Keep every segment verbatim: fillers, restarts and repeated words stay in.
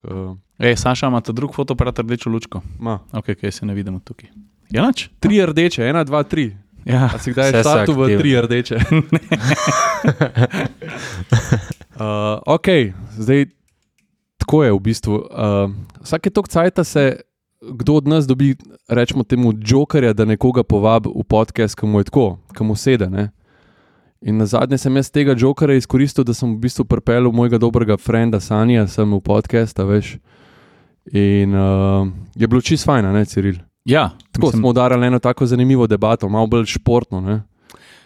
Uh, Ej, Saša, ima ta drug fotoaparat rdečo lučko? Ma. Ok, kaj se ne vidimo tukaj. Ja, nač? Tri rdeče, ena, dva, tri. Ja. A si kdaj štartu v tri rdeče? uh, ok, zdaj tako je v bistvu. Uh, vsake tok cajta se kdo od nas dobi, rečemo temu, jokerja, da nekoga povabi v podcast, ki mu je tako, ki mu sede, ne? In na zadnje sem jaz tega jokerja izkoristil, da sem v bistvu pripeljal mojega dobrega frenda Sanija sem v podcast, a veš. In uh, je bilo čisto fajn, ne, Ciril? Ja. Tako mislim, smo udarali eno tako zanimivo debato, malo bolj športno, ne?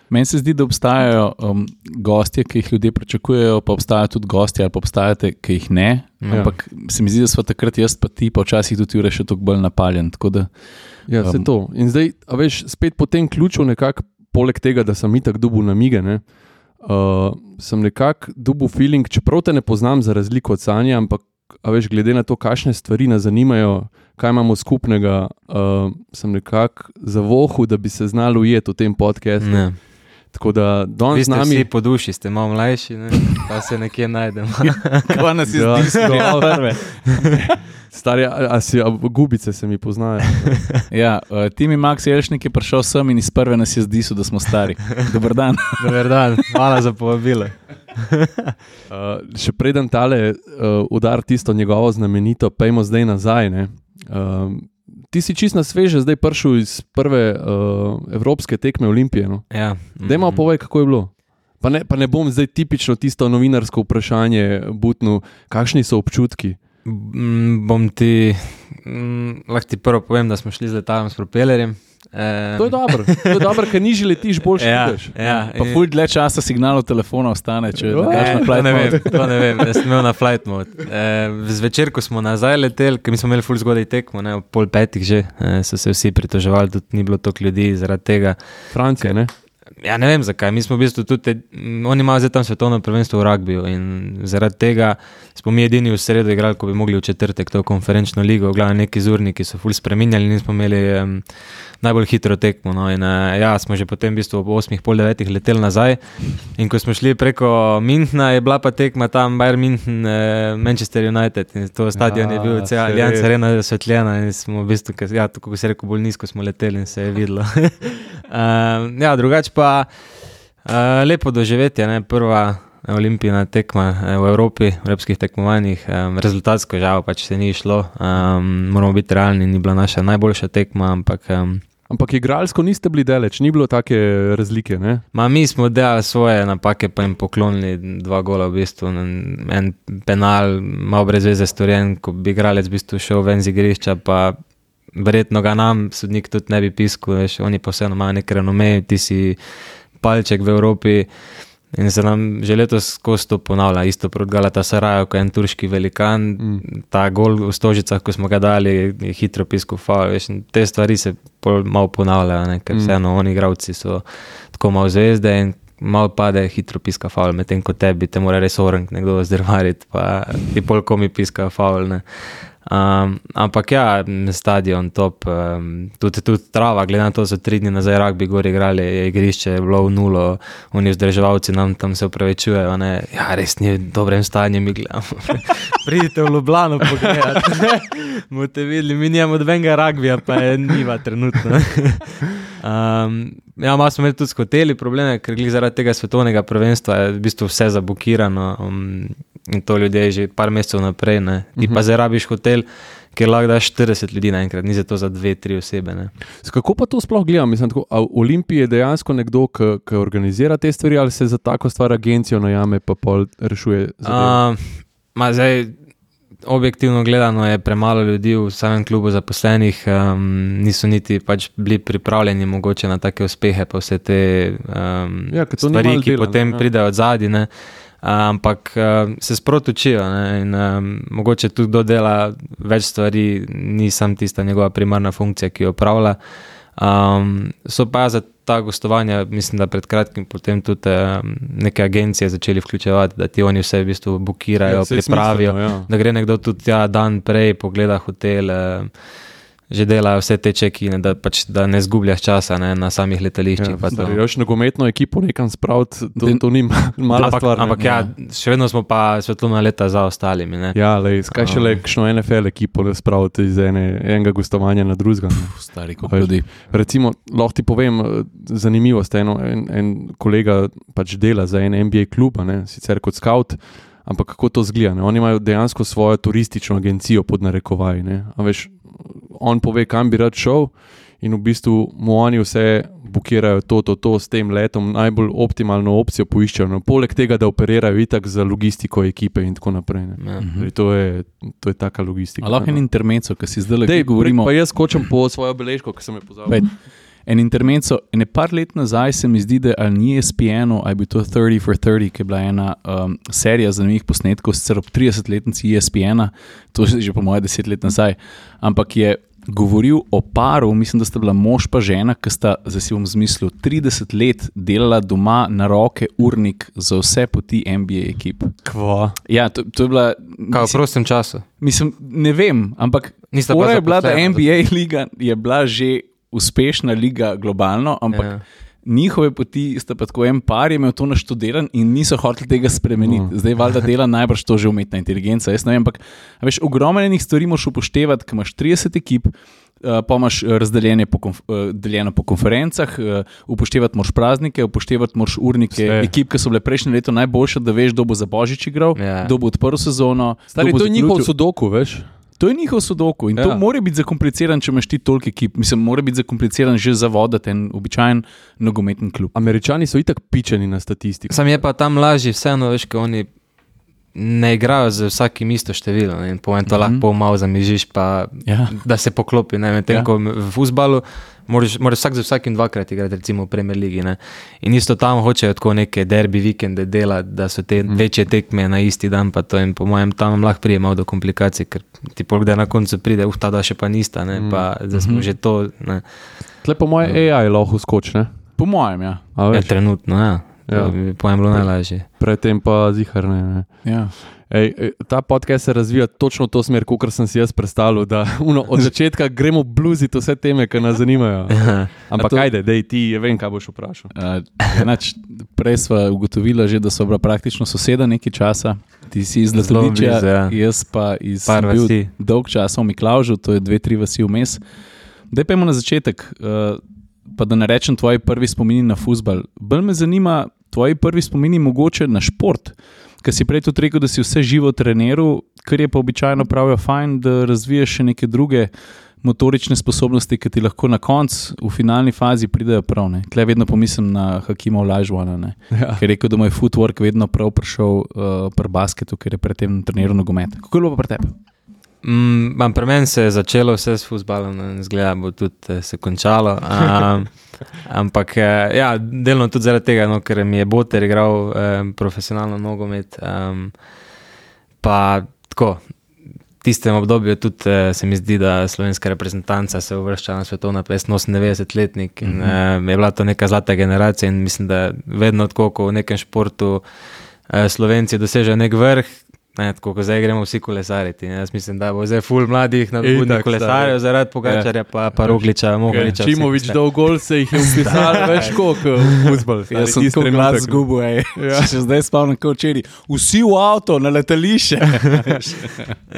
Meni se zdi, da obstajajo um, gostje, ki jih ljudje pričakujejo, pa obstajajo tudi gostje, ali pa obstajate, ki jih ne. Ja. Ampak se mi zdi, da smo takrat jaz pa ti, pa včasih tudi Jure še toliko bolj napaljen. Tako da, ja, se um, to. In zdaj, a veš, spet po tem ključu nekako, poleg tega, da sem itak dobil namige, ne, uh, sem nekako dobil feeling, čeprav te ne poznam za razliko od Sanja, ampak a veš, glede na to, kakšne stvari nas zanimajo, kaj imamo skupnega, uh, sem nekako zavohal, da bi se znal ujeti v tem podcastu. Ne. Tako da danes z nami... Vi ste vsi po duši, ste malo mlajši, ne? Pa se nekje najdemo. Kva nas je zdisnil prve. Stari, a, a, si, a gubice se mi poznajo. Ja, uh, Timi Max Jelšnik je prišel sem in iz prve nas je zdisnil, da smo stari. Dobar dan. Dobar dan, hvala za povabilo. Uh, še preden tale uh, udar tisto njegovo znamenito, pejmo zdaj nazaj, ne? Uh, ti si čist na sveže zdaj prišel iz prve uh, evropske tekme Olimpije, no? Ja. Daj malo povej, kako je bilo. Pa ne, pa ne bom zdaj tipično tisto novinarsko vprašanje butnil, kakšni so občutki? Mm, bom ti, mm, lahko ti prvo povem, da smo šli z letalom s propelerjem. Um, to je dobro, to je dobro, ker nižji letiš, boljši ja, vidiš. Ja, pa ful dlje časa signalov telefona ostane, če ne daš na flight to ne mode. Vem, to ne vem, jaz sem imel na flight mode. E, zvečer, ko smo nazaj leteli, ker mi smo imeli ful zgodaj tekmo, ne, ob pol petih že, e, so se vsi pritoževali, tudi ni bilo toliko ljudi zaradi tega. Francija, ne? Ja, ne vem zakaj, mi smo v bistvu tudi, oni imajo zdaj tam svetovno prvenstvo v rugbiju in zaradi tega smo mi edini v sredo igrali, ko bi mogli v četrtek to konferenčno ligo, v glavnem neki zurniki so ful spreminjali in smo imeli um, najbolj hitro tekmo, no, in uh, ja, smo že potem v bistvu ob osmih, pol devetih leteli nazaj in ko smo šli preko Münchna, je bila pa tekma tam Bayern München, uh, Manchester United in to stadion ja, je bil cel Allianz Arena zasvetljena in smo v bistvu, ja, tako ko se rekel, bolj nizko smo leteli in se je videlo. uh, ja, drugače pa uh, lepo doživetje, ne, prva olimpijina tekma v Evropi, v evropskih tekmovanjih, um, rezultatsko žal pač se ni šlo, um, moramo biti realni, ni bila naša najboljša tekma, ampak... Um, ampak igralsko niste bili daleč, ni bilo take razlike, ne? Ma mi smo delali svoje napake, pa jim poklonili dva gola v bistvu, en penal, malo brez veze storjen, ko bi igralec v bistvu šel ven z igrišča, pa verjetno ga nam sodnik tudi ne bi piskal, veš, oni pa vseeno imajo nek renome, ti si palček v Evropi, in se nam že letos skozi to ponavlja, isto proti Galatasaraju, ko je en turški velikan, mm. ta gol v Stožicah, ko smo ga dali, je hitro piskal faul, veš, in te stvari se malo ponavljajo, ne, ker mm. vseeno oni igravci so tako malo zvezde in malo pade, hitro piska faul, medtem ko tebi te mora res orank nekdo zdrvariti, pa ti pol komi piska faul, ne. Um, ampak ja, stadion top, um, tudi, tudi trava, glede na to, so tri dni nazaj rugby gor igrali, je igrišče je bilo v nulo, oni vzdrževalci nam tam se upravičujejo, ne, ja, res ni v dobrem stanju, mi gledamo, pridite v Ljubljano pogledati, boste videli, mi nijamo dvenga rugbyja, pa je niva trenutno. um, ja, malo smo imeli tudi s hoteli probleme, ker glih zaradi tega svetovnega prvenstva je v bistvu vse zabukirano, um, in to ljudje že par mesecev naprej, ne. Ti pa zdaj rabiš hotel, kjer lahko daš štirideset ljudi naenkrat, ni za to za dve, tri osebe, ne. Kako pa to sploh gledam? Mislim, tako, a v Olimpiji je dejansko nekdo, ki organizira te stvari, ali se za tako stvar agencijo najame, pa pol rešuje zadevo? Uh, ma zdaj, objektivno gledano je premalo ljudi v samem klubu zaposlenih, um, niso niti pač bili pripravljeni mogoče na take uspehe, pa vse te um, ja, stvari, ki dela, potem ja. pridejo od zadaj, ne. Ampak uh, se sprot učijo, ne, in um, mogoče tudi kdo dela več stvari, ni sam tista njegova primarna funkcija, ki jo opravlja. Um, so pa za ta gostovanja, mislim, da pred kratkim potem tudi um, neke agencije začeli vključevati, da ti oni vse v bistvu bukirajo, ja, pripravijo, smiselno, ja. Da gre nekdo tudi ja, dan prej, pogleda hotel, uh, že delajo vse te čekine, da, pač, da ne zgubljaš časa ne, na samih letališčih. Ja, zdaj, još nogometno ekipo nekam spraviti, to, to ni mala ampak, stvar. Ampak ja, še vedno smo pa svetlona leta za ostalimi. Ne. Ja, lej, skaj še le kakšno N F L ekipo spraviti iz ene, enega gostovanja na drugega. Stari kot ljudi. Recimo, lahko ti povem zanimivost, eno, en, en kolega pač dela za en N B A klub, ne, sicer kot scout, ampak kako to zgleda, ne? Oni imajo dejansko svojo turistično agencijo pod narekovaji, ne? A veš, on pove, kam bi rad šel in v bistvu mu oni vse bukirajo to, to, to s tem letom, najbolj optimalno opcijo poiščajo, no, poleg tega, da operirajo itak za logistiko ekipe in tako naprej. Ne? Ja. Zdaj, to, je, to je taka logistika. A lahko en intermezzo, ki si zdaj le govorimo. Pa jaz skočam po svojo beležko, ki sem je pozabil. En intermezzo, ene par let nazaj se mi zdi, da ali ni E S P N-u, ali bi to thirty for thirty, ki je bila ena um, serija zanimivih posnetkov, sicer ob tridesetletnici E S P N-a, to je že po moje deset let nazaj, ampak je govoril o paru, mislim, da sta bila mož pa žena, ki sta, zdaj si bom zmislil, trideset let delala doma na roke urnik za vse poti N B A ekip. Kva? Ja, to, to je bila... Kaj v prostem času? Mislim, ne vem, ampak fora je bila, da N B A liga je bila že uspešna liga globalno, ampak ja. Njihove poti sta pa tako en par je imel to naštudiran in niso hoteli tega spremeniti. No. Zdaj valjda dela najbrž to že umetna inteligenca, jaz ne vem, ampak veš, ogromno enih stvari moraš upoštevati, ko imaš trideset ekip, uh, pa imaš razdeljene po, konf- uh, deljeno po konferencah, uh, upoštevati moraš praznike, upoštevati moraš urnike Sve. ekip, ki so bile prejšnje leto najboljše, da veš, kdo bo za Božič igral, ja. kdo bo odprl sezono. Stari, to je njihov sudoku, veš? To je njihov sudoku in ja. To mora biti zakompliciran, če imaš ti toliko ekip. Mislim, mora biti zakompliciran že za voditi en običajen nogometni klub. Američani so itak pičeni na statistiko. Sam je pa tam lažje vseeno, veš, ko oni ne igrajo z vsakim isto število in po en to mm-hmm. lahko pol malo zamižiš, pa ja. Da se poklopi. Ne, medtem, ja. Ko v fuzbalu moraš, moraš vsak za vsakim dvakrat igrati, recimo v Premier Ligi. Ne. In isto tam hočejo tako neke derbi vikende delati, da so te mm. večje tekme na isti dan, pa to in po mojem tam lahko prije malo do komplikacij, ker ti polkdaj na koncu pride, uh, ta da še pa nista, ne, mm. pa zdaj smo mm-hmm. že to. Ne. Tle po mojem A I lahko skoči, ne? Po mojem, ja. Ja, trenutno, ja. Ja. Po mojem bilo najlažje. Predtem pa zihar ne. ne. Ja. Ej, ta podcast se razvija točno v to smer, kot sem si jaz predstavljal, da uno, od začetka gremo bluziti vse teme, ki nas zanimajo. Ampak to... ajde, dej ti, vem, kaj boš vprašal. Uh, enač, prej sva ugotovila že, da so bila praktično soseda nekaj časa. Ti si iz Letaliča, ja. Jaz pa iz bil dolg časa v Miklavžu, to je dve, tri vasi vmes. Dej pojmo na začetek, uh, pa da ne rečem tvoji prvi spomini na fuzbal. Bolj me zanima tvoji prvi spomini mogoče na šport. Ker si prej tudi rekel, da si vse živo treniral, kar je pa običajno pravijo fajn, da razviješ še neke druge motorične sposobnosti, ki ti lahko na koncu v finalni fazi pridejo prav. Ne. Tle vedno pomislim na Hakima Olajuwona, ja. Ker je rekel, da mu je footwork vedno prav prišel uh, pri basketu, ker je predtem treniral nogomet. Kako je bilo pa pri tebi? Mm, pri meni se je začelo vse s fuzbalom, zgleda bo tudi se končalo. Um, ampak ja, delno tudi zaradi tega, no, ker mi je Boter igral um, profesionalno nogomet. Um, pa tako, v tistem obdobju tudi se mi zdi, da slovenska reprezentanca se uvršča na svetovno prvenstvo oseminosemdesetletnik in mm-hmm. um, je bila to neka zlata generacija in mislim, da vedno tako, ko v nekem športu uh, Slovenci dosežejo nek vrh, ne, tako, ko zdaj gremo vsi kolesariti. Jaz mislim, da bo zdaj ful mladih nadobudnih kolesarjev zaradi Pogačarja, pa, pa Rogliča, Mohoriča. Čimovič dol gol se jih je upisal več koliko v fuzbal. Jaz sem tako mlad zgubil, ej. Ja. Še zdaj spavnem kot včeraj. Vsi v avto, na letališče.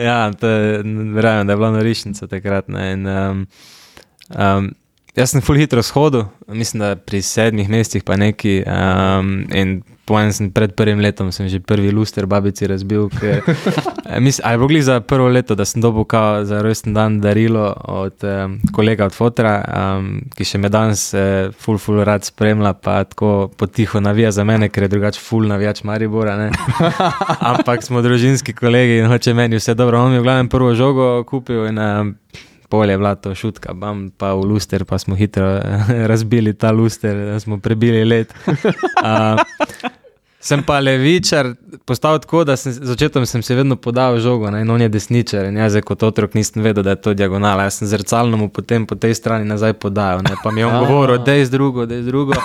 Ja, to je, verjamem, da je bila norišnica takrat. Ne, in, um, um, jaz sem ful hitro shodil, mislim, da pri sedmih mestih pa neki um, in pojem sem pred prvim letom sem že prvi luster babici razbil, ker, mislim, ali bogli za prvo leto, da sem dobil kao za rojsten dan darilo od um, kolega od fotra, um, ki še me danes uh, ful ful rad spremlja, pa tako potiho navija za mene, ker je drugač ful navijač Maribora, ne. Ampak smo družinski kolegi in hoče meni vse dobro. On mi je v glavnem prvo žogo kupil in um, pol je bila to šutka, bam, pa v luster, pa smo hitro razbili ta luster, da smo prebili let. Uh, sem pa levičar postal tako, da sem, začetom sem se vedno podal žogo, ne, in on je desničar in jaz kot otrok nisem vedel, da je to diagonala. Jaz sem zrcalno mu potem po tej strani nazaj podajal, ne, pa mi je on govoril, dej z drugo, dej z drugo.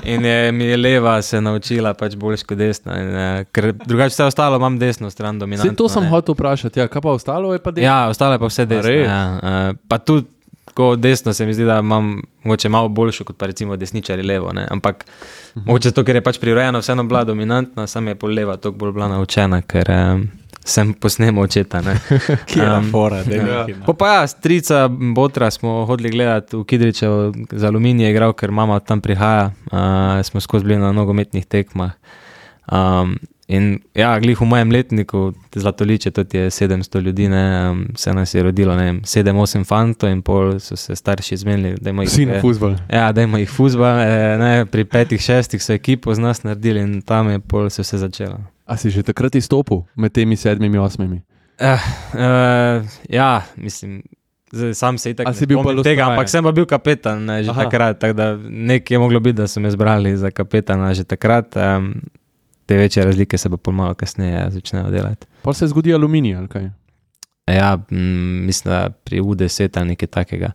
In je, mi je leva se naučila pač boljš kot desna. In, uh, ker drugače vse ostalo imam desno stran dominantno. Vse to sem hotel vprašati, ja, kaj pa ostalo je pa desno? Ja, ostalo je pa vse desno. Ja, uh, pa tudi ko desno se mi zdi, da imam mogoče malo boljšo kot pa recimo desničari levo. Ne? Ampak uh-huh. mogoče to, ker je pač prirojeno vseeno bila dominantna, sam je pol leva toliko bolj bila naučena, ker um, sem posnemal očeta. Kjera um, fora, da je ja. Pa pa ja, strica Botra smo hodili gledati v Kidričevo za Aluminij igral, ker mama tam prihaja. Uh, smo skozi bili na nogometnih tekmah. Um, in ja, glih v mojem letniku Zlatoliče, tudi je sedemsto ljudi, ne, um, se nas je rodilo, ne vem, sedem, osem fantov in pol so se starši zmenili, da ima jih... Vsi na fuzbal. Ja, da ima jih fuzbal, eh, ne, pri petih, šestih so ekipo z nas naredili in tam je pol se vse začelo. A si že takrat izstopil med temi sedmimi, osmimi? Uh, uh, ja, mislim, zdaj, sam se itak ne spomnim tega, ampak sem pa bil kapetan ne, že Aha. takrat, tako da nekaj je moglo biti, da so me zbrali za kapetana že takrat. Um, te večje razlike se pa pol malo kasneje začnejo delati. Pa se zgodi Aluminij, ali kaj? Ja, m, mislim, da pri U deset ali nekaj takega.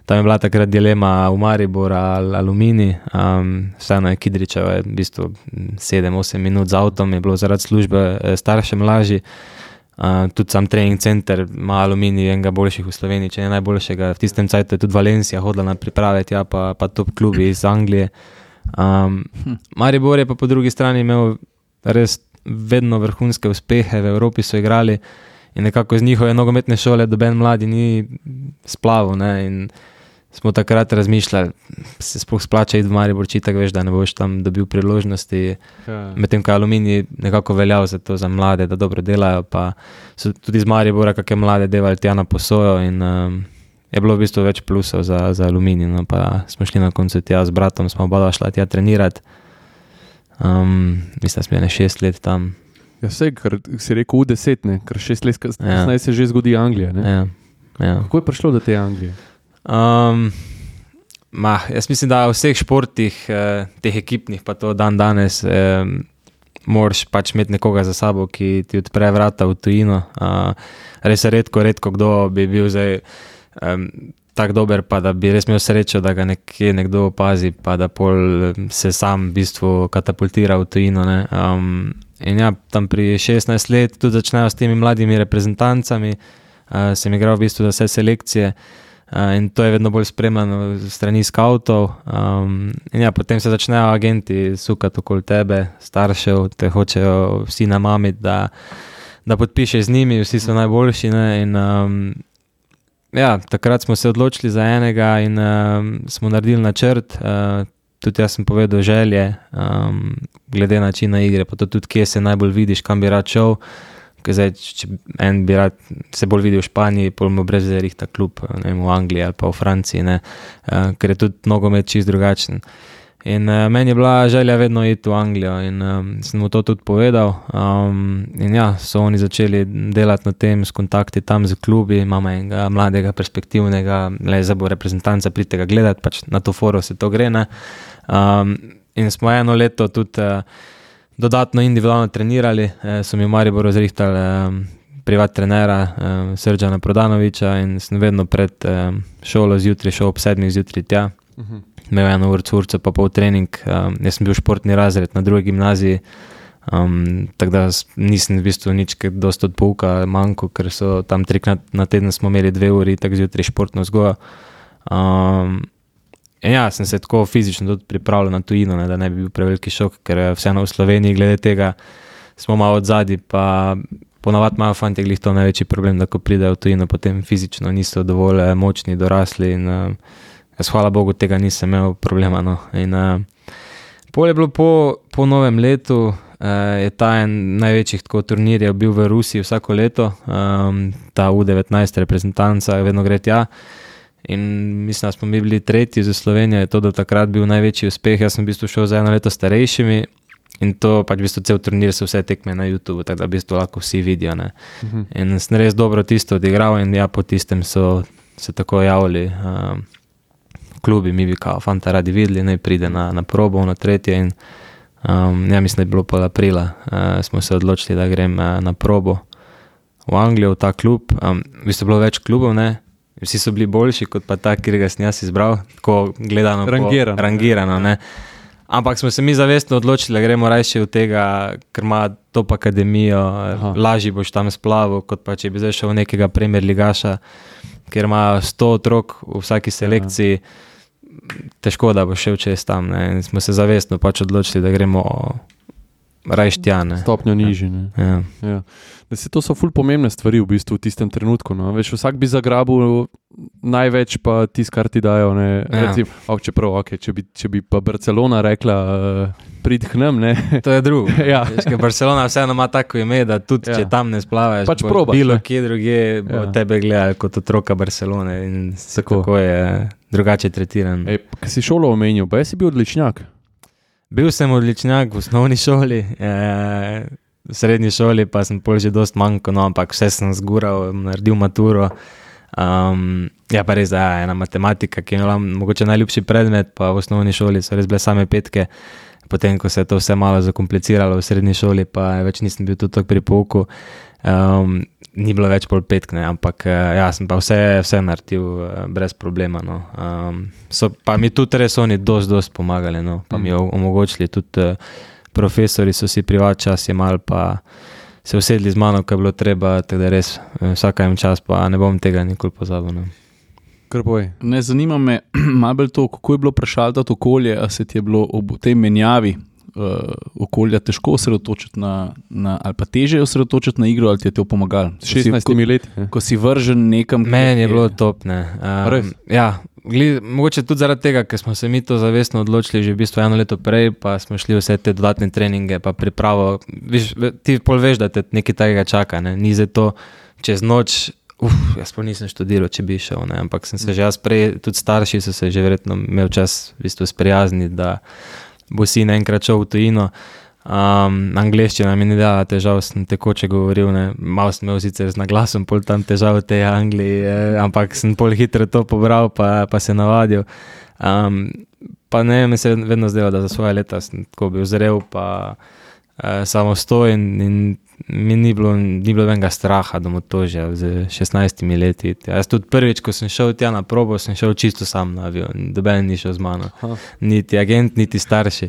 Tam je bila takrat dilema v Mariboru ali Aluminij. Um, vseeno je Kidričevo je v bistvu sedem osem minut z avtom, je bilo zaradi službe staršem lažji. Uh, tudi sam trening center ima Aluminij enega boljših v Sloveniji, če ne najboljšega. V tistem cajtu je tudi Valencija hodila na priprave, ja, pa, pa top klubi iz Anglije. Um, hm. Maribor je pa po drugi strani imel res vedno vrhunske uspehe, v Evropi so igrali in nekako z njihove nogometne šole doben mladi ni splavil, ne, in smo takrat razmišljali, se sploh splača iti v Maribor, či tako veš, da ne boš tam dobil priložnosti, ja. Medtem ko je Aluminij nekako veljal za to za mlade, da dobro delajo, pa so tudi z Maribora kakšne mlade devali tja na posojo in um, je bilo v bistvu več plusov za, za Aluminij, no, pa smo šli na koncu tja z bratom, smo oba šla tja trenirati. Um, mislim, da smo bili šest let tam. Ja, vse, kar si rekel U deset, ne, ker šest let kasneje ja. se že zgodi Anglija, ne? Ja, ja. Kako je prišlo do te Anglije? Um, ma, jaz mislim, da v vseh športih, eh, teh ekipnih, pa to dan danes, eh, moraš pač imeti nekoga za sabo, ki ti odpre vrata v tujino. Uh, res je redko, redko kdo bi bil zdaj um, tako dober, pa da bi res imel srečo, da ga nekje nekdo opazi, pa da pol se sam v bistvu katapultira v tujino. Ne. Um, in ja, tam pri šestnajst let tudi začnejo s temi mladimi reprezentancami, uh, sem igral v bistvu za vse selekcije uh, in to je vedno bolj spremljano strani skautov. Um, in ja, potem se začnejo agenti sukati okoli tebe, staršev, te hočejo vsi namamiti, da, da podpišeš z njimi, vsi so najboljši, ne, in um, ja, takrat smo se odločili za enega in um, smo naredili načrt, uh, tudi jaz sem povedal želje, um, glede načina igre, pa to tudi, kje se najbolj vidiš, kam bi rad šel, ker zdaj, če en bi rad se bolj videl v Španiji, pol mu brez rihta klub, ne vem, v Angliji ali pa v Franciji, ne, uh, ker je tudi nogomet čist drugačen. In uh, meni je bila želja vedno iti v Anglijo in um, sem mu to tudi povedal. Um, in ja, so oni začeli delati na tem, s kontakti tam z klubi, imamo enega mladega, perspektivnega, le zdaj bo reprezentanca, pridite ga gledati, pač na to foro se to gre, ne. Um, in smo eno leto tudi uh, dodatno individualno trenirali, uh, so mi v Mariboru zrihtali uh, privat trenera uh, Srdjana Prodanoviča in sem vedno pred uh, šolo zjutraj šel ob sedmih zjutraj tja. Uh-huh. Imel eno urco, urco pa pol trening, um, jaz sem bil športni razred na drugi gimnaziji, um, tako da nisem v bistvu nič kaj dosti od pouka manjko, ker so tam trikrat na teden smo imeli dve uri, tako zjutraj športno vzgojo. Um, in ja, sem se tako fizično tudi pripravljal na tujino, ne, da ne bi bil preveliki šok, ker vseeno v Sloveniji glede tega smo malo odzadi, pa ponavadi imajo fantje glih to največji problem, da ko pridejo v tujino, potem fizično niso dovolj močni, dorasli in um, jaz, hvala Bogu, tega nisem imel problema. No. In, uh, pol je bilo po, po novem letu, uh, je ta en največjih tako turnirjev bil v Rusiji vsako leto, um, ta U devetnajst reprezentanca, vedno gre tja. In mislim, da smo mi bili tretji za Slovenijo, je to do takrat bil največji uspeh. Jaz sem v bistvu šel za eno leto starejšimi in to pač v bistvu cel turnir so vse tekme na YouTube, tako da v bistvu lahko vsi vidijo. Ne. Uh-huh. In sem res dobro tisto odigral in ja, po tistem so se tako javili. Um, klubi, mi bi kao fanta radi videli, ne pride na, na probo, na tretje in um, ja, mislim, da je bilo pol aprila, uh, smo se odločili, da grem uh, na probo v Anglijo, v ta klub. Um, v bistvu bilo več klubov, ne, vsi so bili boljši kot pa ta, kjer ga sem jaz izbral, tako gledano, rangirano, po, rangirano ne. Ampak smo se mi zavestno odločili, da gremo rajši od tega, ker ima top akademijo, Aha. lažji boš tam splavil, kot pa če bi zdaj šel v nekega Premier ligaša, ker ima sto otrok v vsaki selekciji, Aha. težko, da boš šel čez tam. Ne. In smo se zavestno pač odločili, da gremo rajši tja. Ne. Stopnjo nižji. Ne. Ja. Ja. Da se to so ful pomembne stvari v bistvu v tistem trenutku. No. Veš, vsak bi zagrabil največ pa tis, kar ti dajo. Ne. Ja. Recim, oh, čeprav, okay, če, bi, če bi pa Barcelona rekla, uh, prid k nam, ne. To je drugo. ja. Barcelona vseeno ima tako ime, da tudi ja. če tam ne splavaš, pač probaš, bilo ne. kje druge bo ja. tebe gledali kot otroka Barcelone in tako, tako je drugače tretiran. Ej, kaj si šolo omenil, pa jaz si bil odličnjak? Bil sem odličnjak v osnovni šoli, eh, v srednji šoli pa sem pol že dost manjko, no, ampak vse sem zgural, naredil maturo. Um, ja, pa res, da ja, ena matematika, ki je imela mogoče najljubši predmet, pa v osnovni šoli so res bile same petke. Potem, ko se je to vse malo zakompliciralo v srednji šoli, pa več nisem bil tudi pri pouku, um, ni bilo več pol petk, ne, ampak ja, sem pa vse, vse naredil brez problema. No. Um, so, pa mi tudi res oni dost, dost pomagali, no, pa mi omogočili tudi profesori so si privat čas jemali, pa se usedli z mano, ko je bilo treba, tako da res vsaka jim čas, pa ne bom tega nikoli pozabil. No. Ne, zanima me malo bolj to, kako je bilo prešaltati okolje, a se ti je bilo ob tej menjavi uh, okolja težko osredotočiti na, na, ali pa teže osredotočiti na igro, ali ti je to pomagalo? šestnajstimi leti. Ko si vržen nekam... Meni je bilo top, ne. Um, ja, gled, mogoče tudi zaradi tega, ker smo se mi to zavestno odločili že v bistvu eno leto prej, pa smo šli vse te dodatne treninge, pa pripravo. Viš, ti pol veš, da te nekaj takega čaka, ne. Ni za to čez noč... Uf, jaz pa nisem študiral, če bi šel, ne, ampak sem se že jaz prej, tudi starši so se že verjetno imel čas v bistvu sprijazniti, da bo sin enkrat šel v tujino. Um, angleščina mi ni dala težav, sem tekoče govoril, ne, malo sem imel sicer z naglasom pol tam težav v tej Angliji, eh, ampak sem pol hitro to pobral, pa, pa se navadil. Um, pa ne, mi se vedno zdelo, da za svoje leta sem tako bil zrel, pa eh, samostojen in mi ni bilo, ni bilo venga straha do motožja z šestnajstimi leti. Jaz tudi prvič, ko sem šel tja na probo, sem šel čisto sam na avion, doben ni šel z mano. Aha. Niti agent, niti starši.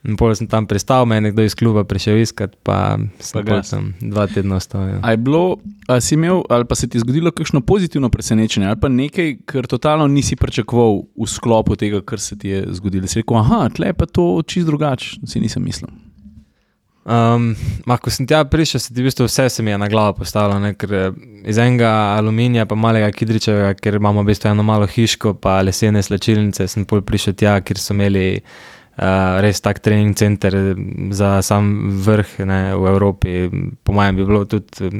In pol sem tam pristal, me je nekdo iz kluba prišel iskat, pa sem pa tam dva tedna ostal. Ja. A je bilo, a si imel, ali pa se ti zgodilo kakšno pozitivno presenečenje, ali pa nekaj, kar totalno nisi pričakoval v sklopu tega, kar se ti je zgodilo? Si rekel, aha, tle pa to čisto drugače, si nisem mislil. Um, ma, ko sem tja prišel, se ti v bistvu vse se mi je na glavo postavilo, ne, ker iz enega aluminija pa malega Kidričevega, ker imamo v bistvu eno malo hiško pa lesene slačilnice, sem pol prišel tja, kjer so imeli uh, res tak trening center za sam vrh, ne, v Evropi. Po mojem bi bilo tudi,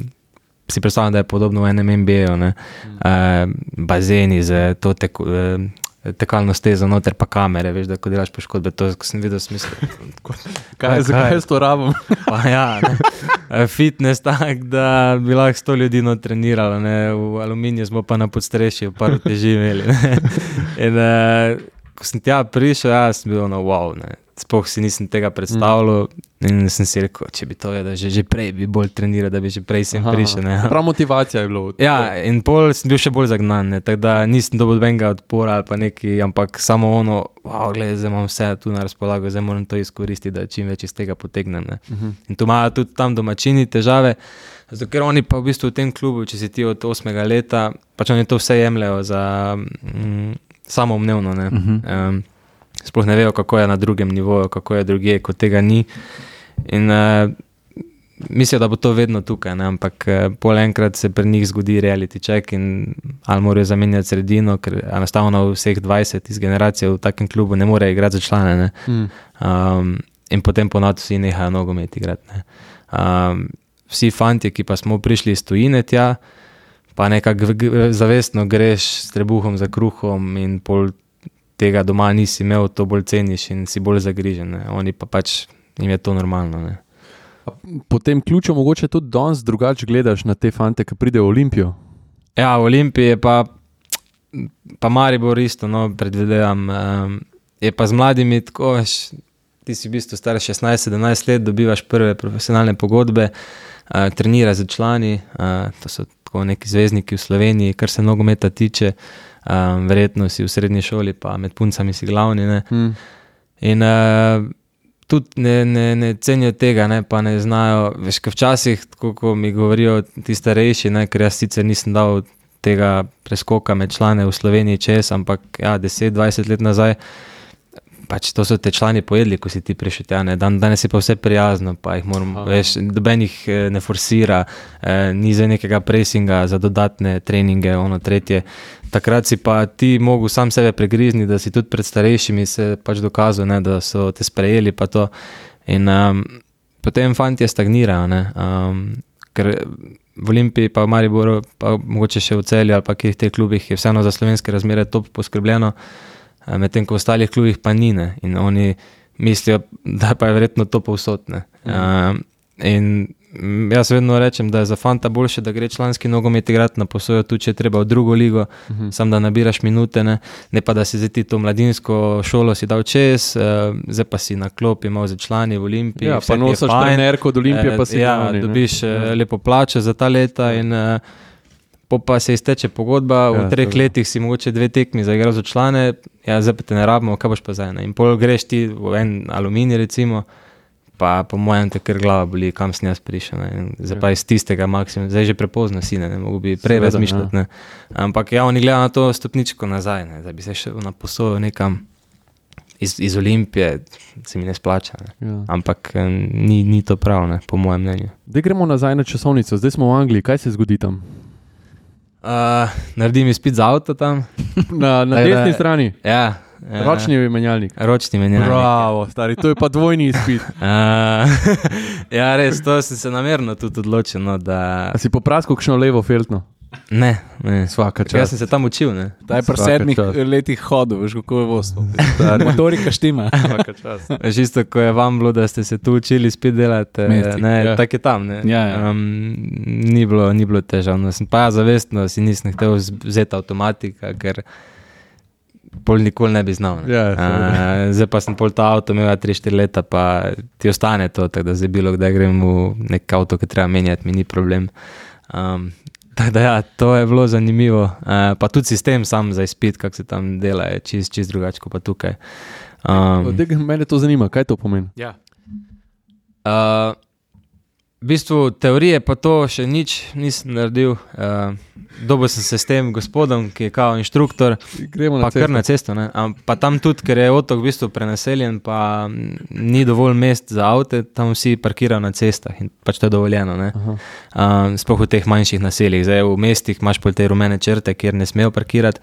si predstavljam, da je podobno v enem N B A-ju, ne, uh, bazeni za to teko, uh, tekalno stezo noter pa kamere, veš, da ko delaš poškodbe, to, ko sem videl smisel. Kaj, zakaj jaz to rabim? Pa ja, ne. Fitness tak, da bi lahko sto ljudi no treniralo, ne. V aluminiju smo pa na podstrešju par teži imeli, ne. In uh, ko sem tja prišel, ja, sem bil ono wow, ne. Sploh si nisem tega predstavljal in sem si rekel, če bi to vedel, že, že prej bi bolj treniral, da bi že prej sem prišel. Ne. Prav motivacija je bilo. Ja, in pol sem bil še bolj zagnan, ne, tako da nisem dobil benga odpora ali pa neki, ampak samo ono, wow, gledaj, zdaj imam vse tu na razpolago, zdaj moram to izkoristiti, da čim več iz tega potegnem. Ne. Uh-huh. In tu imajo tudi tam domačini težave, zato ker oni pa v bistvu v tem klubu, če si ti od osmega leta, pač oni to vse jemljajo za mm, samoumnevno, ne. Uh-huh. Um, sploh ne vejo, kako je na drugem nivoju, kako je drugje, ko tega ni. In uh, mislijo, da bo to vedno tukaj, ne? Ampak uh, pol enkrat se pri njih zgodi reality check in ali morajo zamenjati sredino, ker enostavno vseh dvajset iz generacije v takem klubu ne more igrati za člane. Ne? Mm. Um, in potem ponad vsi nehajo nogomet igrati. Ne? Um, vsi fantje, ki pa smo prišli iz tujine tja, pa nekako g- zavestno greš s trebuhom za kruhom in pol tega doma nisi imel, to bolj ceniš in si bolj zagrižen. Ne? Oni pa pač, jim je to normalno. Ne? Po tem ključu mogoče tudi danes drugače gledaš na te fante, ki pridejo v Olimpijo? Ja, v Olimpiji je pa, pa Maribor isto, no, predvidevam. Um, je pa z mladimi tako, veš, ti si v bistvu star šestnajst sedemnajst let, dobivaš prve profesionalne pogodbe, uh, treniraš z člani, uh, to so tako neki zvezdniki v Sloveniji, kar se nogometa tiče. Um, verjetno si v srednji šoli, pa med puncami si glavni. Ne? Hmm. In uh, tudi ne, ne, ne cenijo tega, ne, pa ne znajo, veš, kaj včasih, tako ko mi govorijo ti starejši, ne, ker jaz sicer nisem dal tega preskoka med člane v Sloveniji čez, ampak ja, deset dvajset let nazaj, pač to so te člani pojedli, ko si ti prišel tja, ne. Dan, danes je pa vse prijazno, pa jih moram, veš, doben jih ne forsira, eh, ni za nekega presinga, za dodatne treninge, ono tretje. Takrat si pa ti mogel sam sebe pregrizni, da si tudi pred starejšimi se pač dokazal, ne, da so te sprejeli pa to. In um, potem fantje stagnirajo, ne, um, ker v Olimpiji pa v Mariboru, pa mogoče še v Celju ali pa kjer teh klubih je vseeno za slovenske razmere top poskrbljeno, medtem ko v ostalih klubih pa ni, ne, in oni mislijo, da pa je verjetno to povsod, ne. Mm. Uh, in jaz vedno rečem, da je za fanta boljše, da gre članski nogomet igrati na posojo, tudi če je treba v drugo ligo, uh-huh. sam da nabiraš minute, ne, ne pa da si zdaj ti to mladinsko šolo si dal čez, uh, zdaj pa si na klopi malo za člani v Olimpiji. Ja, pa nosaš trenerko od Olimpije, pa si ja, nani, dobiš ja. lepo plačo za ta leta in uh, po pa se izteče pogodba, v ja, treh tako. letih si mogoče dve tekmi zaigral za člane, ja, zdaj pa te ne rabimo, kaj boš pa zdaj, ne? In pol greš ti v en Aluminij recimo, pa po mojem te kar glava boli, kam sem jaz prišel, ne? Zdaj pa iz tistega maksimum, zdaj že prepozno si, ne, ne mogu bi prej Seveda, razmišljati, ja. ne. Ampak ja, oni gledajo na to stopničko nazaj, ne, da bi se še na posojo nekam iz, iz Olimpije, se mi ne splača, ne. Ja. Ampak ni, ni to prav, ne, po mojem mnenju. Zdaj gremo nazaj na časovnico, zdaj smo v Angliji, kaj se zgodi tam? Uh, naredim izpit za avto tam. Na, na desni strani? Ja. Uh, ročni menjalnik? Ročni menjalnik. Bravo, stari, to je pa dvojni izpit. uh, ja, res, to sem se namerno tudi odločil, no, da... A si popraskal kakšno levo feltno? Ne, ne. Svaka čas. Jaz sem se tam učil, ne. Daj pri sedmih letih hodil, veš, kako je vodstvo. Motorika štima. Svaka čas. Veš, isto, ko je vam bilo, da ste se tu učili spet delati, Mestik, ne, ja. Tak je tam, ne. Ja, ja. Um, ni bilo, ni bilo težavno. Sem pa ja zavestno, si nisem hotel vzeti avtomatika, ker pol nikoli ne bi znal. Ne. Ja, uh, zdaj pa sem pol ta avto imel tri štiri leta, pa ti ostane to, tako da zdaj bilo, kdaj grem v nek avto, ki treba menjati, mi ni problem. Um, Tako da ja, to je bilo zanimivo. Uh, pa tudi sistem sam za izpit, kako se tam dela, je čist, čist drugače kot pa tukaj. Um, Mene to zanima, kaj to pomeni? Ja. Uh, v bistvu teorije pa to še nič nisem naredil. Uh, dobil sem se s tem gospodom, ki je kao inštruktor, Gremo na pa kar na cesto. Ne? Um, pa tam tudi, ker je otok v bistvu prenaseljen, pa ni dovolj mest za avte, tam vsi parkirajo na cestah in pač to je dovoljeno. Ne? Um, sploh v teh manjših naseljih. Zdaj v mestih imaš pol te rumene črte, kjer ne smejo parkirati,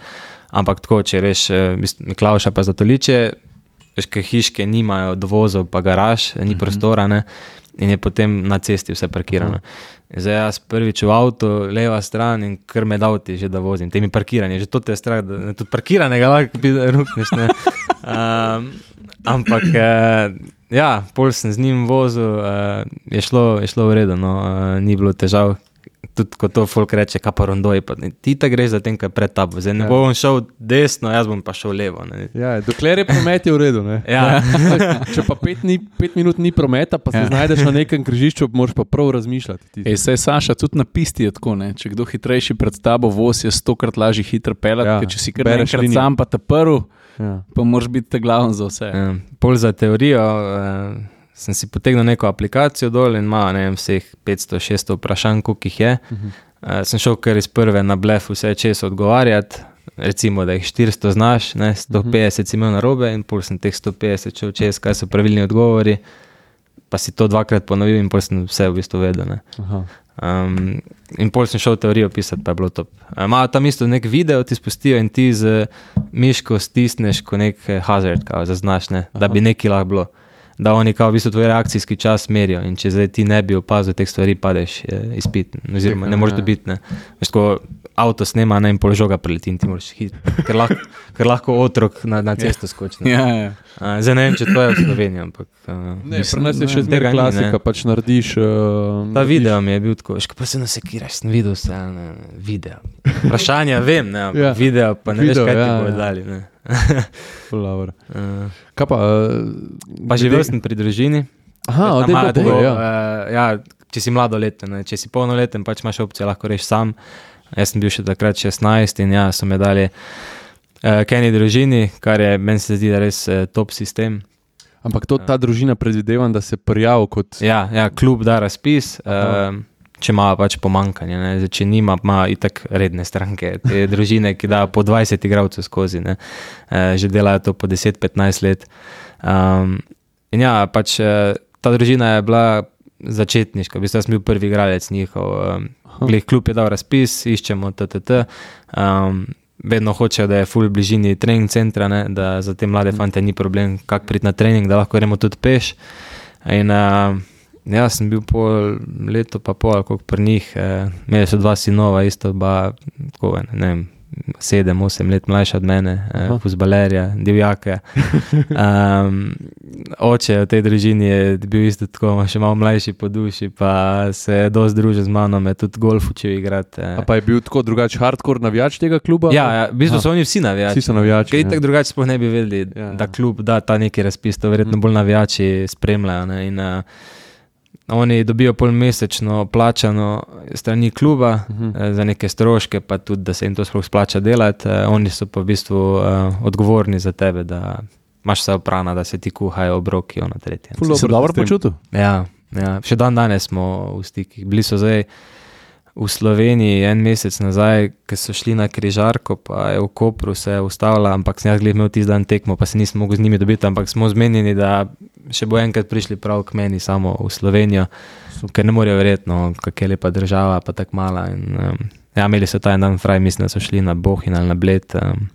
ampak tako, če veš Miklavša pa Zatoliče, veš, kaj hiške nimajo dovozov pa garaž, ni uh-huh. prostora, ne? In je potem na cesti vse parkirano. Uh-huh. Zdaj jaz prvič v avto, leva stran in kar me davti že, da vozim. Te mi parkiranje, že to te je strah, da tudi parkiranega lahko bi rukneš, ne. Um, ampak, uh, ja, pol sem z njim vozil, uh, je, šlo, je šlo v redu, no, uh, ni bilo težav. Tudi ko to folk reče, kaj pa rondoji, pa ti ta greš za tem, kaj pred tabo. Zdaj ne ja. bom šel desno, jaz bom pa šel levo. Ne. Ja, dokler je promet je v redu, ne. Ja. Če pa pet, ni, pet minut ni prometa, pa se ja. znajdeš na nekem križišču, moraš pa prav razmišljati. Ej, saj Saša, tudi na pisti je tako, ne. Če kdo hitrejši pred tabo voz, je stokrat lažje hitro pelati, ja. ker če si kar enkrat sam pa te prv, ja. pa moraš biti te glaven za vse. Ja. Pol za teorijo, uh, sem si potegnil neko aplikacijo dol in ima, ne vem, vseh petsto šeststo vprašanj, koliko jih je. Uh-huh. Uh, sem šel kar iz prve na blef vse čez odgovarjati, recimo, da jih štiristo znaš, ne, sto petdeset uh-huh. si imel narobe in pol sem teh sto petdeset šel čez, kaj so pravilni odgovori, pa si to dvakrat ponovil in pol sem vse v bistvu vedel, ne. Uh-huh. Um, in pol sem šel teorijo pisati, pa je bilo top. Imajo tam isto nek video, ti spustijo in ti z miško stisneš ko nek hazard, kao, zaznaš, ne, da bi neki lahko bilo. Da oni kao v bistvu tvoj reakcijski čas merijo in če zdaj ti ne bi opazil teh stvari, padeš izpit, oziroma ne moreš dobiti, ne. Veš, ko avto snema, ne, in pol žoga preleti in ti moraš hit, ker lahko, ker lahko otrok na, na cesto skoči. Ja, ja. Uh, zdaj ne vem, če to je v Sloveniji, ampak... Uh, ne, pri nas je še zmer klasika, pač narediš... Uh, Ta video mi je bil tako, veš, pa se nasekiraš, sem videl vse, ne, video. Vprašanja vem, ne, ja. video, pa ne video, veš, kaj ja, ti bojo dali, ne. uh, Kaj pa? Uh, pa živel sem pri družini. Aha, od tega tako, ja. Uh, ja, če si mladoleten, ne, če si polnoleten, pač imaš opcijo, lahko reš sam. Jaz sem bil še takrat šestnajst in ja, so me dali uh, k eni družini, kar je, meni se zdi, da res uh, top sistem. Ampak to, ta družina predvidevam, da se prijavi kot... Ja, ja, klub da razpis, uh, če ima pač pomankanje. Ne? Zdaj, če nima, ima itak redne stranke. Te družine, ki dajo po dvajset igralcev skozi, ne? Uh, že delajo to po deset petnajst let. Um, in ja, pač ta družina je bila začetniška, v bistvu sem bil prvi igralec njihov. Um, glih, klub je dal razpis, iščemo ttt. Um, vedno hočejo, da je ful bližini trening centra, ne? Da za te mlade fante ni problem, kak priti na trening, da lahko gremo tudi peš. In uh, ja, sem bil pol leto pa pol, koliko pri njih. Uh, imeli so dva sinova, isto ba, tako, ne vem, sedem, osem let mlajša od mene, eh, fuzbalerja, divjake. Um, oče v tej družini je bil isto tako, še malo mlajši po duši, pa se je dosti družil z mano, me tudi golf učil igrati. Eh. A pa je bil tako drugač hardcore navijač tega kluba? Ja, ja, v bistvu so oni vsi navijači. Vsi so navijači. Kaj tako drugače sploh ne bi vedeli, ja, da klub da ta neki razpis, to verjetno bolj navijači spremljajo. Ne? In uh, oni dobijo polmesečno plačano strani kluba uh-huh. za neke stroške, pa tudi, da se jim to sploh splača delati. Oni so pa v bistvu uh, odgovorni za tebe, da imaš vse oprana, da se ti kuhajo obroki, ono tretje. Si se dobro počutil? Ja, ja, še dan danes smo v stikih. Bili so zdaj v Sloveniji en mesec nazaj, ko so šli na križarko, pa je v Kopru se ustavila, ampak sem jaz glih imel tisti dan tekmo, pa se nisem mogel z njimi dobiti, ampak smo zmenjeni, da še bo enkrat prišli prav k meni samo v Slovenijo, ker ne morejo verjetno, kak je lepa država, pa tak mala. In, um, ja, imeli so ta en dan fraj, mislim, da so šli na Bohin ali na Bled. Um,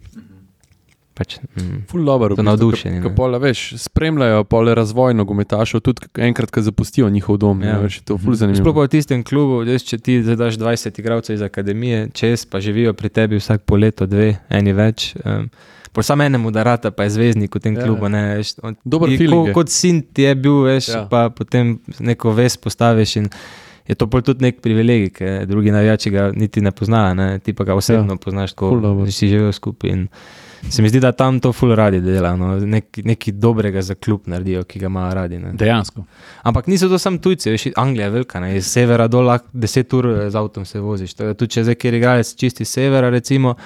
pač, mm, Ful dobro, so navdušeni. Ko pole, veš, spremljajo pole razvoj nogometašov, tudi enkrat, ko zapustijo njihov dom. Ja. Ne, veš, to ful zanimivo. Sploh pa v tistem klubu, des, če ti zadaš dvajset igralcev iz akademije, čez pa živijo pri tebi vsak po leto, dve, eni več. Um, po samo enemu darata pa je zvezdnik v tem ja, klubu. Ne, veš, on, dober ti, feeling. ko, kot sin ti je bil, veš, ja. Pa potem neko ves postaviš in je to pol tudi nek privilegij, ker drugi navijači ga niti ne poznajo, ne, ti pa ga osebno ja. Poznaš, ko si živel skupaj. In se mi zdi, da tam to ful radi dela, no? Nek, nekaj dobrega za klub naredijo, ki ga imajo radi. Ne? Dejansko. Ampak niso to samo tujci, veš, Anglija je velika, ne? Iz severa dol lahko deset ur z avtom se voziš. Tudi če zdaj kjer igralec čisti severa, recimo,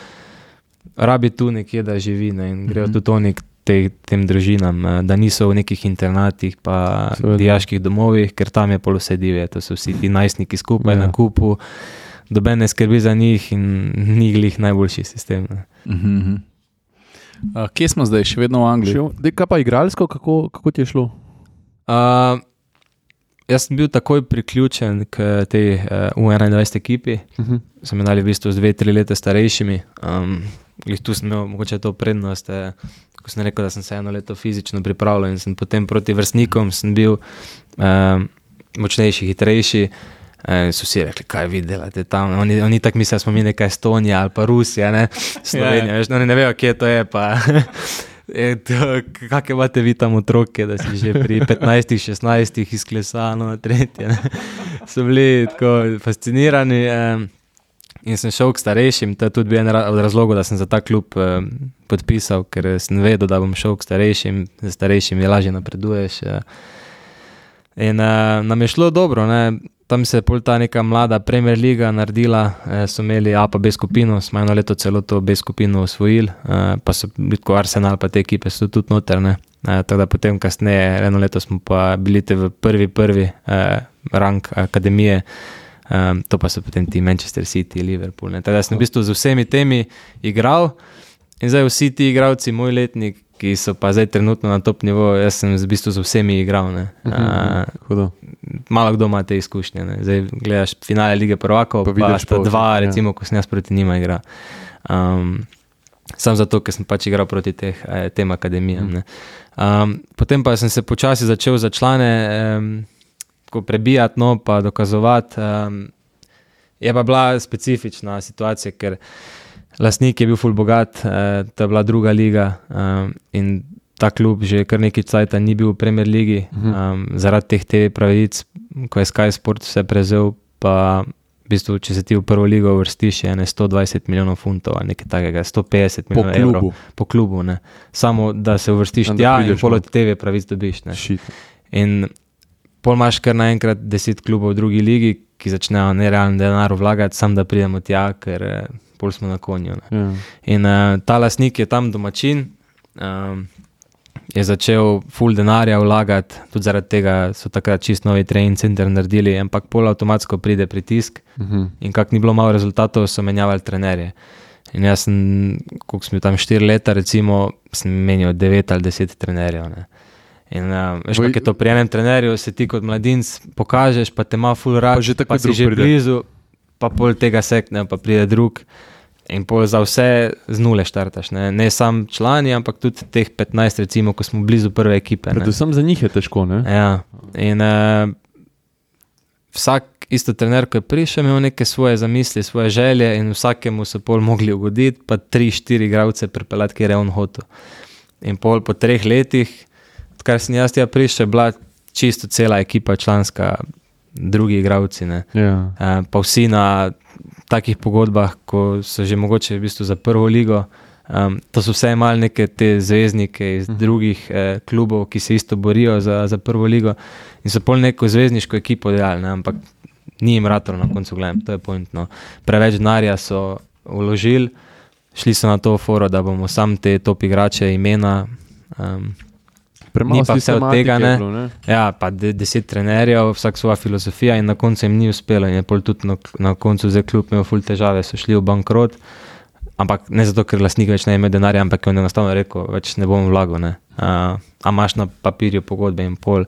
rabi tu nekje, da živi, ne? In grejo mm-hmm. tudi oni k te, tem družinam, da niso v nekih internatih pa Seveda. Dijaških domovih, ker tam je pol vse divje, to so vsi ti najstniki skupaj ja. Na kupu, doben ne skrbi za njih in ni glih najboljši sistem. Ne? Mm-hmm. Uh, kje smo zdaj? Še vedno v Angliji? Še, kaj pa igralsko? Kako, kako ti je šlo? Uh, jaz sem bil takoj priključen k tej uh, U enaindvajset ekipi. Uh-huh. Sem imel v bistvu z dve, tri leta starejšimi. Um, tu sem imel mogoče to prednost, eh, ko sem rekel, da sem se eno leto fizično pripravljal in sem potem proti vrstnikom sem bil um, močnejši, hitrejši. E, so vsi rekli, kaj vi delate tam, oni, oni tak mislijo, smo mi neka Estonija ali pa Rusija, ne, Slovenija, veš, oni ne vejo, kje to je, pa kakve imate vi tam otroke, da si že pri petnajstih, šestnajstih izklesano na tretje, ne, so bili tako fascinirani e, in sem šel k starejšim, to je tudi bil en od razlogov, da sem za ta klub e, podpisal, ker sem vedel, da bom šel k starejšim, za starejšim je lažje napreduješ e, in e, nam je šlo dobro, ne. Tam se je pol ta neka mlada Premier Liga naredila, eh, so imeli A pa B skupino, smo eno leto celo to B skupino osvojili, eh, pa so bili tako Arsenal, pa te ekipe so tudi noter, ne. Eh, tako da potem kasneje, eno leto smo pa bili te v prvi, prvi eh, rang akademije, eh, to pa so potem ti Manchester City, Liverpool, ne. Tako da sem v bistvu z vsemi temi igral in zdaj vsi ti igralci, moj letnik, ki so pa zdaj trenutno na top nivo, jaz sem v bistvu z vsemi igral, ne. Uh, malo kdo ima te izkušnje, ne. Zdaj gledaš finale Lige prvakov, pa, pa sta dva, ja. Recimo, ko sem jaz proti njima igral. Um, sam zato, ker sem pač igral proti teh, tem akademijam, ne. Um, potem pa sem se počasi začel za člane um, ko prebijati, no, pa dokazovati. Um, je pa bila specifična situacija, ker lastnik je bil ful bogat, eh, to je bila druga liga um, in ta klub že kar nekaj cajta ni bil v Premier Ligi, um, zaradi teh te pravic, ko je Sky Sport vse prezel, pa v bistvu, če se ti v prvo ligo vrstiš, je ne sto dvajset milijonov funtov ali nekaj takega, sto petdeset milijonov evrov po klubu, ne. Samo da se uvrstiš tja in pol od te pravic dobiš, ne. In pol imaš kar naenkrat deset klubov v drugi ligi, ki začnejo nerealni denar vlagati, sam da pridemo tja, ker pol smo na konju. Ne. Yeah. In uh, ta lastnik je tam domačin, um, je začel full denarja vlagati, tudi zaradi tega so takrat čist novi trening center naredili, ampak pol avtomatsko pride pritisk uh-huh. in kak ni bilo malo rezultatov, so menjavali trenerje. In jaz sem, koliko sem bil tam štiri leta, recimo, sem menil devet ali deset trenerjev. Ne. In uh, veš, Boj... kak je to pri enem trenerju, se ti kot mladinc pokažeš, pa te ima full rad, pa, pa si že pride. Blizu, pa pol tega sekne, pa pride drug. In pol za vse z nule štartaš. Ne, ne sam člani, ampak tudi teh petnajst, recimo, ko smo blizu prve ekipe. Predvsem za njih je težko, ne? Ja. In uh, vsak isto trener, ko je prišel, imel neke svoje zamisli, svoje želje in vsakemu so pol mogli ugoditi, pa tri, štiri igralce pripeljati, kjer je on hotel. In pol po treh letih, odkar sem jaz tja prišel, bila čisto cela ekipa članska, drugi igralci, ne. Ja. Uh, pa vsi na takih pogodbah, ko so že mogoče v bistvu za prvo ligo, um, to so vse imeli neke te zvezdnike iz uh-huh. drugih eh, klubov, ki se isto borijo za, za prvo ligo in so pol neko zvezdniško ekipo delali, ne, ampak ni jim ratalo na koncu, gledam, to je pointno. Preveč denarja so vložili, šli so na to foro, da bomo sam te top igrače imena, um, ni pa vse od tega, ne. Bilo, ne? Ja, pa de, deset trenerjev, vsak svoja filozofija in na koncu jim ni uspelo in je pol tudi na, na koncu zdaj klub imel ful težave, so šli v bankrot, ampak ne zato, ker lastnik več ne ima denarja, ampak on je enostavno rekel, več ne bom vlagal, ne. Uh, a imaš na papirju pogodbe in pol,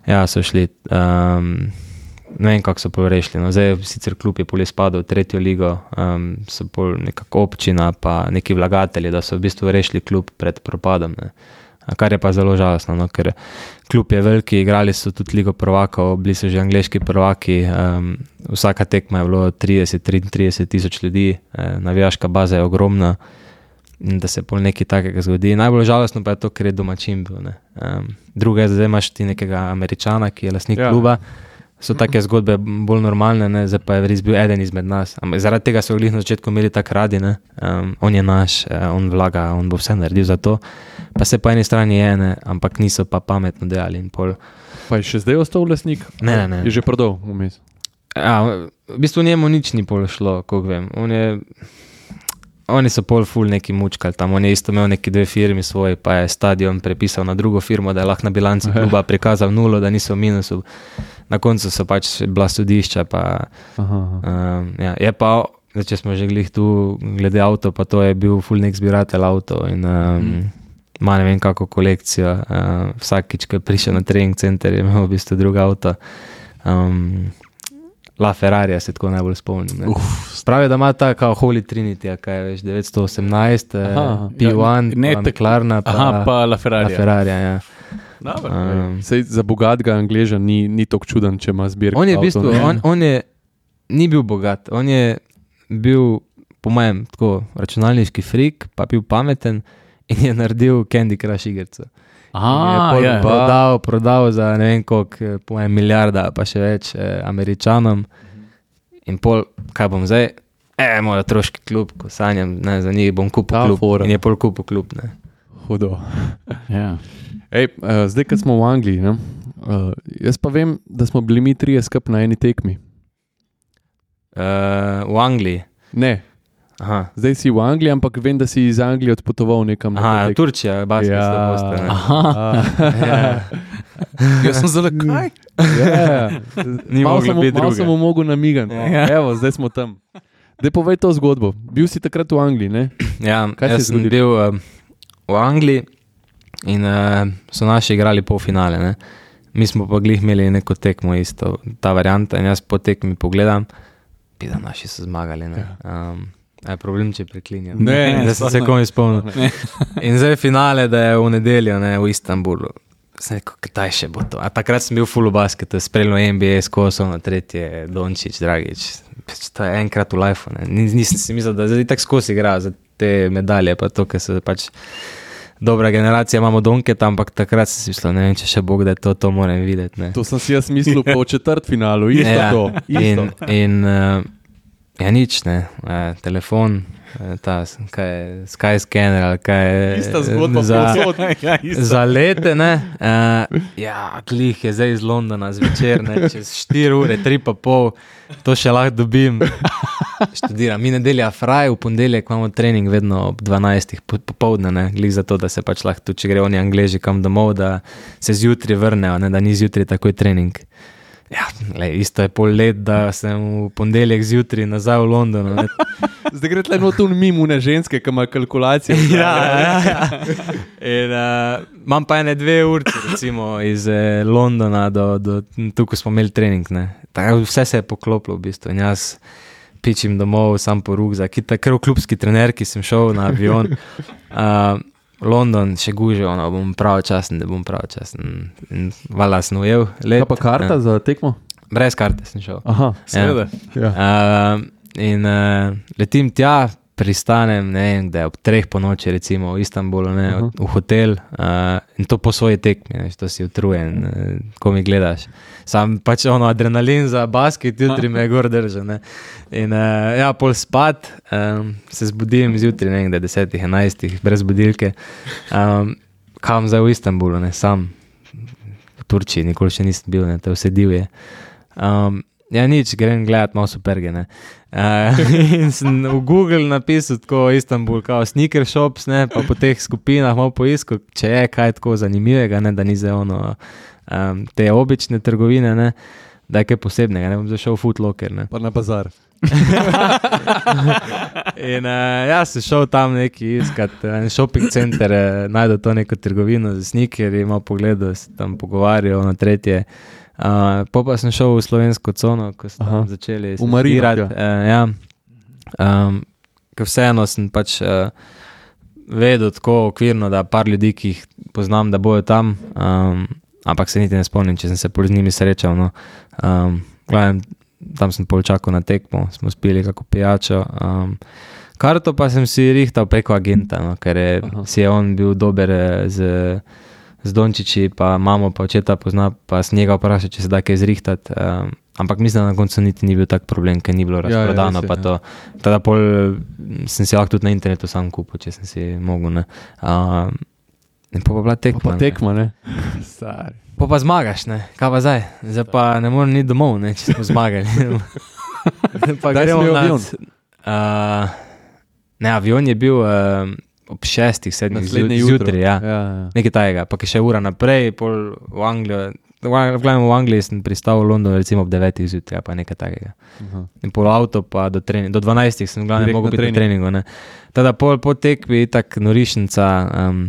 ja, so šli, um, ne vem, kako so pol rešili, no, zdaj sicer klub je pol izpadel v tretjo ligo, um, so pol nekako občina, pa neki vlagatelji, da so v bistvu rešili klub pred propadom, ne. Kar je pa zelo žalostno, no, ker klub je veliki, igrali so tudi ligo prvakov, bili so že angleški prvaki, um, vsaka tekma je bilo trideset do trideset tisoč ljudi, eh, navijaška baza je ogromna in da se pol nekaj takega zgodi. Najbolj žalostno pa je to, ker je domačin bil. Ne. Um, druga je, zdaj imaš ti nekega Američana, ki je lastnik ja. kluba, so take zgodbe bolj normalne, ne, zdaj pa je res bil eden izmed nas. Ampak zaradi tega so glih na začetku imeli tak radi, ne. Um, on je naš, on vlaga, on bo vse naredil za to. Pa se po eni strani je, ne, ampak niso pa pametno delali in pol. Pa je še zdaj ostal lastnik? Ne, ne, ne. Je že prodal vmes? Ja, v bistvu njemu nič ni pol šlo, koliko vem. On je, oni so pol ful neki mučkali tam, on je isto imel neki dve firmi svoji, pa je stadion prepisal na drugo firmo, da je lahko na bilanci kluba prikazal nulo, da niso v minusu. Na koncu so pač bila sodišča, pa aha, aha. Um, ja, je pa, zdaj, če smo že glih tu glede avto, pa to je bil ful nek zbiratelj avto in um, hmm. ima ne vem kako kolekcijo, uh, vsakič, ko je prišel na trening center, je imel v bistvu drug avto. Um, La Ferrarija se tako najbolj spomnim. Pravi, da ima ta kao Holy Trinity, kaj je veš, devetsto osemnajst, aha, P jedan, ja, pa McLarena, pa, aha, pa La Ferrarija. La Ferrarija, ja. Dobar, um, Sej, za bogatega Angleža ni, ni tako čuden, če ima zbirko. On je v bistvu, on, on je, ni bil bogat, on je bil, po mojem, tako računalniški frik, pa bil pameten in je naredil Candy Crush igrico. Aha, je prodal, prodal za ne vem koliko, po mojem milijarda, pa še več eh, Američanom. In pol, kaj bom zdaj? E, moj otroški klub, ko sanjam, ne, za njih bom kupil klub. Fora. In je pol kupil klub, ne. Hudo. Ja. Ej, uh, zdaj, kad smo v Angliji, ne, uh, jaz pa vem, da smo bili mi trije skup na eni tekmi. Uh, v Angliji? Ne. Aha. Zdaj si v Angliji, ampak vem, da si iz Anglije odpotoval nekam. Aha, Turčija, basket, ja. da boste. Ne? Aha. ja. Jaz sem zelo kaj? Ja. Ni mogli biti druge. Malo sem mu mogel namigati. Ja. Evo, zdaj smo tam. Daj povej to zgodbo. Bil si takrat v Angliji, ne? Ja, kaj jaz sem bil uh, v Angliji in uh, so naši igrali polfinale, ne? Mi smo pa glih imeli neko tekmo isto, ta varianta, in jaz po tekmi pogledam, bi da naši so zmagali, ne? Um, je problem, če preklinjam. Ne, da sem se komi spomnil. In zdaj finale, da je v nedeljo, ne, v Istanbulu. Sem rekel, kdaj še bo to? A takrat sem bil full v basketu, spremljal N B A s Kosom, na tretje Dončić, Dragić. To je enkrat v lifeu, ne. Nisem si mislil, da zdaj tak skozi igra za te medalje, pa to, ker se pač dobra generacija, imamo Donketa, ampak takrat sem si mislil, ne vem, če še Bog, da je to, to moram videti, ne. To sem si jaz mislil po četrtfinalu, isto ja, to. Isto. In, in uh, ja, nič, ne, uh, telefon, ta, kaj je, Skyscanner ali kaj je. Ista zgodba za, ja, za lete, ne. Uh, ja, klih je zdaj iz Londona zvečer, ne, čez štiri ure, tri pa pol, to še lahko dobim. Študiram. Mi nedelja fraj, v ponedeljek imamo trening vedno ob dvanajstih popoldne, ne, glih za to, da se pač lahko tudi, če gre oni Angleži kam domov, da se zjutri vrnejo, ne, da ni zjutri takoj trening. Ja, le, isto je pol let, da sem v ponedeljek zjutri nazaj v Londonu. Ne. Zdaj gre tle not un mimune ženske, ki ima kalkulacije. Ja, ja, ja. In uh, imam pa ene dve urci, recimo, iz eh, Londona do, do tukaj smo imeli trening, ne. Tako, vse se je poklopilo v bistvu in jaz pičim domov, sam po rukzak, kar v klubski trener, ki sem šel na avion. Uh, London še guže, ono, bom pravočasen, da bom pravočasen. In valjda sem ujel let. Kaj pa karta ja. za tekmo? Brez karte sem šel. Aha, seveda. Ja. Uh, in uh, letim tja, pristanem, ne vem, da je ob treh po noči, recimo v Istanbulu, ne, v, v hotel uh, in to po svoji tekmi, ne, to si utrujen, uh, ko mi gledaš. Sam pač ono adrenalin za basket, jutri me je gor držal, ne. In uh, ja, pol spat, um, se zbudim zjutri, ne vem, da je desetih, enajstih, brez budilke. Um, kam zdaj v Istanbulu, ne, sam v Turčiji, nikoli še nisem bil, ne, to vse divje. Um, ja, nič, grem gledat malo superge, ne. Uh, in sem v Google napisal tako Istanbul, kao sneaker shops, ne, pa po teh skupinah malo poiskal, če je kaj tako zanimivega, ne, da ni za ono um, te obične trgovine, ne, da je kaj posebnega, ne, bom zašel v Foot Locker, ne. Pa na bazar. In uh, ja, sem šel tam neki iskat, en shopping center, uh, najdel to neko trgovino za sneakerji, malo pogledal, se tam pogovarjal na tretje. Uh, po pa sem šel v slovensko cono, ko sem tam začeli studirati. Uh, ja. um, ker vseeno sem pač uh, vedel tako okvirno, da par ljudi, ki jih poznam, da bojo tam, um, ampak se niti ne spomnim, če sem se pol z njimi srečal. No. Um, gledam, tam sem pol čakal na tekmo, smo spili kako pijačo. Um, karto pa sem si rihtal preko agenta, no, ker je, si je on bil dober z... z Dončiči, pa mamo, pa očeta pozna, pa s njega vprašal, če se da kaj zrihtati. Um, ampak mislim, da na koncu niti ni bil tak problem, ker ni bilo razprodano. Ja, ja, pa to. Tada pol sem si lahko tudi na internetu sam kupil, če sem si mogel. Ne. Um, in pa pa bila tekma. Pa, pa tekma, ne. ne. Pa pa zmagaš, ne. Kaj pa zdaj? Zdaj pa ne morem ni domov, ne, če smo zmagali. Pa daj smo avion. Uh, ne, avion je bil... Uh, ob šestih, sedmih zjutraj, ja. Ja, ja. Nekaj tajega, pa ki še ura naprej, pol v Anglijo, v, v Angliji sem pristal v Londonu recimo ob devetih zjutraj, pa nekaj tajega. Uh-huh. In pol avto pa do treninga, do dvanajstih sem glavno mogel biti na treningu, ne. Tada pol po tekvi, tak norišnica, um,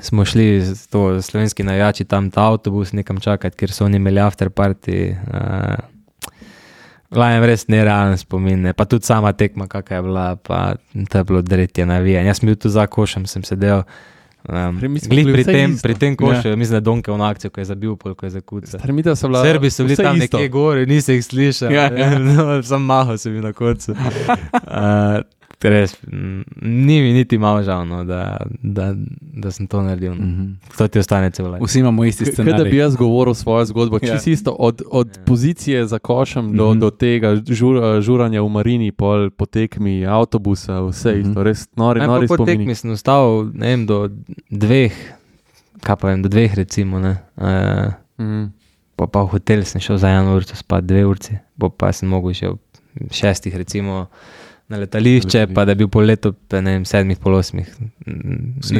smo šli z to slovenski navijači tam ta avtobus nekam čakati, ker so oni imeli after party, uh, glavno res nerealen spomin, ne. Pa tudi sama tekma, kakaj je bila, pa to je bilo dretje navijanje. Jaz sem bil tu za košem, sem sedel, um, glih pri tem, pri tem košu, ja. Mislim, da je Donke v akcijo, ko je zabil, pol, ko je zakucal. Srbi so bili tam nekje gori, nisi jih slišal, ja, ja. No, sam mahal sem bil na koncu. Uh, res, ni mi niti malo žal, no, da, da, da sem to naredil. Mm-hmm. To ti ostane celo. Vsi imamo isti scenarij. Kaj da bi jaz govoril svojo zgodbo, ja. Čisto isto, od, od ja. pozicije za košem do, mm-hmm. do tega žur, žuranja v Marini, pol po tekmi avtobusa, vse mm-hmm. isto, res nori, nori spomini. Po tekmi sem ostal, ne vem, do dveh, kaj pa vem, do dveh recimo, ne. Uh, mm-hmm. Pa pa v hotel sem šel za eno urco spat, dve urci, pa pa sem mogel še v šestih recimo na letališče, pa da je bil pol leto, ne vem, sedmih, pol osmih.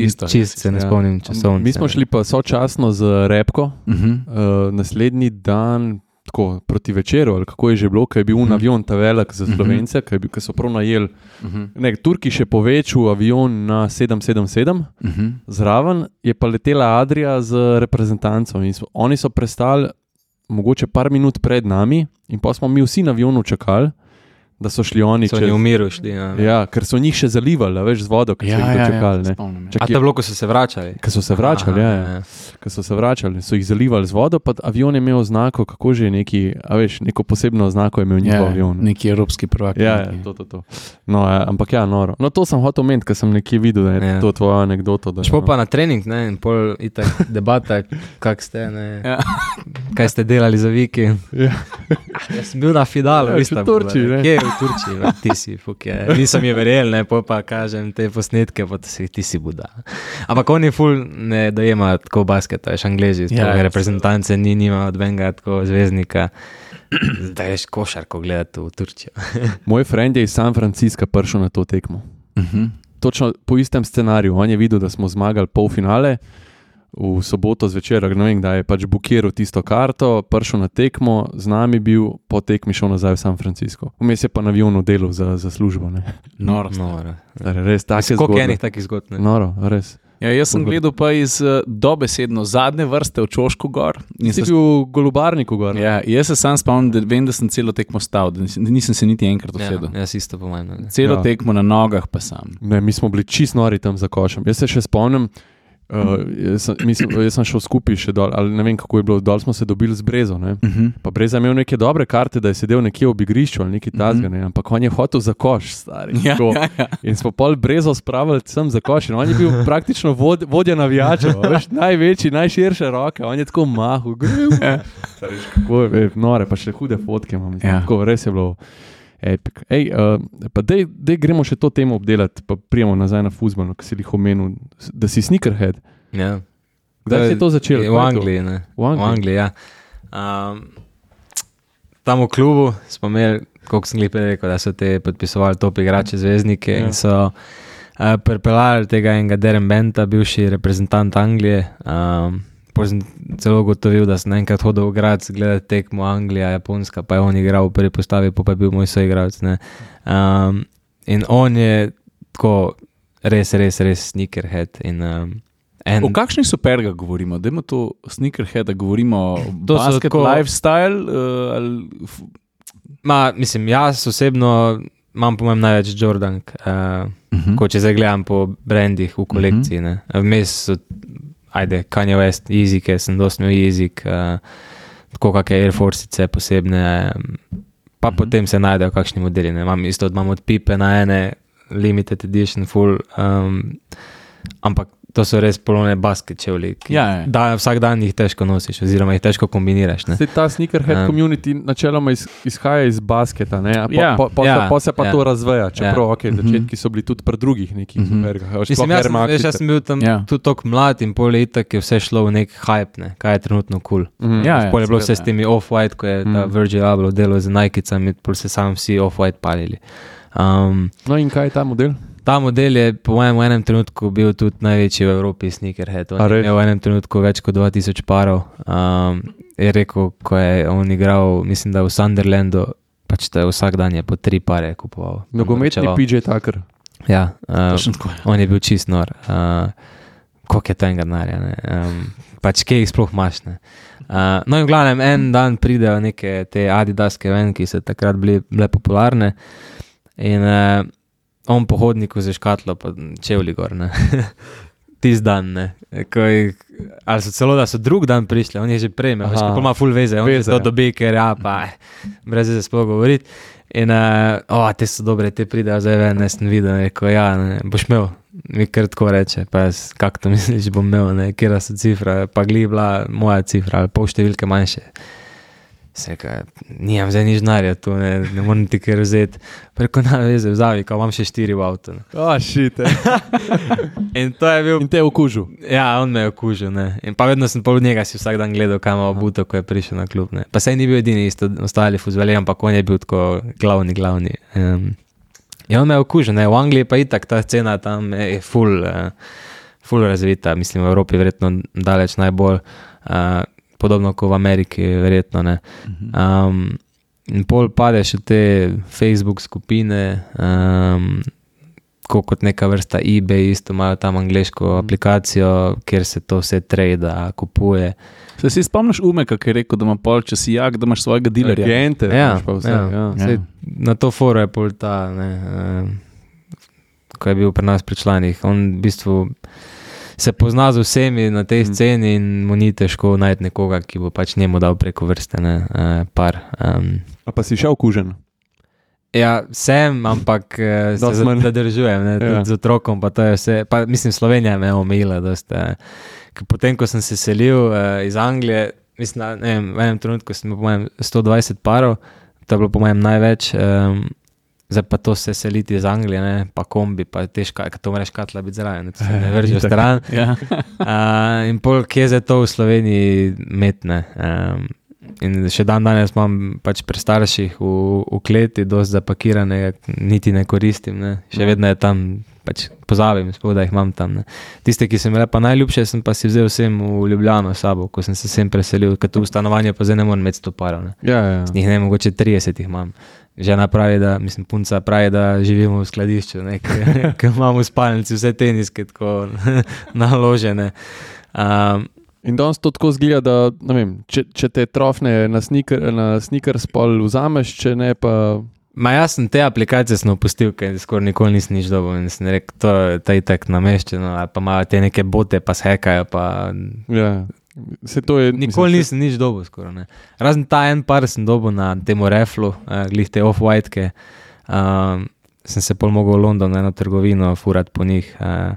Isto, čist se ne spomnim ja. časovnice. Mi smo šli pa sočasno z Repko, uh-huh. uh, naslednji dan, tako proti večeru, ali kako je že bilo, ko je bil uh-huh. avion ta velik za Slovence, uh-huh. ko so prav najeli. Uh-huh. Ne, Turki še povečil avion na sedem sedem sedem, uh-huh. zraven je pa letela Adria z reprezentancom in so, oni so prestali mogoče par minut pred nami in pa smo mi vsi na avionu čakali, da so šli oni so čez... So oni v miru šli, ja. Ja, ker so njih še zalivali, veš, z vodo, ko ja, so jih dočekali. Ja, ja, A to je bilo, ko so se vračali? Ko so se vračali, Aha, ja, ja. ja. Ko so se vračali, so jih zalivali z vodo, pa avion je imel znako, kako že neki, a veš, neko posebno znako je imel njihov ja, avion. Neki evropski prvak. Ja, ja, to, to, to. No, ja, ampak ja, noro. No, to sem hotel omeniti, ker sem nekje videl, da je ja. to tvoja anekdota. Špo no. pa na trening, ne, in pol itak debata, kak ste, ne, ja. kaj ste delali za vikend. Ja. Jaz sem bil na Fidalu, ja, v Turčiji, ne. Kje, v Turčiji, ne, ti si, fuk je. Nisem je verjel, ne, pol pa kažem te posnetke, pa si, ti si buda. Ampak oni ful ne dojema tako basketa, veš, Anglezi, ja, reprezentance ni, nima od benga tako zvezdnika, da ješ košarko gledati v Turčijo. Moj friend je iz San Francisca prišel na to tekmo. Uh-huh. Točno po istem scenariju. On je videl, da smo zmagali polfinale, v soboto zvečer, ne vem, da je pač bukiral tisto karto, prišel na tekmo, z nami bil, po tekmi šel nazaj v San Francisco. Vmes je pa na avionu delal za, za službo. Ne. Noro. Noro. Res, take Koliko zgodbe. enih takih zgodb? Ne? Noro, res. Ja, jaz sem gledal pa iz uh, dobesedno zadnje vrste v Čošku gor. In si bil v Golubarniku gor. Ja, jaz se sam spomnim, da vem, da sem celo tekmo stal, da nisem, nisem se niti enkrat usedel. Ja, jaz isto po manj. Celo Ja. tekmo na nogah pa sam. Ne, mi smo bili čist nori tam za košem. Jaz se še spomnim, uh, jaz, sem, mislim, jaz sem šel skupaj še dol, ali ne vem, kako je bilo, dol smo se dobili z Brezo. Ne? Uh-huh. Pa Breza je imel neke dobre karte, da je sedel nekje ob igrišču ali nekaj tazga, ne? Ampak on je hotel za koš, stari. Ja, Tako. ja, ja. In smo pol Brezo spravili sem za koš. In on je bil praktično vod, vodja navijačev, veš, največji, najširše roke. On je tako mahal, gril. Stari, kako je, nore, pa še hude fotke imam. Ja. Tako, res je bilo epic. Ej, uh, pa dej, dej gremo še to temo obdelati, pa prijemo nazaj na fuzbal, ki si jih omenil, da si sneakerhead. Ja. Kdaj si to začel? V Kaj je to? Angliji, ne. V Angliji? V Angliji, ja. Um, tam v klubu smo imeli, koliko sem lepo rekel, da so te podpisovali top igrače, zvezdnike, Ja. in so uh, pripeljali tega enega Darren Benta, bivši reprezentant Anglije. Um, Potem sem celo ugotovil, da sem enkrat hodil v grad gledati tekmo Anglija, Japonska, pa je on igral v prvi postavi, pa je bil moj soigralec. Um, in on je tako res, res, res sneakerhead. In, um, en, O kakšni superga govorimo? Dajmo to sneakerheada, govorimo o To so basket tako- lifestyle uh, ali... f- ma, mislim, jaz osebno imam po mojem največ Jordank, uh, Mhm. ko če zdaj gledam po brandih v kolekciji. Ne. Vmes so, ajde, Kanye West, Yeezyke, sem dosti imel Yeezyk, uh, tako kakšne Air Force-ice posebne, um, pa Mhm. potem se najdejo kakšni modeli. Ne. Imam isto, imam od Pipe na ene, limited edition, full, um, ampak to so res polone basket čevlji, ki Ja, ja. da, vsak dan jih težko nosiš, oziroma jih težko kombiniraš. Ne. Se ta sneakerhead Ja. community načeloma iz, izhaja iz basketa, ne? A Po, Ja. po, po, Ja. se, po se pa Ja. to razveja, čeprav Ja. okay, začetki so bili tudi pri drugih nekih Mhm. supergah. Mm -hmm. Mislim, jaz, sem, veš, jaz sem bil tam Ja. ja. tudi tako mlad in pol leta, ki je vse šlo v nek hype, ne, kaj je trenutno kul. Cool. mm -hmm. Ja, ja. Pol je bilo seveda, vse s temi off-white, ko je ta Mm. Virgil Abloh delal z Nike-cami, pol se sam vsi off-white palili. Um, No in kaj je ta model? ta model je po mojem v enem trenutku bil tudi največji v Evropi sneakerhead. On A je res? imel v enem trenutku več kot dva tisoč parov. Um, je rekel, ko je on igral, mislim, da v Sunderlandu, pač da je vsak dan je po tri pare kupoval. Nogometni Vračeval. P J Tucker. Ja, uh, Točno tako, ja. on je bil čist nor. Uh, koliko je tega denarja, ne? Um, pač kje jih sploh imaš, ne? Uh, no in v glavnem, en dan pridejo neke te Adidaske ven, ki so takrat bili, bile popularne, in uh, on po hodniku za škatlo, pa čevlji gor, ne. Tisti dan, ne. Ko jih, ali so celo, da so drug dan prišli, on je že prej, veš, Aha. ko ima full veze, on Veze, je to ja. dobi, ker ja, pa brez veze sploh govoriti. In, uh, oh, te so dobre, te pridejo zdaj ven, ne sem videl, rekel, ja, ne, boš imel, mi kar tako reče, pa jaz, kako to misliš, bom imel, ne, kjera so cifra, pa gli bila moja cifra, ali pol številke manjše. Se rekel, nimam zdaj nič denarja tu, ne, ne morem ti kar vzeti. Pa rekel, na veze, vzavi, ko imam še štiri v avtu. Ne. Oh, shit. In to je bil, In te je okužil. ja, on me je okužil, ne. In pa vedno sem pol njega si vsak dan gledal, kam ima obuto, ko je prišel na klub, ne. Pa saj ni bil edini, isto ostali fuzbali, ampak on je bil tako glavni, glavni. Um, in on me je okužil, ne. V Angliji pa itak ta scena tam je full, uh, full razvita, mislim, v Evropi verjetno daleč najbolj, uh, podobno kot v Ameriki, verjetno, ne. Um, in pol padeš v te Facebook skupine, um, kot neka vrsta eBay, isto imajo tam angleško aplikacijo, kjer se to vse trada, kupuje. Se si spomniš Umeka, ki je rekel, da ima pol, če si jak, da imaš svojega dilerja? Agente, Ja, imaš pa vse. ja. Ja. Sej, na to foro je pol ta, ne, um, ko je bil pri nas pri članih. On v bistvu se pozna z vsemi na tej sceni in mu ni težko najti nekoga, ki bo pač njemu dal preko vrste, ne, uh, par. Um, A pa si še okužen? Ja, sem, ampak uh, se Dosti manj. zadržujem, ne, tudi Ja. z otrokom, pa to je vse. Pa mislim, Slovenija me je omejila dosti. Uh, ker potem, ko sem se selil uh, iz Anglije, mislim, da, ne vem, v enem trenutku sem imel po mojem sto dvajset parov, to je bilo po mojem največ, um, zdaj pa to se seliti iz Anglije, ne, pa kombi, pa težko, ker to moraš katla biti zraven, ne, to se ne vrži v stran. Ja. uh, in pol, kje je to v Sloveniji metne. Um, in še dan danes imam pač pri starših v, v kleti, dosti zapakirane, niti ne koristim, ne. Še vedno je tam, pač pozabim, spod, da jih imam tam. Ne. Tiste, ki sem bile pa najljubše, sem pa si vzel vsem v Ljubljano sabo, ko sem se sem preselil, ker tu v stanovanje pa zdaj ne morem imeti sto parov. Ne. Ja, ja. Z njih ne, mogoče trideset jih imam. Žena pravi, da, mislim, punca pravi, da živimo v skladišču, ker imamo v spalnici vse teniske tako naložene. Um, In danes to tako zgleda, da ne vem, če, če te trofne na sneaker, na sneakers pol vzameš, če ne pa... Ma jaz sem te aplikacije sem opustil, ker skoraj nikoli nisem nič dobil in sem rekel, to je ta itak nameščeno, ali pa imajo te neke bote, pa se hekajo, pa... Ja. Se to je, nikoli mislim, nisem nič dobil skoraj, ne. Razen ta en par sem dobil na temu Reflu, uh, glih te off-white-ke, um, sem se pol mogel v London na eno trgovino furat po njih, uh,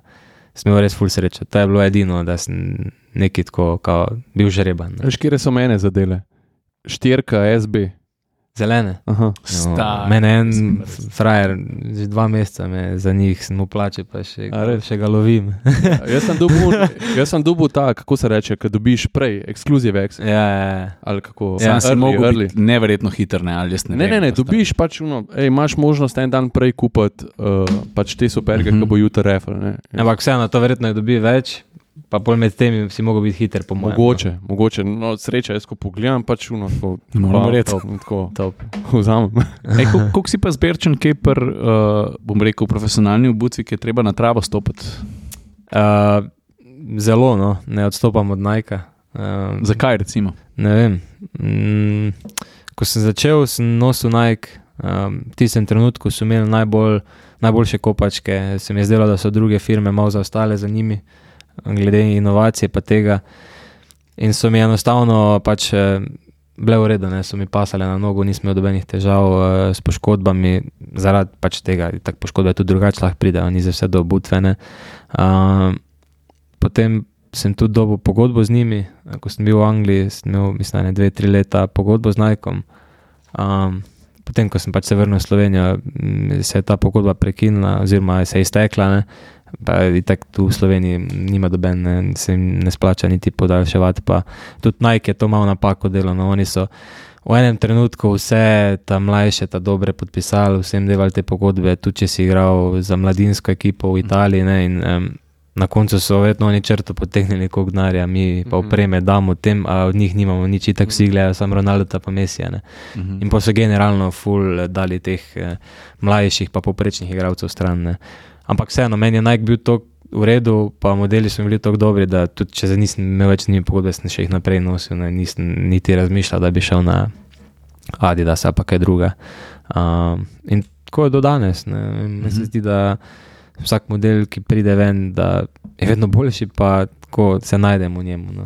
sem imel res ful srečo. To je bilo edino, da sem nekaj tako kao, bil žreban. Veš, kjere so mene zadele? Štirka S B. Zelene? Aha. No, mene en frajer, že dva meseca me za njih sem mu plačil, pa še, še ga lovim. Ja, jaz sem dobil, jaz sem dobil ta, kako se reče, kad dobiš prej, exclusive X. Ja, ja. Ali kako? Ja, sem early, mogel early. biti neverjetno hiter, ne, ali jaz ne Ne, vem. ne, ne, dobiš pač, no, ej, imaš možnost en dan prej kupiti uh, pač te superge, uh-huh. Ko bo jutri refel, ne. Ampak vseeno, to verjetno je dobi več, pa pol med temi si mogel biti hiter, po mojem. Mogoče, mogoče, no sreča, jaz ko pogledam, pač uno, tako, Moram reči. tako, Top. vzamem. Ej, kol- koliko si pa zberčen, kaj per, uh, bom rekel, profesionalni obutvi, ki je treba na travo stopiti? Uh, zelo, no, ne odstopam od Nike. Uh, Zakaj recimo? Ne vem. Mm, ko sem začel, sem nosil Nike, um, v tistem trenutku so imeli najbolj, najboljše kopačke, se mi je zdelo, da so druge firme malo zaostale za njimi, glede inovacije pa tega. In so mi enostavno pač bile v redu, ne, so mi pasale na nogo, nisem imel dobenih težav uh, s poškodbami, zaradi pač tega, tak poškodbe tudi drugače lahko pridejo, ni za vse do obutvene. Uh, potem sem tudi dobil pogodbo z njimi, ko sem bil v Angliji, sem imel, mislim, dve, tri leta pogodbo z Nikom. Um, potem, ko sem pač se vrnil v Slovenijo, se je ta pogodba prekinila, oziroma se je iztekla, ne. Pa itak tu v Sloveniji nima doben, ne, se jim ne splača niti podaljševati, pa tudi Nike je to malo napako delal, no, oni so v enem trenutku vse ta mlajše, ta dobre podpisali, vsem devali te pogodbe, tudi če si igral za mladinsko ekipo v Italiji, ne, in um, na koncu so verjetno oni črto potegnili koliko denarja, mi pa opreme damo tem, a od njih nimamo nič, itak vsi gledajo samo Ronaldo pa Messija, ne. Mhm. In pa so generalno ful dali teh eh, mlajših pa poprečnih igralcev stran, ne. Ampak vseeno, meni je Nike bil toliko v redu, pa modeli so bili toliko dobri, da tudi če zdaj nisem imel več z njimi pogodbe, sem še jih naprej nosil, ne, nisem niti razmišljal, da bi šel na Adidas ali pa kaj druga. Um, in tako je do danes, ne. Meni se zdi, da vsak model, ki pride ven, da je vedno boljši, pa tako se najdemo v njemu, no.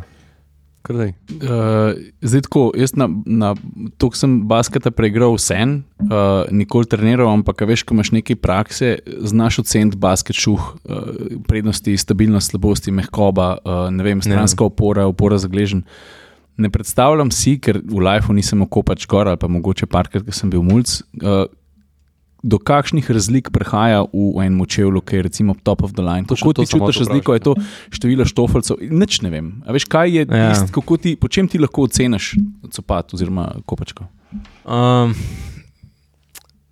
Krdaj. Uh, zdaj tako, jaz na, na toliko sem basketa preigral vsem, uh, nikoli treniral, ampak a veš, ko imaš nekaj prakse, znaš oceniti basket šuh, uh, prednosti, stabilnost, slabosti, mehkoba, uh, ne vem, stranska opora, opora za gležen. Ne predstavljam si, ker v lifeu nisem okopač gor ali pa mogoče parkrat, ker sem bil mulc, uh, do kakšnih razlik prihaja v enem čevlju, ki je recimo top of the line. Kako ti čutiš razliko, je to število štofelcev? Nič ne vem. A veš, kaj je Ja. tist, kako ti, po čem ti lahko oceniš copat oziroma kopačko? Um,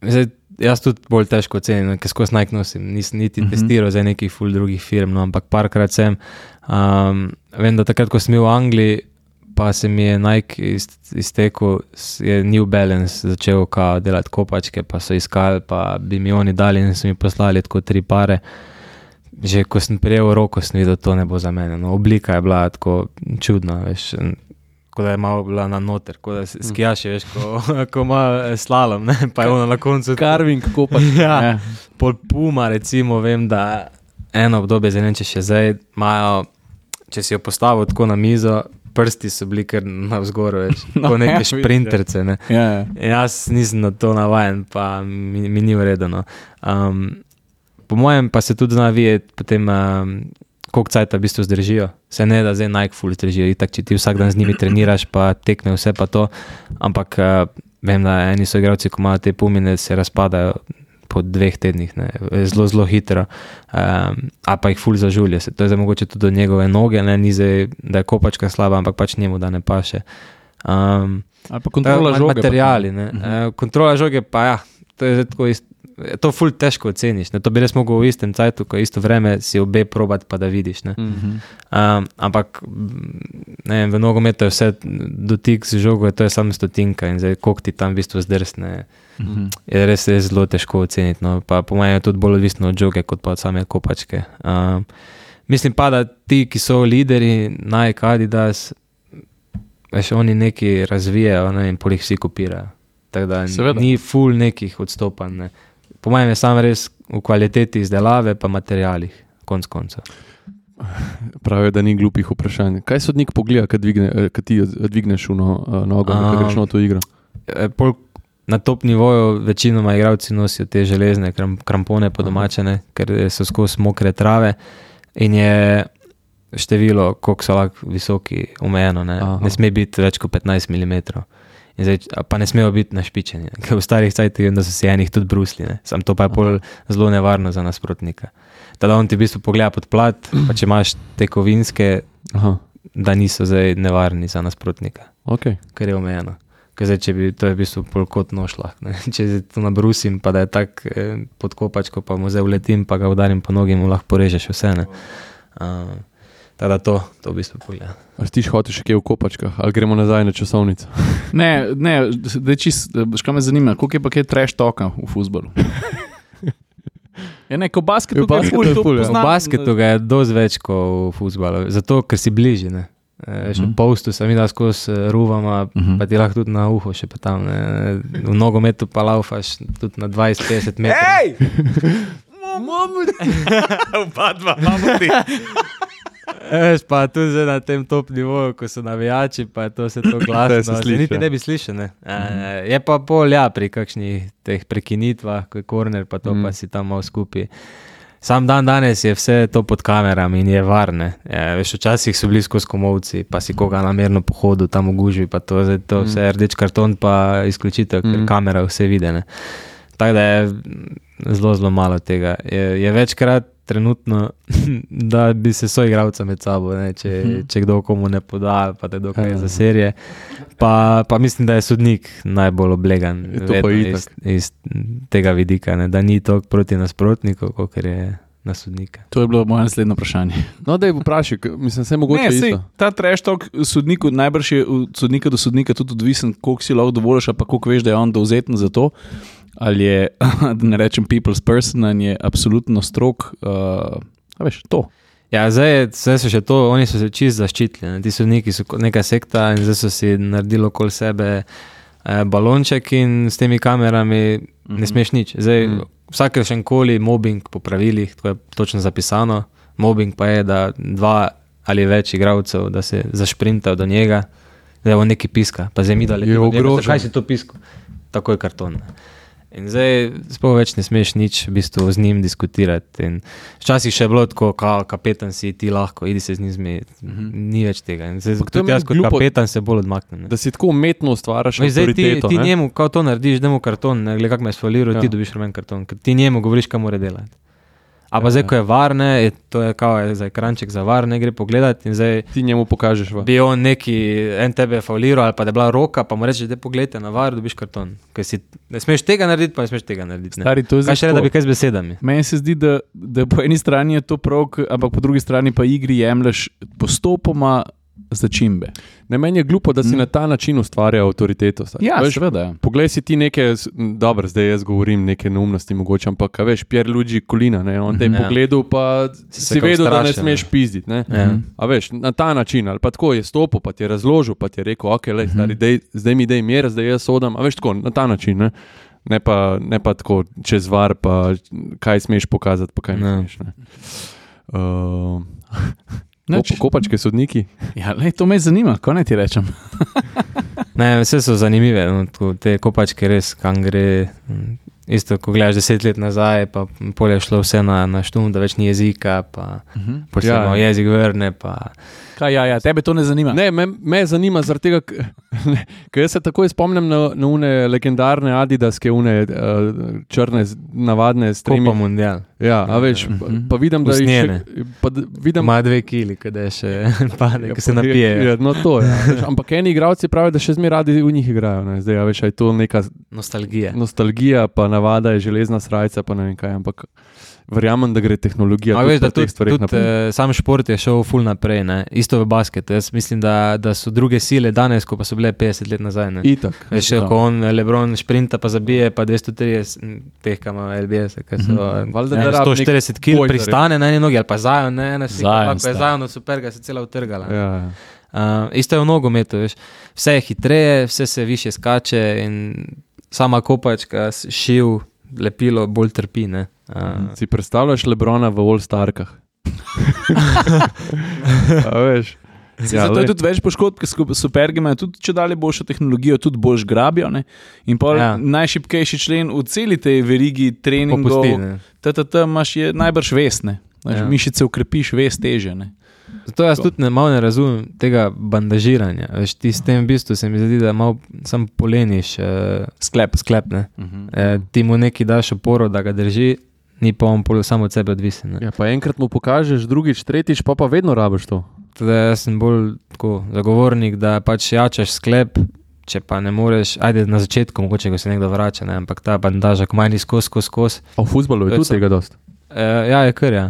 zdaj, jaz tudi bolj težko ocenim, ker skozi Nike nosim, nisem niti Mhm. testiral za nekih ful drugih firm, no, ampak parkrat sem. Um, vem, da takrat, ko sem bil v Angliji, pa se mi je Nike iztekel, je New Balance začel kao delati kopačke, pa so iskali, pa bi mi oni dali in so mi poslali tako tri pare. Že ko sem prijel roko, sem videl, to ne bo za mene. No, oblika je bila tako čudna, veš, kot da je malo bila na noter, kot da skijaš, veš, ko, ko ima slalom, ne, pa je ono na koncu. Carving, kopač. Ja, Ja. pol Puma, recimo, vem, da eno obdobje, zdaj ne vem, če še zdaj imajo, če si jo postavil tako na mizo, prsti so bili kar navzgor, veš, No, kot neke ja, vidim, šprinterce, ne. Ja, ja. Jaz nisem na to navajen, pa mi, mi ni uredeno. Um, po mojem pa se tudi zna videti potem, um, koliko cajta v bistvu zdržijo. Se ne da zdaj Nike full zdržijo, itak, če ti vsak dan z njimi treniraš, pa tekne vse pa to, ampak uh, vem, da eni so igralci, ko imajo te pumine, se razpadajo po dveh tednih, ne, zelo, zelo hitro, um, a pa jih ful zažulje. To je zdaj mogoče tudi do njegove noge, ne, ni zdaj, da je kopačka slaba, ampak pač njemu, da ne paše. Um, Ali pa kontrola žoge. Materiali, ne. Uh-huh. Kontrola žoge pa ja, to je tako isto. To ful težko oceniš, ne? To bi res mogel v istem cajtu, ko isto vreme si obe probati, pa da vidiš. Ne? Uh-huh. Um, ampak ne, v nogometu je vse dotik z žogo, to je samo stotinka in zdaj koliko ti tam v bistvu zdrsne, uh-huh. je res, res zelo težko oceniti. No? Pa po mojem je tudi bolj odvisno od žoge, kot pa od same kopačke. Um, mislim pa, da ti, ki so lideri, Nike, Adidas, veš, oni neki razvijajo, ne, in pol jih vsi kopirajo. Tako da Seveda. Ni ful nekih odstopanj, ne. Po mojem je samo res v kvaliteti izdelave pa materialih, konc konca. Pravijo, da ni glupih vprašanj. Kaj sodnik pogleda, kad, dvigne, kad ti dvigneš v no, nogo, um, kad greš na to igro? Pol, na top nivoju večinoma igralci nosijo te železne kram, krampone po domačene, ker so skozi mokre trave in je število, koliko so lahko visoki, omejeno. Ne, ne sme biti več kot petnajst milimetrov. In zdaj, pa ne smejo biti našpičeni, ker v starih cajtih da so si enih tudi brusli, ne. Sam to pa je pol zelo nevarno za nasprotnika. Tada on ti v bistvu pogleda pod plat, pa če imaš te kovinske, Aha. da niso zdaj nevarni za nasprotnika, okay. Ker je omejeno. Ker zdaj, če bi, to je v bistvu pol kot nož lahko, ne. Če zdaj to nabrusim, pa da je tak eh, pod kopačko, pa mu zdaj uletim, pa ga udarim po nogi, mu lahko porežeš vse, ne. Uh, Tada to, to v bistvu pogleda. A si ti hotel še kje v kopačkah, ali gremo nazaj na časovnico? Ne, ne, da čist, škaj me zanima, koliko je pa kaj trash talka v fuzbalu? Ja ne, ko basketu ga je ful, to poznam. V basketu ga je dosti več kot v fuzbalu, zato, ker si bliži, ne. Še v postu sem videl skozi ruvama, uh-huh. pa ti lahko tudi na uho še pa tam, ne. V nogometu pa laufaš tudi na dvajset petdeset metrov. Ej! Mamut! Oba dva, mamuti! Veš, pa tudi zdaj na tem top nivoju, ko so navijači, pa je to vse to glasno, se niti ne bi slišal, ne. Mm. Je pa pol, ja, pri kakšnih teh prekinitvah, ko je korner, pa to mm. pa si tam malo skupaj. Sam dan danes je vse to pod kamerami in je varne. Ja, veš, včasih so bili skozi komovci, pa si koga namerno pohodu tam v gužvi, pa to, zdaj, to vse mm. rdeč karton, pa izključitev, ker mm. kamera vse vide, ne. Tako da je zelo, zelo malo tega. Je, je večkrat trenutno, da bi se soigralca med sabo, ne, če, hmm. če kdo komu ne poda, pa te dokaj za serije. Pa, pa mislim, da je sodnik najbolj oblegan iz, iz tega vidika, ne, da ni toliko proti nasprotniku, kolikor je na sodnika. To je bilo moje naslednje vprašanje. No, da je vprašaj, mislim, se mogoče ne, isto. Sej, ta trash talk sodniku najbrž je od sodnika do sodnika tudi odvisen, koliko si lahko dovoliš, pa koliko veš, da je on dovzeten za to. Ali je, da ne rečem people's person, in je absolutno strok, uh, a veš, to. Ja, zdaj, zdaj so še to, oni so se čist zaščitili, ne? Ti sodniki so neka sekta in zdaj so si naredili okoli sebe eh, balonček in s temi kamerami mm-hmm. ne smeš nič. Zdaj, mm-hmm. vsakršen koli mobbing po pravilih, to je točno zapisano, mobbing pa je, da dva ali več igralcev, da se zašprintajo do njega, da je on neki piska, pa zdaj mi dali, kaj si to pisko? Tako je karton. In zdaj sploh več ne smeš nič v bistvu z njim diskutirati. In včasih še je bilo tako, kao kapetan si ti lahko, idi se z njim zmeti. Mm-hmm. Ni več tega. In zdaj, tudi jaz kot glupo, kapetan se bolj odmaknem. Ne? Da si tako umetno ustvaraš avtoriteto. Ti, ti njemu, kao to narediš, da mu karton, ne, gled kak me je sfaliral, ja. Ti dobiš rumen karton, ker ti njemu govoriš, kaj mora delati. A pa ja, zdaj, ko je varne, je, to je kao je za ekranček za varne, gre pogledati in zdaj ti njemu pokažeš. Va. Bi on neki, en tebe fauliral ali pa da je bila roka, pa mu rečeš, da pogledajte na var, dobiš karton. Ker si ne smeš tega narediti, pa ne smeš tega narediti. Ne. Stari, to je kaj še re, da bi kaj z besedami? Meni se zdi, da, da po eni strani je to prav, ampak po drugi strani pa igri jemlješ postopoma začimbe. Ne, meni je glupo, da si mm. na ta način ustvarja avtoriteto. Ja, veš, seveda. Poglej si ti neke, dobro, zdaj jaz govorim neke neumnosti mogoče, ampak veš, Pierluigi Collina, ne, on te je ja. pogledal, pa si, si vedel, da ne smeš pizditi, ne. Ja. A veš, na ta način, ali pa tako je stopil, pa ti je razložil, pa ti je rekel, ok, lej, stari, dej, zdaj mi dej mir, zdaj jaz sodam, a veš tako, na ta način, ne. Ne pa, ne pa tako čez var, pa kaj smeš pokazati, pa kaj ne smeš, ne. Uh, Kop, kopačke sodniki? Ja, lej, to me zanima, ko ne ti rečem. Ne, vse so zanimive, no, te kopačke res, kam gre. Isto, ko gledaš deset let nazaj, pa pol je šlo vse na, na štum, da več ni jezika, pa uh-huh. pol se ja, jezik vrne, pa Kaj, ja, ja, tebe to ne zanima? Ne, me, me zanima, zaradi tega, ker jaz se takoj spomnim na, na une legendarne Adidaske, une uh, črne, navadne stremi. Kopa mundial. Ja, a veš, pa, pa vidim, da jih še... Pa, vidim, ima dve kili, kada je še pade, ko se napije. Ja, no to, ja. Ampak eni igralci pravijo, da še zmeraj radi v njih igrajo. Ne. Zdaj, a veš, je to neka... Nostalgija. Nostalgija, pa navada je železna srajca, pa ne vem kaj, ampak... Verjamem, da gre tehnologija tudi veš, da tudi, tudi, naprej. Sam šport je šel ful naprej, ne? Isto v basketu. Jaz mislim, da, da so druge sile danes, ko pa so bile petdeset let nazaj. Ne? Itak. Veš, ko on LeBron šprinta pa zabije, pa dvesto trideset teh, kam ima L B S, ki so mm-hmm. ja, sto štirideset kil pristane na eni nogi, ali pa Zion, ne, ne, Zion, pa je Zion od Superga se cela utrgala. Ja. Uh, isto je v nogometu, veš. Vse je hitreje, vse se više skače in sama kopačka, šiv, lepilo bolj trpi, ne. Uh, si predstavljaš Lebrona v All-Starkah? A veš? Ja, zato je tudi več poškodb, ker Supergi imajo tudi če dalje boljšo tehnologijo, tudi boljš grabijo. Ne? In pa ja. najšibkejši člen v celi tej verigi treningov, ttt imaš je najbrž vest, ne? Ja. Mišice ukrepiš, vest teže. Ne? Zato jaz tudi ne, malo ne razumem tega bandažiranja. Veš, ti s tem v bistvu se mi zdi, da malo sam poleniš uh, sklep, sklep ne? Uh-huh. E, ti mu neki daš oporo, da ga drži, ni pa on samo od sebe odvisen. Ja, pa enkrat mu pokažeš, drugič, tretjič, pa pa vedno rabiš to. Teda jaz sem bolj tako zagovornik, da pač jačaš sklep, če pa ne moreš, ajde na začetku, mogoče ko se nekdo vrača, ne? Ampak ta bandaža, ko manj skos, skos, skos. A v fuzbalu je tudi tega dost? E, ja, je kar, ja.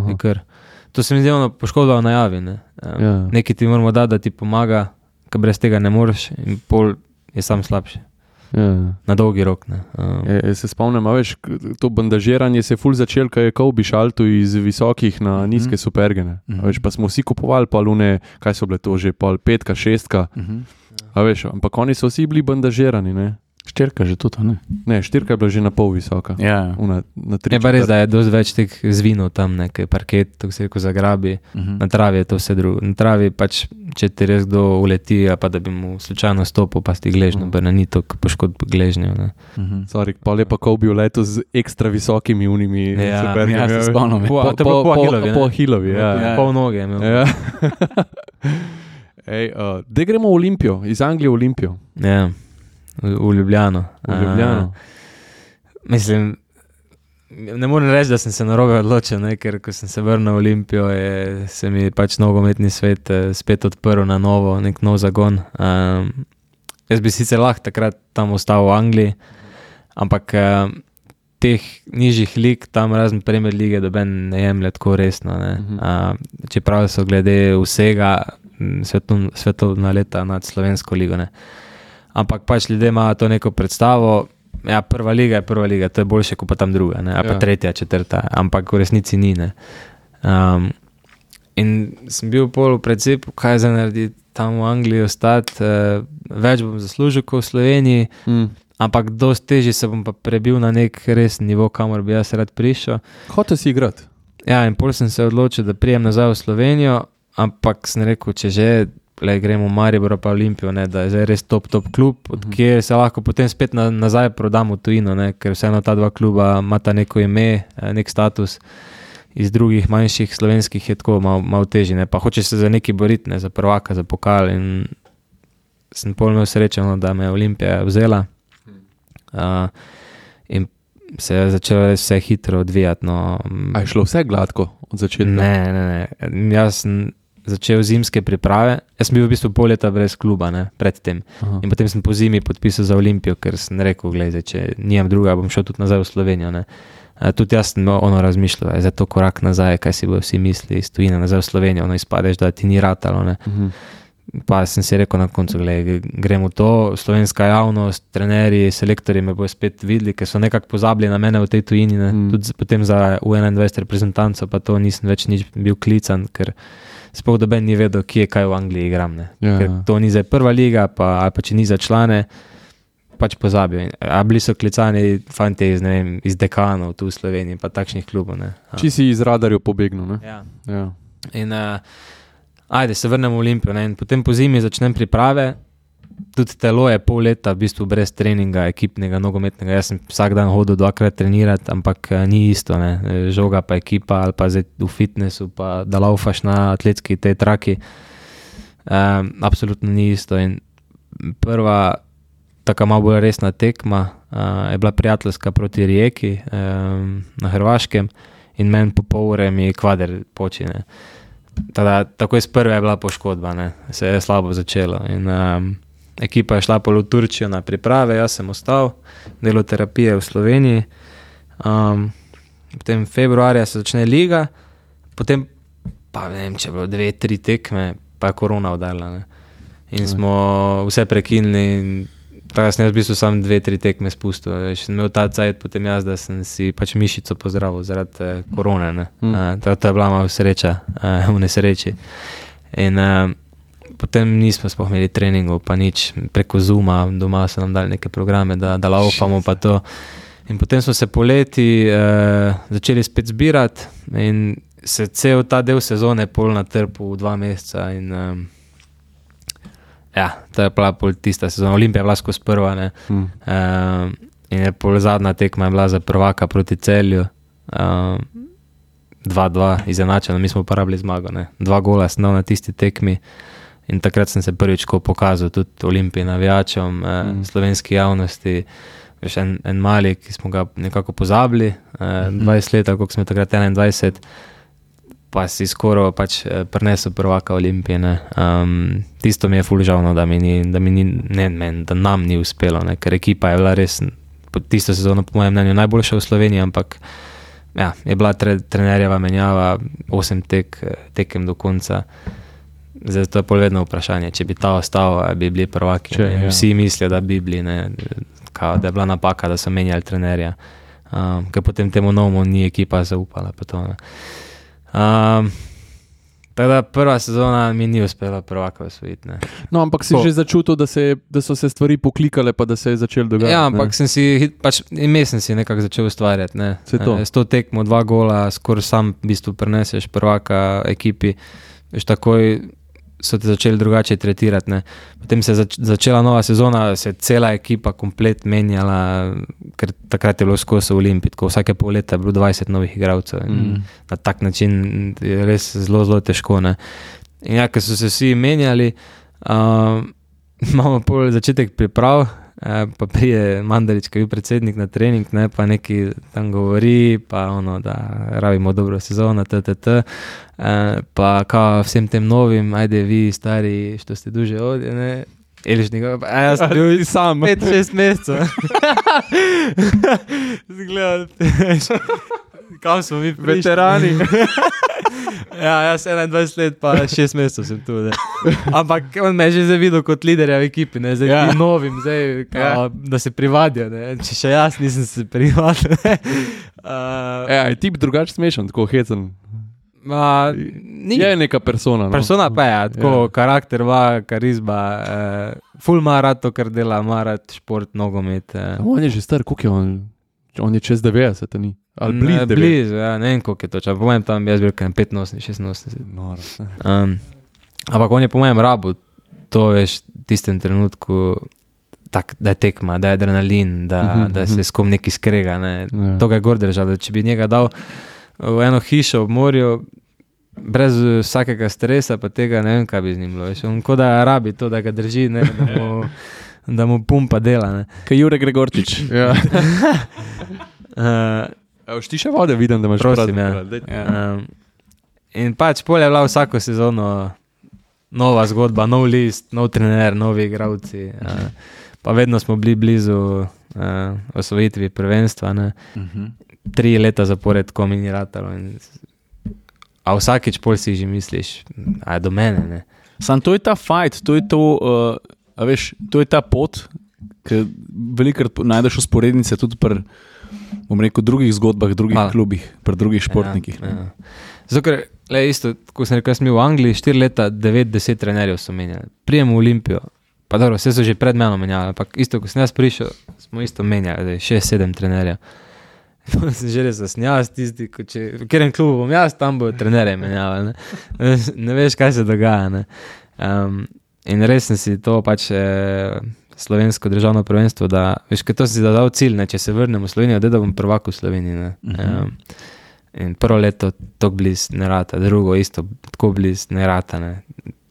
Je kar. To se mi zdi ono poškodba v najavi. Ne? Um, ja. Nekaj ti moramo dati, da ti pomaga, ker brez tega ne moreš in pol je sam slabši. Ja. Na dolgi rok. Ne? Um. Ja, ja se spomnim, a veš, to bandažiranje se je ful začel, kaj je Kobe šaltu iz visokih na nizke mm-hmm. supergene. Mm-hmm. A veš, pa smo vsi kupovali pol une, kaj so bile to že, pol petka, šestka. Mm-hmm. A veš, ampak oni so vsi bili bandažirani, ne? Štirka že tudi, ne? Ne, štirka je bila že na pol visoka. Ja. Una, na tri, je pa res, da je dosti več teh zvinov tam, nekaj parket, tako se reko zagrabi. Uh-huh. Na travi je to vse drugo. Na travi pač, če ti res kdo uleti, pa da bi mu slučajno stopil, pa si gležnjo, uh-huh. ni to poškodb gležnjo. Uh-huh. Sorry, pa lepa Kobe uletel z ekstra visokimi unimi ja, supergami. Ja, se spomnim. Po, po, po, po Hilovi. Po Hilovi, ja. ja. Pol noge. Ja. Ej, uh, da gremo v Olimpijo, iz Anglije v Olimpijo. Ja. V, v Ljubljano. V Ljubljano. Uh, mislim, ne morem reči, da sem se narobe odločil, ne, ker ko sem se vrnil v Olimpijo, je, se mi pač nogometni svet eh, spet odprl na novo, nek nov zagon. Um, jaz bi sicer lahko takrat tam ostal v Angliji, ampak eh, teh nižjih lig, tam razen Premier lige, doben ne jemlje tako resno. Ne. Uh-huh. Uh, čeprav so glede vsega svetovna, svetovna leta nad slovensko ligo. Ne. Ampak pač ljudje imajo to neko predstavo, ja, prva liga je prva liga, to je boljše kot pa tam druga, ne, ali pa ja. tretja, četrta, ampak v resnici ni, ne. Um, in sem bil pol v predsepu, kaj za narediti tam v Angliji ostati, uh, več bom zaslužil kot v Sloveniji, mm. ampak dosti težje se bom pa prebil na nek resen nivo, kamor bi jaz rad prišel. Hotel si igrati? Ja, in pol sem se odločil, da prijem nazaj v Slovenijo, ampak sem rekel, če že le gremo v Maribor pa Olimpijo, ne, da je zdaj res top, top klub, od uh-huh. kjer se lahko potem spet na, nazaj prodamo v tujino, ne, ker vseeno ta dva kluba imata neko ime, nek status, iz drugih manjših slovenskih je tako malo, malo težje, ne, pa hočeš se za neki boriti, ne, za prvaka, za pokal in sem pol imel srečo, no, da me je Olimpija vzela uh, in se je začelo vse hitro odvijati. No. A je šlo vse gladko od začetka? Ne, ne, ne, jaz sem začel zimske priprave. Jaz sem bil v bistvu pol leta brez kluba, ne, predtem. Aha. In potem sem po zimi podpisal za Olimpijo, ker sem rekel, gledaj, če nimam druga, bom šel tudi nazaj v Slovenijo. Ne. A, tudi jaz sem ono razmišljal, je za to korak nazaj, kaj si bojo vsi misli, iz tujine nazaj v Slovenijo, ono izpadeš, da ti ni ratalo. Ne. Uh-huh. Pa sem si rekel na koncu, gledaj, gremo to, slovenska javnost, trenerji, selektorji me bojo spet videli, ker so nekako pozabili na mene v tej tujini, ne. Uh-huh. Tudi potem za U enaindvajset reprezentanco, pa to nisem več nič bil klican, ker sploh doben ni vedel, kje kaj v Angliji igram. Ne. Ja, ker to ni zdaj prva liga, pa, ali pa če ni za člane, pač pozabijo. A bili so klicani fanti iz, ne vem, iz Dekanov tu v Sloveniji, pa takšnih klubov. Ne. Či si iz radarjev pobegnil, ne? Ja. Ja. In uh, ajde, se vrnem v Olimpijo, ne, in potem po zimi začnem priprave tudi telo je pol leta v bistvu brez treninga, ekipnega, nogometnega. Jaz sem vsak dan hodil dvakrat trenirati, ampak ni isto, ne. Žoga pa ekipa ali pa zdaj v fitnessu, pa da laufaš na atletski tej traki. Um, absolutno ni isto. In prva taka malo bolj resna tekma uh, je bila prijateljska proti Rijeki um, na Hrvaškem in meni po pol ure mi kvader počine. Tada, tako iz prve je bila poškodba, ne. Se je slabo začelo in um, ekipa je šla pol v Turčijo na priprave, jaz sem ostal, delo terapije v Sloveniji, um, potem februarja se začne liga, potem pa ne vem, če je bilo dve, tri tekme, pa je korona udarila, ne. In smo vse prekinili in tako sem jaz v bistvu sam dve, tri tekme spustil. Še sem imel ta cajt potem jaz, da sem si pač mišico pozdravil zaradi eh, korone, ne. Mm. Uh, to, to je bila malo sreča uh, v nesreči. In uh, potem nismo sploh imeli treningov, pa nič, preko Zooma, doma so nam dali neke programe, da, da laufamo pa to. In potem smo se poleti uh, začeli spet zbirati in se cel ta del sezone pol natrpil v dva meseca in um, ja, to je bila pol tista sezona. Olimpija je bila skozi prva, ne. Hmm. Um, in je pol zadnja tekma je bila za prvaka proti Celju. Um, dva dva izenačeno, mi smo uporabili zmago, ne. Dva gola sem dal na tisti tekmi in takrat sem se prvič ko pokazal tudi Olimpiji navijačem, eh, hmm. slovenski javnosti. Veš, en, en mali, ki smo ga nekako pozabili, eh, dvajset let, koliko smo takrat enaindvajset, pa si skoro pač prinesel prvaka Olimpije, ne. Um, tisto mi je ful žalno, da mi ni, da mi ni, ne men, da nam ni uspelo, ne, ker ekipa je bila res tisto sezono po mojem mnenju najboljša v Sloveniji, ampak ja, je bila tre, trenerjeva menjava, osem tek, tekem do konca. Zdaj to je pol vedno vprašanje, če bi ta ostal, bi bili prvaki. Če, ja. Vsi mislijo, da bi bili, ne, kao, da je bila napaka, da so menjali trenerja, um, ker potem temu novemu ni ekipa zaupala. Pa to, um, tako da prva sezona mi ni uspela prvaka osvojiti. No, ampak si po. že začutil, da, se, da so se stvari poklikale, pa da se je začel dogajati. Ja, ampak ne? sem si, pač ime sem si nekako začel ustvarjati. Ne. S to tekmo, dva gola, skoraj sam v bistvu preneseš prvaka ekipi, veš, takoj so te začeli drugače tretirati, ne. Potem se je zač- začela nova sezona, se je cela ekipa komplet menjala, ker takrat je bilo skozi v Olimpiji, tako vsake pol leta je bilo dvajset novih igralcev in mm. na tak način je res zelo, zelo težko, ne. In ja, ker so se vsi menjali, uh, imamo pol začetek priprav, uh, pa prije Mandarič, ki je bil predsednik na trening, ne, pa neki tam govori, pa ono, da rabimo dobro sezono, ttt. Uh, pa kao vsem tem novim, ajde vi stari, što ste duže ovdje, ne, Elišnika, pa a jaz sem bil sam pet, šest mesecev. Zgledal, kam smo mi prišli? Veterani. Ja, jaz enaindvajset let, pa šest mesecev sem tu, ne. Ampak on me je že zdaj videl kot liderja v ekipi, ne, zdaj ja. Ti novim, zdaj, kao, ja. Da se privadijo, ne, če še jaz nisem se privadil, ne. Uh, ja, je tip drugače smešen, tako hecen. Ma, ni. Je neka persona. No? Persona pa je, tako ja. Karakter, va, karizma, eh, ful ima rad to, kar dela, ima rad šport, nogomet. Eh. On je že star, koliko je on? On je čez devetdeset, ni? Ali blizu devetdeset? Blizu, ja, ne vem, koliko je to. Po mojem tam jaz bil kaj petinosemdeset, šestinosemdeset. No, um, ampak on je po mojem rabu, to veš, v tistem trenutku, tak, da je tekma, da je adrenalin, da, uh-huh, da se s kom neki skrega, ne. Ja. To ga je gor držal, da če bi njega dal v eno hišo ob morju, brez vsakega stresa, pa tega ne vem, kaj bi z njim bilo. Veš, on ko da rabi to, da ga drži, ne, da, mu, da mu pumpa dela. Ne. Kaj Jure Gregorčič. Ja. uh, Ti še vode vidim, da imaš prosim, prav. Ja. Um, in pač pol je bila vsako sezono nova zgodba, nov list, nov trener, novi igralci. Uh, pa vedno smo bili blizu uh, osvojitvi prvenstva, ne. Uh-huh. Tri leta zapored, ko mi ni ratalo. In, a vsakič pol si že misliš, a je do mene, ne. Sam to je ta fight, to je to, uh, a veš, to je ta pot, ki velikrat najdeš usporednice tudi pri, bom rekel, drugih zgodbah, drugih Mal. klubih, pri drugih športnikih. Ja, ja. Zato, ker, le, isto, ko sem rekel, sem v Angliji, štiri leta, devet, deset trenerjev so menjali. Prijem v Olimpijo, pa dobro, vse so že pred menom menjali, ampak isto, ko sem jaz prišel, smo isto menjali, šest, sedem trenerjev. sem že res zasnjal, tisti, ko če, v katerem klubu bom jaz, tam bo trenerje menjava, ne? ne veš, kaj se dogaja, ne? Um, in res sem si to pač eh, slovensko državno prvenstvo, da, veš, kaj to si zadal cilj, ne, če se vrnem v Slovenijo, da bom prvak v Sloveniji, ne. Uh-huh. Um, in prvo leto tako bliz ne rata, drugo isto tako bliz ne rata, ne.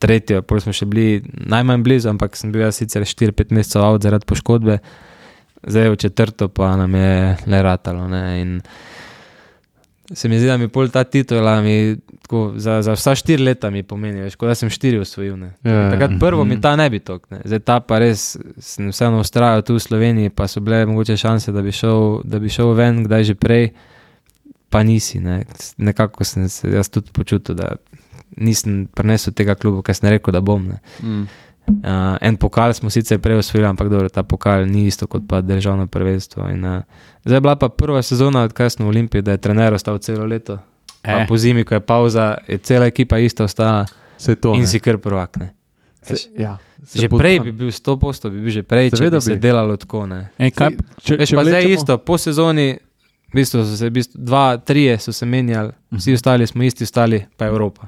Tretjo, pol smo še bili najmanj blizu, ampak sem bil jaz sicer štiri pet mesecev out zaradi poškodbe, zdaj v četrto pa nam je le ratalo, ne, in se mi zdi, da mi pol ta titula mi tako, za, za vsa štiri leta mi pomeni, veš, kot da sem štiri osvojil, ne. Ja, takrat prvo mi ta ne bi tok, ne. Zdaj ta pa res sem vseeno ustrajal tu v Sloveniji, pa so bile mogoče šanse, da bi šel, da bi šel ven, kdaj že prej, pa nisi, ne. Nekako sem se jaz tudi počutil, da nisem prinesel tega klubu, kaj sem rekel, da bom, ne. Mm. Uh, en pokal smo sicer prej osvojili, ampak dobro, ta pokal ni isto kot pa državno prvenstvo. In, uh, zdaj je bila pa prva sezona, odkaj smo v Olimpiji, da je trener ostal celo leto. Eh. Pa po zimi, ko je pauza, je cela ekipa ista ostala to, in ne? si kar prvak. Ne? Se, ja, že prej bi bil sto posto, bi bil že prej, če bi se delalo tako. Ne? Ej, kaj, če, Veš, če pa zdaj isto, po sezoni, v bistvu so se, v bistvu, dva, trije so se menjali, vsi ostali smo isti, ostali pa Evropa.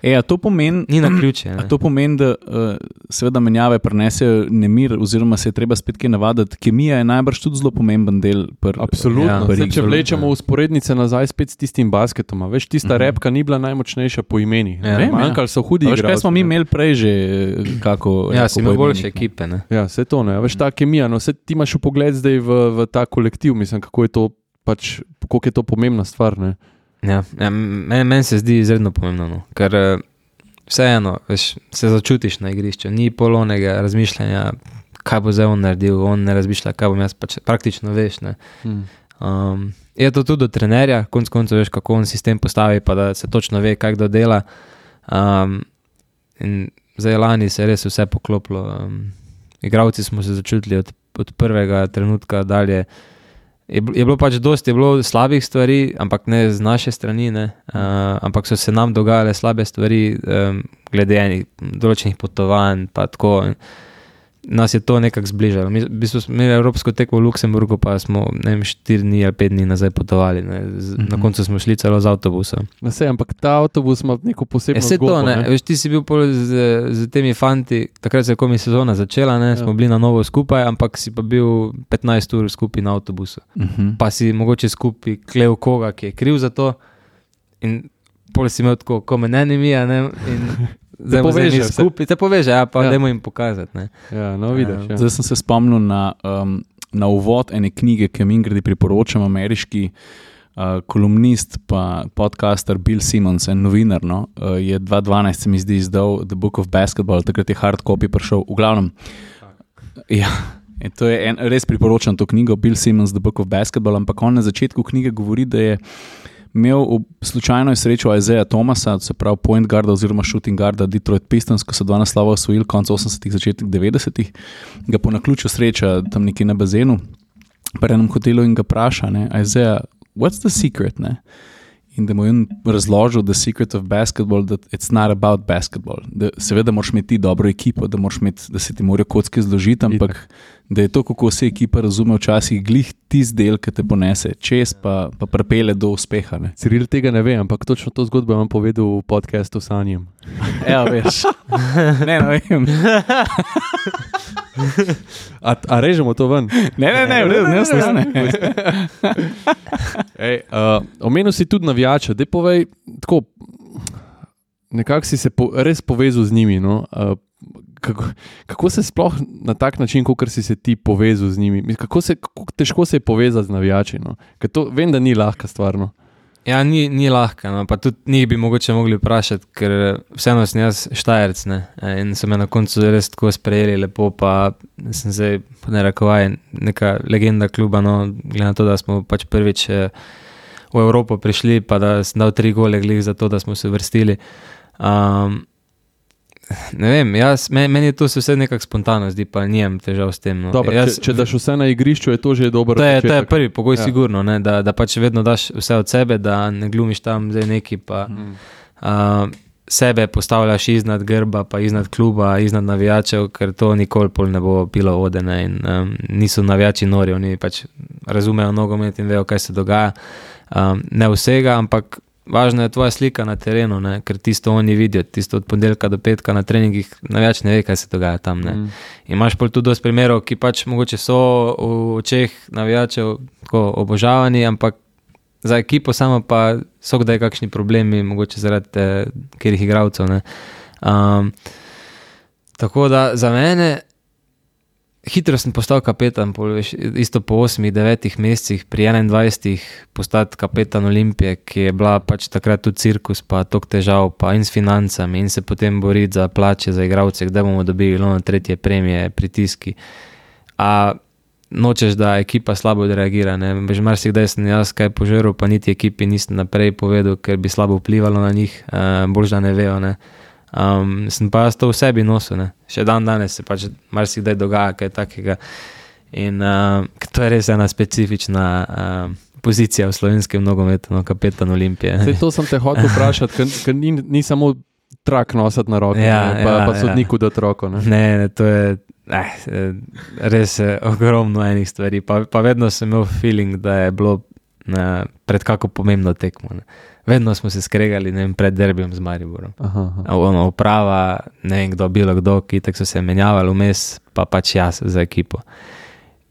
E, a to pomeni, Ni na ključe. A to pomeni, da uh, seveda menjave prinesejo nemir, oziroma se je treba spet kaj navaditi. Kemija je najbrž tudi zelo pomemben del. Pr, Absolutno. Ja, pr, Zdaj, če vlečemo usporednice nazaj spet s tistim basketom, veš, tista uh-huh. repka ni bila najmočnejša po imeni. Ja, Manjkali so hudi igralci. Kaj smo mi imeli prej že, kako... Ja, si imel boljše ekipe. Ne? Ja, vse to ne. Veš, ta kemija, no, vse ti imaš v pogled zdaj v, v ta kolektiv, mislim, kako je to pač, koliko je to pomembna stvar, ne. Ja, ja meni men se zdi izredno pomembno, no. Ker vseeno, veš, se začutiš na igrišču, ni polonega razmišljanja, kaj bo zdaj on naredil, on ne razmišlja, kaj bom jaz, pač praktično veš, ne. Hmm. Um, je to tudi do trenerja, konc koncev veš, kako on sistem postavi, pa da se točno ve, kaj kdo dela. Um, in zdaj lani se je res vse poklopilo. Um, igravci smo se začutili od, od prvega trenutka dalje. Je, je bilo pač dosti, je bilo slabih stvari, ampak ne z naše strani, ne, uh, ampak so se nam dogajale slabe stvari, um, glede enih določenih potovanj, pa tako. Nas je to nekako zbližalo. Mi, v bistvu smo imeli evropsko tekmo v Luksemburgu, pa smo, ne vem, štiri dni ali pet dni nazaj potovali, ne. Z, mm-hmm. Na koncu smo šli celo z avtobusom. Na sej, ampak ta avtobus ima neko posebno zgodbo, to, ne. Veš, ti si bil pol z, z temi fanti, takrat se je komi sezona začela, ne, ja. Smo bili na novo skupaj, ampak si pa bil petnajst ur skupaj na avtobusu. Mm-hmm. Pa si mogoče skupaj klev koga, ki je kriv za to, in pol si imel tako, ko me ne nimija, ne, in zdaj te poveže, skupaj, te poveže, ja, pa ja. Dajmo jim pokazati. Ne. Ja, no vidiš. Ja. Zdaj sem se spomnil na, um, na uvod ene knjige, ki mi gredi priporočam, ameriški uh, kolumnist pa podcaster Bill Simmons, en novinar, no, uh, je dva tisoč dvanajst se mi zdi izdal The Book of Basketball, takrat je hard copy prišel, v glavnem. Ja, in to je en, res priporočam to knjigo, Bill Simmons, The Book of Basketball, ampak on na začetku knjige govori, da je imel slučajno srečo Isaiah Thomasa, se pravi point guarda oziroma shooting guarda Detroit Pistons, ko so dva naslova osvojili konc osemdesetih, začetek devetdesetih, ga po naključju sreča tam nekje na bazenu, pri enem hotelu in ga praša, ne, Isaiah, what's the secret, ne? In da mu je razložil the secret of basketball, that it's not about basketball. Da, seveda moraš imeti dobro ekipo, da, imeti, da se ti morajo kocke zložiti, ampak da je to, kako se ekipa razume včasih glih tisti del, ki te ponese čez, pa, pa prepele do uspeha. Ne. Ciril tega ne ve, ampak točno to zgodbo vam povedal v podcastu Sanjem. Ja, veš. Ne, ne vem. A, a režemo to ven? Ne, ne, ne, ne, ne, ne, ne. Ej, uh, omenil si tudi navijače, dej povej, tako, nekako si se po, res povezal z njimi, no? Uh, kako, kako se sploh na tak način, kot si se ti povezal z njimi, kako, se, kako težko se je povezati z navijači, no? Ker to vem, da ni lahka stvar, no? Ja, ni, ni lahka, no, pa tudi njih bi mogoče mogli vprašati, ker vseeno sem jaz Štajerc, ne, in so me na koncu res tako sprejeli lepo, pa sem zdaj, ne rekovaj, neka legenda kluba, no, glede na to, da smo pač prvič v Evropo prišli, pa da sem dal tri gole glih za to, da smo se vrstili. Um, ne vem, jaz, meni je to se vse nekako spontano zdi, pa nijem težav s tem. No. Dobar, jaz, če, če daš vse na igrišču, je to že dober to je, početek. To je prvi pogoj, ja. Sigurno, ne, da, da pač vedno daš vse od sebe, da ne glumiš tam zdaj neki, pa hmm. uh, sebe postavljaš iznad grba, pa iznad kluba, iznad navijačev, ker to nikoli pol ne bo bilo odene in um, niso navijači nori, oni pač razumejo nogomet in vejo, kaj se dogaja. Um, ne vsega, ampak važna je tvoja slika na terenu, ne? Ker tisto oni vidijo, tisto od ponedeljka do petka na treningih, navijač ne ve, kaj se dogaja tam. Ne? Mm. Imaš pa tudi dosti primerov, ki pač mogoče so v očeh navijačev tako obožavani, ampak za ekipo samo pa so kdaj kakšni problemi, mogoče zaradi eh, katerih igralcev. Ne? Um, tako da za mene hitro sem postal kapetan, pol, veš, isto po osmih, devetih mesecih, pri enaindvajsetih postati kapetan Olimpije, ki je bila pač takrat tudi cirkus, pa tok težav, pa in s financami, in se potem boriti za plače, za igralce, kdaj bomo dobili na tretje premije, pritiski. A nočeš, da ekipa slabo odreagira, ne, bež marsikdaj sem jaz kaj požeral, pa niti ekipi nisem naprej povedal, ker bi slabo vplivalo na njih, uh, bolj da ne vejo, ne. Um, sem pa jaz to v sebi nosil, ne. Še dan danes se pač marsikdaj dogaja kaj takega in uh, to je res ena specifična uh, pozicija v slovenskem nogometu, no, kapetan Olimpije. Zdaj, to sem te hotel vprašati, ker ni, ni samo trak nositi na roke, ja, ne, pa, ja, pa sodniku ja. dati roko. Ne, ne, ne to je eh, res je ogromno enih stvari, pa, pa vedno sem imel feeling, da je bilo ne, pred kako pomembno tekmo. Ne. Vedno smo se skregali, ne vem, pred derbijem z Mariborom. Aha, aha. Ono, uprava, ne vem kdo, bilo kdo, ki tak so se menjavali vmes, pa pač jaz za ekipo.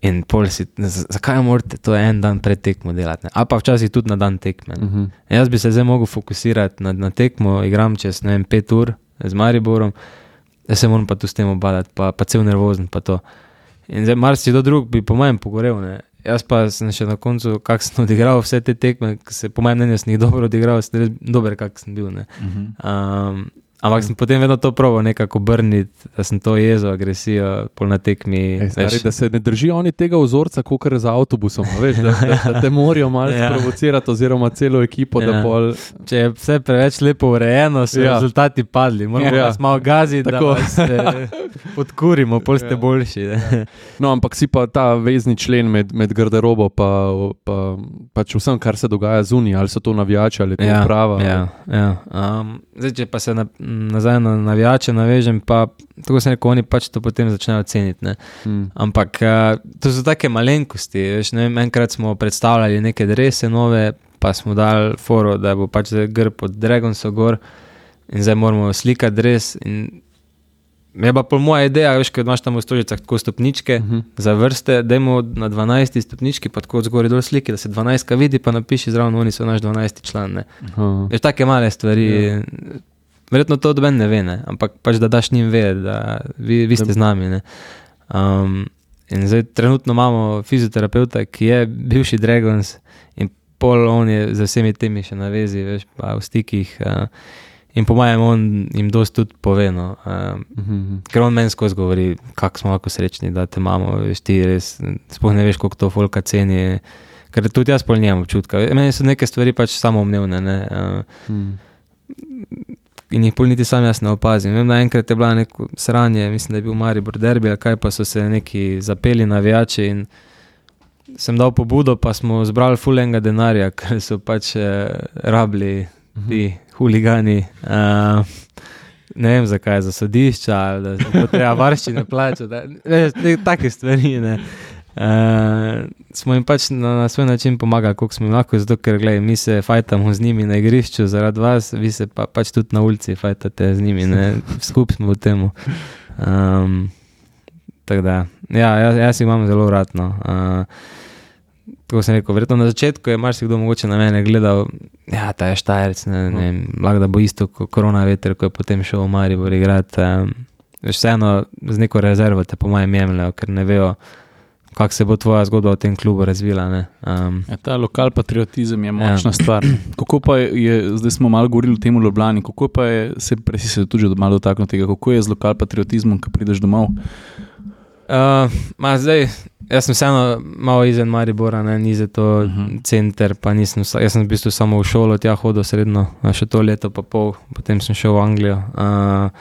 In pol si, zakaj morate to en dan pred tekmo delati? Ne? A pa včasih tudi na dan tekme. Uh-huh. Jaz bi se zdaj mogel fokusirati na, na tekmo, igram čez, ne vem, pet ur z Mariborom, da se moram pa tu s tem obadati, pa, pa cel nervozen, pa to. In zdaj marsi do drug bi po mojem pogorel, ne? Jaz pa sem še na koncu, kak sem odigral vse te tekme, se po mojem mnenju sem jih dobro odigral, sem res dober, kak sem bil. Ne? Uh-huh. Um, ampak sem potem vedno to probal nekako obrniti, da sem to jezo, agresijo, pol na tekmi. Ej, stari, da se ne držijo oni tega vzorca, kakor za avtobusom, veš, da, da, da te morajo malo ja. sprovocirati oziroma celo ekipo, ja. da pol... Če je vse preveč lepo urejeno, so ja. rezultati padli. Moramo ja. vas malo gaziti, tako. Da vas se podkurimo, pol ste ja. boljši. Ja. No, ampak si pa ta vezni člen med, med garderobo pa, pa pač vsem, kar se dogaja zunaj, ali so to navijači, ali to ja. uprava. Ja, ja. Um, zdaj, če pa se na, nazaj na navijače navežem, pa tako se neko, oni pač to potem začnejo ceniti. Ne? Hmm. Ampak uh, to so take malenkosti. Veš, ne vem, enkrat smo predstavljali neke drese nove, pa smo dali foro, da bo pač grb od Dragonsa gor in zdaj moramo slikati dres in je pa pol moja ideja, veš, ker imaš tam v Stožicah tako stopničke uh-huh. za vrste, dajmo na dvanajsti stopnički, pa tako zgori dol sliki, da se dvanajstka vidi, pa napiši zraven, oni so naš dvanajsti član. Ne. Uh-huh. Veš, take male stvari, yeah. verjetno to od ben ne ve, ne, ampak pač da daš njim vedeti, da vi, vi ste z nami. Ne. Um, in zdaj trenutno imamo fizioterapeuta, ki je bivši Dragons in pol on je za vsemi temi še na vezi, veš, pa v stikih, uh, in po mojem on jim dosti tudi pove, no. Um, mm-hmm. Ker on meni skozi govori, kako smo lahko srečni, da te imamo, veš, ti res, sploh ne veš, koliko to folka ceni, ker tudi jaz pol nimam občutka. Meni so neke stvari pač samoumnevne, ne. Uh, mm. In jih pol niti sam jaz ne opazim. Vem, da enkrat je bila neko sranje, mislim, da je bil Maribor derbi, kaj pa so se neki zapeli navijači in sem dal pobudo, pa smo zbrali ful enega denarja, ker so pač eh, rabili ti huligani, uh, ne vem zakaj, za sodišča, ali da se treba varščine plačati, take stvari, ne. Uh, smo jim pač na, na svoj način pomagali, koliko smo jim lahko, zato ker gledaj, mi se fajtamo z njimi na igrišču zaradi vas, vi se pa, pač tudi na ulici fajtate z njimi, ne, skup smo v temu. Um, tako da, ja, jaz, jaz imam zelo rad, no. Uh, tako sem rekel, verjetno na začetku je marsikdo mogoče na mene gledal, ja, ta je Štajerc, ne, ne, lahko da bo isto korona veter, ko je potem šel v Maribor igrati. Um, vseeno z neko rezervo te po mojem jemljajo, ker ne vejo, kako se bo tvoja zgodba v tem klubu razvila. Ne? Um, ja, ta lokal patriotizem je močna ja. stvar. Kako pa je, zdaj smo malo govorili o tem v Ljubljani, kako pa je, se presi se tudi malo dotaknil tega, kako je z lokal patriotizmom, ko prideš domov? Uh, ma zdaj, jaz sem vseeno malo izven Maribora, ne, ni za to uh-huh. center, pa nisem, jaz sem v bistvu samo v šolo tja hodil sredno, še to leto pa pol, potem sem šel v Anglijo. Uh,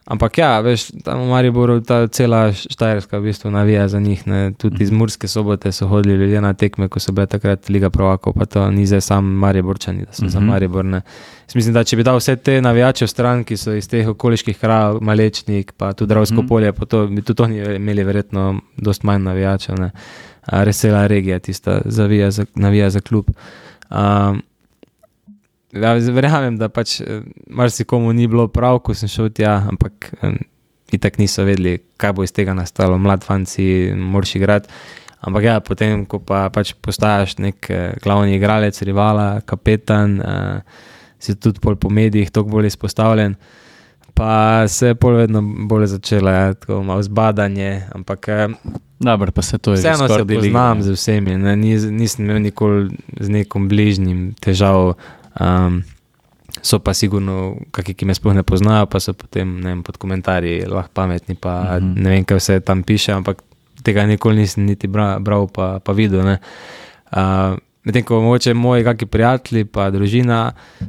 Ampak ja, veš, tam v Mariboru ta cela Štajerska v bistvu navija za njih, ne, tudi iz Murske Sobote so hodili ljudje na tekme, ko so bile takrat Liga prvakov, pa to ni zdaj sam Mariborčani, da so uh-huh. za Maribor, ne. Mislim, da če bi dal vse te navijače v stran, ki so iz teh okoliških krajev, Malečnik, pa tudi Dravsko uh-huh. polje, pa to bi tudi oni imeli verjetno dosti manj navijačev, ne. A res cela regija tista zavija za, navija za klub. Um, ja, verjamem, da pač marsikomu ni bilo prav, ko sem šel tja, ampak itak niso vedeli, kaj bo iz tega nastalo. Mlad fanci moraš igrati. Ampak ja, potem, ko pa pač postajaš nek glavni igralec, rivala, kapetan, uh, si tudi pol po medijih toliko bolj izpostavljen, pa se je pol vedno bolj začela, ja, tako malo zbadanje, ampak Dobar, pa se to je vseeno se poznam z vsemi, ne, nis, nisem imel nikoli z nekom bližnjim težav, um, so pa sigurno kakšni, ki me sploh ne poznajo, pa so potem, ne vem, pod komentarji lahko pametni, pa mm-hmm. ne vem, kaj vse tam piše, ampak tega nikoli nisem niti bral, bral pa, pa videl. Uh, medtem, ko mogoče moji kakšni prijatelji pa družina,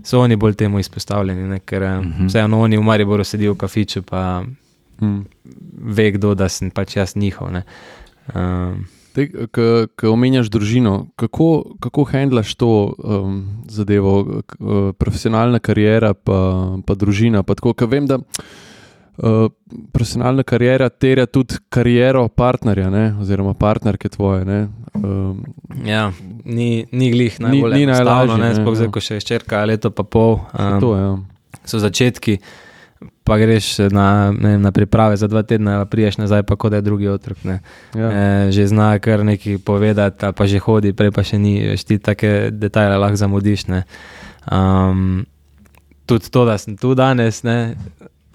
so oni bolj temu izpostavljeni, ne? Ker mm-hmm. vseeno oni v Mariboru sedijo v kafiču, pa mm. ve kdo, da sem pač jaz njihov. Ne? Uh, Ko omenjaš družino, kako, kako handlaš to um, zadevo, uh, profesionalna kariera pa, pa družina? Pa tako, ker vem, da Uh, profesionalna karijera terja tudi kariero partnerja, ne? Oziroma partnerke tvoje. Ne? Um, ja, ni, ni glih najbolj ni, ni enostavno, ne, sploh zdaj, ja. ko še je ščerka leto pa pol. Um, to, ja. So začetki, pa greš na, ne, na priprave za dva tedna, priješ nazaj, pa kot je drugi otrok. Ne? Ja. E, že zna kar nekaj povedati, pa že hodi, prej pa še ni, veš, ti take detajle lahko zamudiš. Ne? Um, tudi to, da sem tu danes, ne?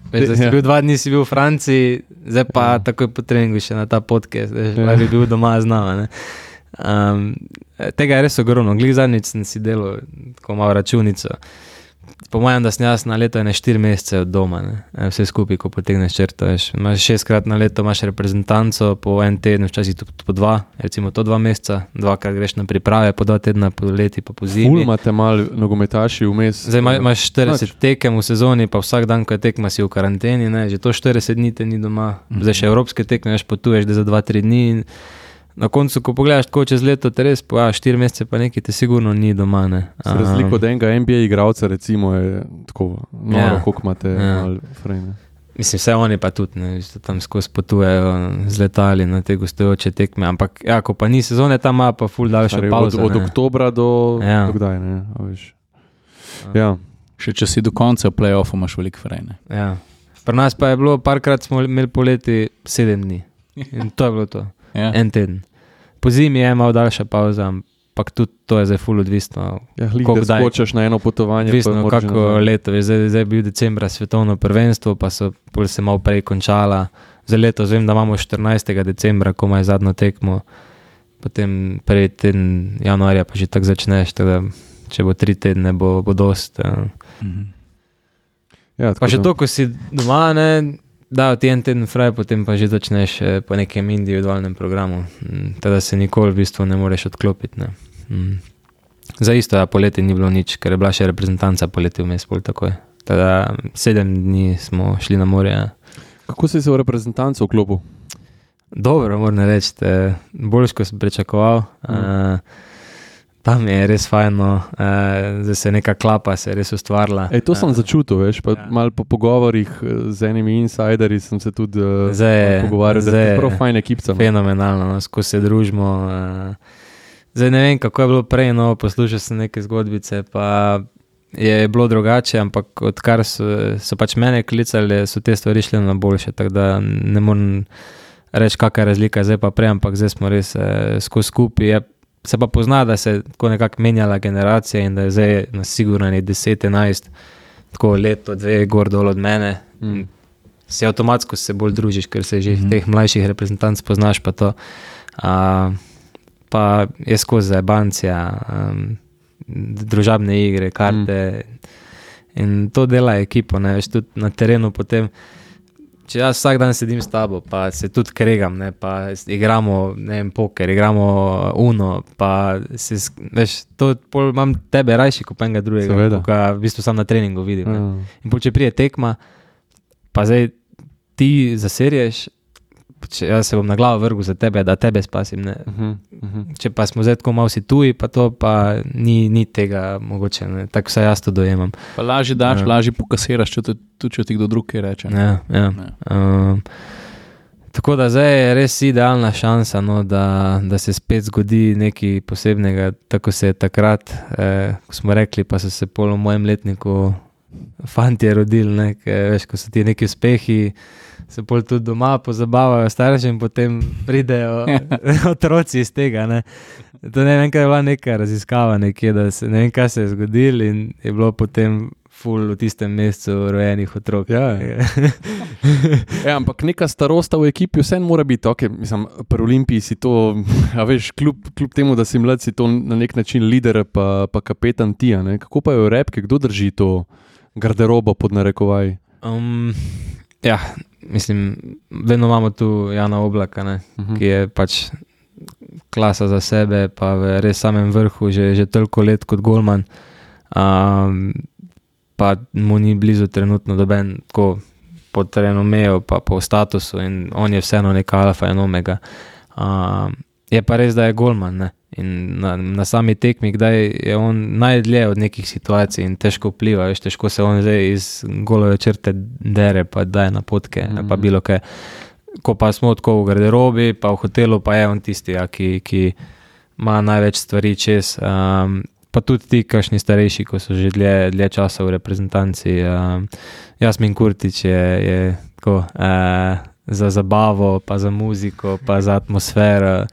Veš, da si bil dva dni si bil v Franciji, zdaj pa ja. takoj po treningu še na ta podcast, veš, ja. bi bil doma z nama. Um, tega je res ogromno. Glih zadnjič sem si delal tako malo računico. Po mojem, da sem jaz na leto ene štiri mesece od doma, ne? Vse skupaj, ko potegneš črto. Veš. Imaš šestkrat na leto imaš reprezentanco, po en teden, včasih tudi po dva, recimo to dva meseca, dvakrat greš na priprave, po dva tedna, po leti, pa po zimi. Ful imate malo nogometaši vmes. Zdaj imaš štirideset Nač. tekem v sezoni, pa vsak dan, ko je tekma, si v karanteni, ne? Že to štirideset dni te ni doma. Zdaj še evropske tekme, veš, potuješ za dva tri dni in na koncu, ko pogledaš tako čez leto, te res, pa štiri mesece pa nekaj te sigurno ni doma. Ne? Se razliko od enega N B A igralca, recimo, je tako noro, ja. koliko imate ja. malo frame. Mislim, vse oni pa tudi, ne, tam skozi potujejo z letali na te gostujoče tekme, ampak ja, ko pa ni sezone, tam ima pa ful daljšo pauzo. Od, od oktobra do, ja. do kdaj, ne, a veš. Ja. Še če si do konca play-offu imaš veliko frame. Ja. Pri nas pa je bilo, parkrat smo imeli poleti sedem dni in to je bilo to. Ja. En teden. Po zimi je malo daljša pauza, ampak tudi to je zdaj ful odvisno. Ja, hlih, da skočaš na eno potovanje. Odvisno, kako leto. Zdaj, zdaj je bil decembra svetovno prvenstvo, pa so pol se malo prej končala. Za leto vem, da imamo štirinajstega decembra, ko ima zadnjo tekmo. Potem prvi teden januarja pa že tako začneš, tako da če bo tri tedne, bo, bo dost. Mhm. Ja, pa še to, ko si doma, ne... Da, ti en teden fraj, potem pa že začneš po nekem individualnem programu. Teda se nikoli v bistvu ne moreš odklopiti. Ne. Za isto, ja, poleti ni bilo nič, ker je bila še reprezentanca poleti vmes pol takoj. Teda sedem dni smo šli na morje. Ja. Kako si se v reprezentanco vklopil? Dobro, moram reči, boljš, ko sem pričakoval. Mm. Uh, Tam je res fajno, eh, zdaj se neka klapa se je res ustvarila. Ej, to sem eh, začutil, veš, pa ja. malo po pogovorih z enimi insiderji sem se tudi zdaj, pogovarjal, zdaj, da je prav fajn ekipca. Fenomenalno, no, ko se družimo. Eh, zdaj ne vem, kako je bilo prej, no, poslušal sem neke zgodbice, pa je bilo drugače, ampak odkar so, so pač mene klicali, so te stvari šli na boljše, tako da ne morem reči, kakšna je razlika zdaj pa prej, ampak zdaj smo res eh, skozi skupaj. Se pa pozna, da se je tako nekako menjala generacija in da je zdaj na sigurno deset enajst tako leto, dve gor dol od mene. Mm. Se avtomatsko se bolj družiš, ker se že mm. teh mlajših reprezentanc poznaš pa to. A, pa je skozi zajebancija, um, družabne igre, karte mm. in to dela ekipo, ne, veš, tudi na terenu potem. Če jaz vsak dan sedim s tabo, pa se tudi kregam, ne, pa igramo, ne vem, poker, igramo uno, pa se, veš, to pol imam tebe rajši, kot pa enega drugega, ko v bistvu sam na treningu vidim. Ne. Mm. In pol, če prije tekma, pa zdaj ti zaserješ, če jaz se bom na glavo vrgu za tebe, da tebe spasim, ne. Uh-huh, uh-huh. Če pa smo zdaj tako malo si tuji, pa to pa ni, ni tega mogoče, ne. Tako vsaj jaz to dojemam. Pa lažje daš, ja. lažje pokasiraš, če tudi če ti kdo drug kaj reče. Ja, ja. ja. Um, Tako da zdaj je res idealna šansa, no, da, da se spet zgodi nekaj posebnega, tako se je takrat, eh, ko smo rekli, pa so se pol v mojem letniku fantje rodili, ne, ke, veš, ko so ti neki uspehi, se pol tudi doma pozabavajo starši in potem pridejo otroci iz tega. Ne. To ne vem, kaj je bila neka raziskava nekje, da se, ne vem, kaj se je zgodilo in je bilo potem ful v tistem mesecu rojenih otrok. Ja, ja, ampak neka starosta v ekipi vseeno mora biti, okay, mislim, pri Olimpiji si to, a veš, kljub, kljub temu, da si mlad, si to na nek način lider pa, pa kapetan tija, ne? Kako pa je v repke, kdo drži to garderobo pod narekovaj? Um, ja, mislim, vedno imamo tu Jana Oblaka, ne, uh-huh. ki je pač klasa za sebe, pa v res samem vrhu, že, že toliko let kot golman. Um, pa mu ni blizu trenutno doben tako po renomeju, pa po statusu in on je vseeno neka alfa in omega. Uh, je pa res, da je golman, ne? In na, na sami tekmi, kdaj je on najdlje od nekih situacij in težko vpliva, veš, težko se on zdaj iz golove črte dere, pa daje napotke, mm-hmm. pa bilo kaj. Ko pa smo tako v garderobi, pa v hotelu, pa je on tisti, ja, ki, ki ima največ stvari čez. Um, pa tudi ti, kakšni starejši, ko so že dlje, dlje časa v reprezentanci. Um, Jasmin Kurtić je, je tako, uh, za zabavo, pa za muziko, pa za atmosfero.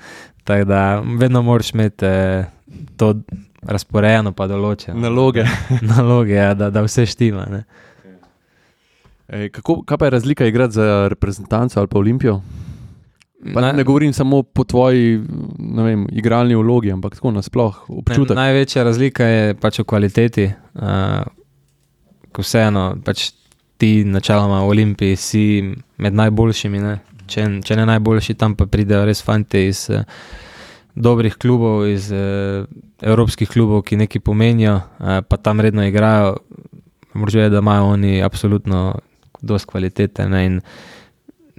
Tako da vedno moraš imeti uh, to razporejeno, pa določeno. Naloge. Naloge, ja, da, da vse štima. Ne? Ej, kako, kaj pa je razlika igrati za reprezentanco ali pa Olimpijo? Pa ne, ne govorim samo po tvoji, ne vem, igralni vlogi, ampak tako nasploh občutek. Ne, največja razlika je pač v kvaliteti. Uh, ko vseeno, pač ti načeloma v Olimpiji si med najboljšimi, ne? Če, če ne najboljši, tam pa pridejo res fante iz uh, dobrih klubov, iz uh, evropskih klubov, ki nekaj pomenijo, uh, pa tam redno igrajo. Moraš vedeti, da imajo oni absolutno dosti kvalitete, ne? In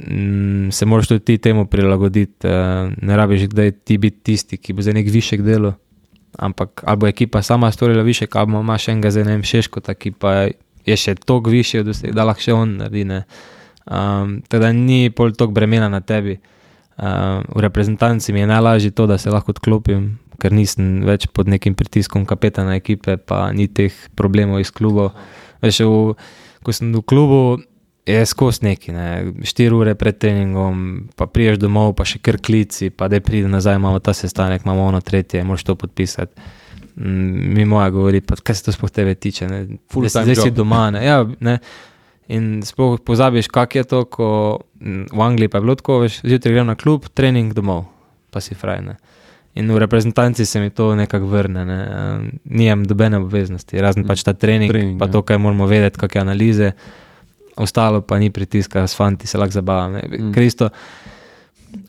mm, se moraš tudi ti temu prilagoditi. Uh, ne rabiš kdaj ti biti tisti, ki bo za nek višek delo, ampak ali bo ekipa sama storila višek, ali imaš enega za enem Šeškota, ki pa je še toliko višji od vseh, da lahko še on naredi, ne? Um, teda ni pol toliko bremena na tebi. Um, v reprezentanci mi je najlažje to, da se lahko odklopim, ker nisem več pod nekim pritiskom kapetana ekipe, pa ni teh problemov iz klubov. Veš, v, ko sem v klubu, je skozi neki, ne, štiri ure pred treningom, pa priješ domov, pa še kar klici, pa da pride nazaj, imamo ta sestanek, imamo ono tretje, moraš to podpisati. Mm, mi moja govori, pa kaj se to sploh tebe tiče, ne, zdaj si doma, ne, ja, ne. In sploh pozabiš, kak je to, ko v Angliji pa je bilo tako, veš, zjutraj grem na klub, trening domov, pa si fraj, ne. In v reprezentanci se mi to nekako vrne, ne. Nijem dobene obveznosti, razen pač ta trening, trening pa ja. To, kaj moramo vedeti, kakve analize, ostalo pa ni pritiska, s fanti se lahko zabavam, ne. Mm. Ker isto,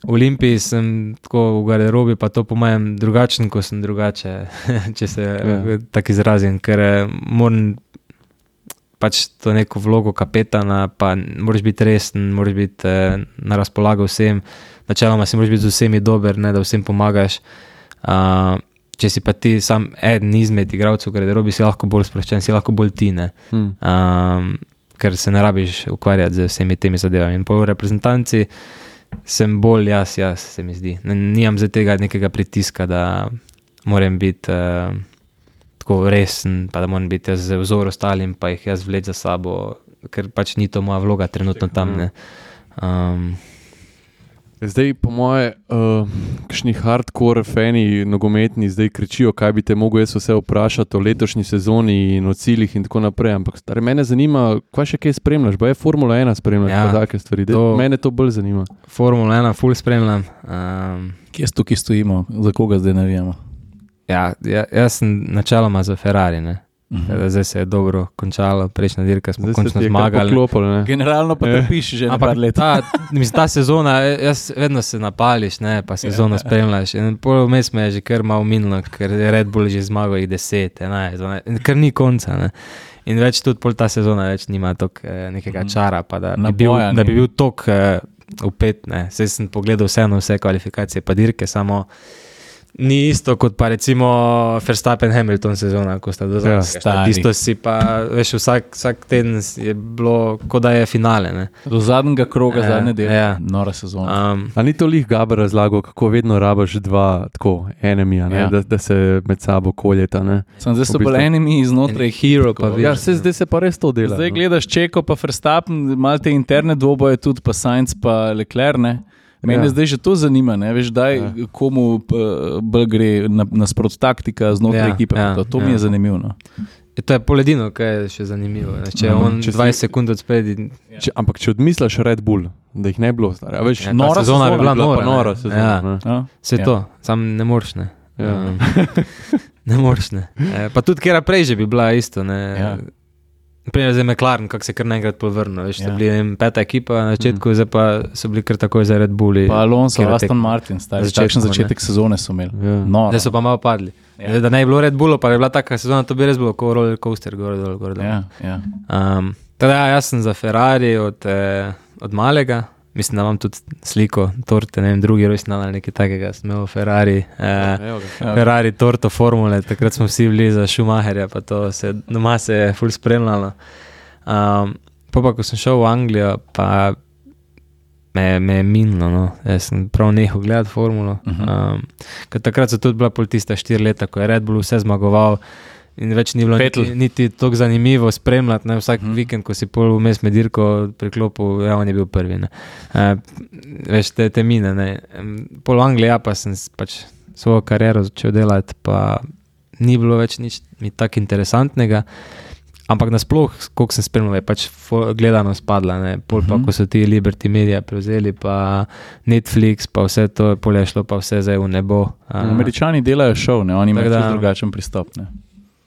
v Olimpiji sem tako v garderobi, pa to po mojem drugačen, ko sem drugače, če se ja. Tak izrazim, ker moram pač to neko vlogo kapetana, pa moraš biti resen, moraš biti eh, na razpolago vsem, načeloma si moraš biti z vsemi dober, ne, da vsem pomagaš. Uh, če si pa ti sam eden izmed igralcev v garderobi, si lahko bolj sproščen, si lahko bolj ti, ne. Hmm. Um, ker se ne rabiš ukvarjati z vsemi temi zadevami. In po reprezentanci sem bolj jaz, jaz se mi zdi. Nimam zdaj tega nekega pritiska, da moram biti uh, tako resen, pa da moram biti jaz vzor ostalim, pa jih jaz vleč za sabo, ker pač ni to moja vloga trenutno tam, ne. Um, Zdaj, po moje, uh, kakšni hardcore fani nogometni zdaj kričijo, kaj bi te mogel jaz vse vprašati o letošnji sezoni in o ciljih in tako naprej, ampak stari, mene zanima, kaj še kaj spremljaš, ba je Formula ena spremljaš, ja, pa take stvari, to, mene to bolj zanima. Formula ena ful spremljam. Um, Kje tukaj stojimo, za koga zdaj navijamo? Ja, ja, jaz sem načeloma za Ferrari, ne. Uh-huh. Zdaj se je dobro končalo, prejšnja dirka smo zdaj končno zmagali. Poklopil, generalno pa trpiš že na par let. Ta, mislim, ta sezona, jaz vedno se napališ, ne, pa sezono spremljaš. In pol vmes me je že kar malo minilo, ker je Red Bull že zmagal jih deset, enajst, dvanajst, ker ni konca, ne. In več tudi pol ta sezona več nima tok eh, nekega čara, pa da bi bil, da bi bil tok eh, upet, ne. Zdaj sem pogledal vseeno vse kvalifikacije pa dirke, samo Ni isto kot pa recimo Verstappen-Hamilton sezona, ko sta do Ja, zadnjega. stari. Tisto si pa, veš, vsak, vsak teden je bilo, kot da je finale. Ne? Do zadnjega kroga, Ja, zadnje delo, ja. nora sezona. Um, A ni to lih Gaber razlagal, kako vedno rabaš dva tako enemija, Ja. da, da se med sabo koljeta. Ne? Sem zdaj so v bistvu- bolj enimi znotraj hero pa tako. vidiš. Ja, se zdaj se pa res to dela. Zdaj no. gledaš Čeko pa Verstappen, malo te interne dvoboje tudi, pa Sainz pa Leclerc, ne. Mene Ja. zdaj že to zanima, ne veš, daj Ja. komu uh, bolj gre na, nasprot taktika znotraj Ja, ekipe. ja, to to ja. mi je zanimivo. No. Je to je poledino, kaj je še zanimivo. Ne? Če je Mhm. on Če si- dvajset sekund odspedi, Če, ampak če odmisliš Red Bull, da jih ne bi bilo, stari, a veš, Ja, ta nora sezona bi bila nora, pa ne. nora sezona. Ja. ne. Ja. vse Ja. to, sam ne moreš. Ne, Ja. um, ne moreš. Ne. E, pa tudi kera prej že bi bila isto. Ne. Ja. Primer zdaj McLaren, kako se kar naenkrat povrnil. Veš, Ja. ja. bili ne vem, peta ekipa na začetku, mm. zdaj pa so bili kar takoj za Red Bulli. Pa Alonso, Katera Aston tekma? Martin, stari, Na začetku, takšen ne. začetek sezone so imeli. Ja. Noro. Zdaj so pa malo padli. Ja. Ja. Da ne bi bilo Red Bullo, pa bi bila taka sezona, to bi res bilo kot roller coaster, gor dol, gor dol. Ja, ja. Um, teda, ja, jaz sem za Ferrari od, eh, od malega, mislim, da imam tudi sliko torte, ne vem, drugi rojstni dan ali nekaj takega, sem imel Ferrari, eh, Evo ga. Ja. Ferrari torto formule, takrat smo vsi bili za Schumacherja, pa to se doma se je ful spremljalo. Um, pa pa, ko sem šel v Anglijo, pa me, me je minilo, no. Jaz sem prav nehal gledati formulo. Uh -huh. um, ker takrat so tudi bila pol tista štiri leta, ko je Red Bull vse zmagoval in več ni bilo Vettel. niti, niti tako zanimivo spremljati. Ne? Vsak Mhm. uh-huh. vikend, ko si pol vmes med dirko priklopil, ja, on je bil prvi. Ne? Uh, veš, te, te mine. Ne? Em, Pol v Angliji, ja, pa sem s- pač svojo kariero začel delati, pa ni bilo več nič mi tako interesantnega. Ampak nasploh, koliko sem spremljal, je pač fo- gledanost padla. Ne? Pol pa, Mhm. ko so ti Liberty Media prevzeli, pa Netflix, pa vse to, pol je šlo pa vse zdaj v nebo. A, Američani delajo šov, ne, oni imajo Tako da- čisto drugačen pristop. Ne.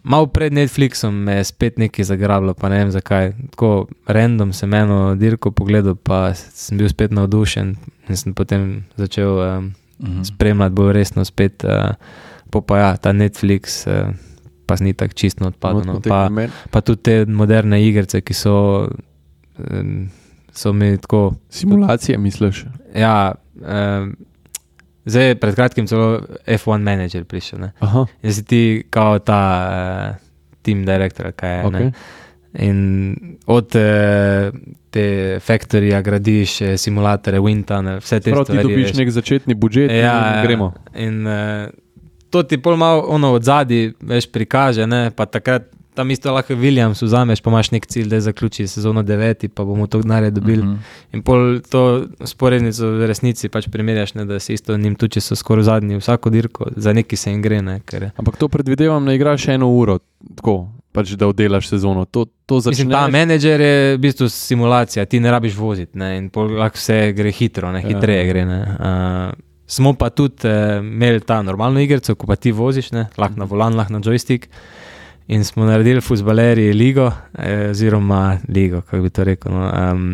Malo pred Netflixom me je spet nekaj zagrabilo, pa ne vem zakaj. Tako random sem eno dirko pogledal, pa sem bil spet navdušen in sem potem začel um, Mhm. spremljati bolj resno spet. Uh, po pa ja, ta Netflix uh, pa ni tako čisto odpadel. No. Pa, pa tudi te moderne igrice, ki so, um, so mi tako. Simulacije, misliš? Ja, um, zdaj pred kratkim celo F jedan manager prišel. Ne. Aha, In si ti kao ta uh, team director, kaj je. ok. Ne. In od uh, te factoryja gradiš eh, simulatore, Windtunnel, vse te Prav ti stvari. dobiš veš. nek začetni budžet Ja, in gremo. In uh, to ti pol malo ono od zadaj veš prikaže, ne? Pa takrat tam isto lahko Williams vzameš, pa imaš nek cilj, da zaključi sezono deveti, pa bomo to denarja dobili. Mhm. In pol to sporednico v resnici pač primerjaš, ne, da si isto njim tudi, če so skoraj zadnji vsako dirko, za neki se jim gre, ne, ker Ampak to predvidevam, da igraš eno uro, tako, pač da oddelaš sezono. To, to mislim, ta začneš. menedžer je v bistvu simulacija, ti ne rabiš voziti, ne, in pol lahko vse gre hitro, ne, hitreje Ja. gre, ne. Uh, smo pa tudi uh, imeli ta normalno igrico, ko pa ti voziš, ne, lahko na volan, lahko na joystick. In smo naredili fuzbalerji ligo, eh, oziroma ligo, kako bi to rekel. No. Um,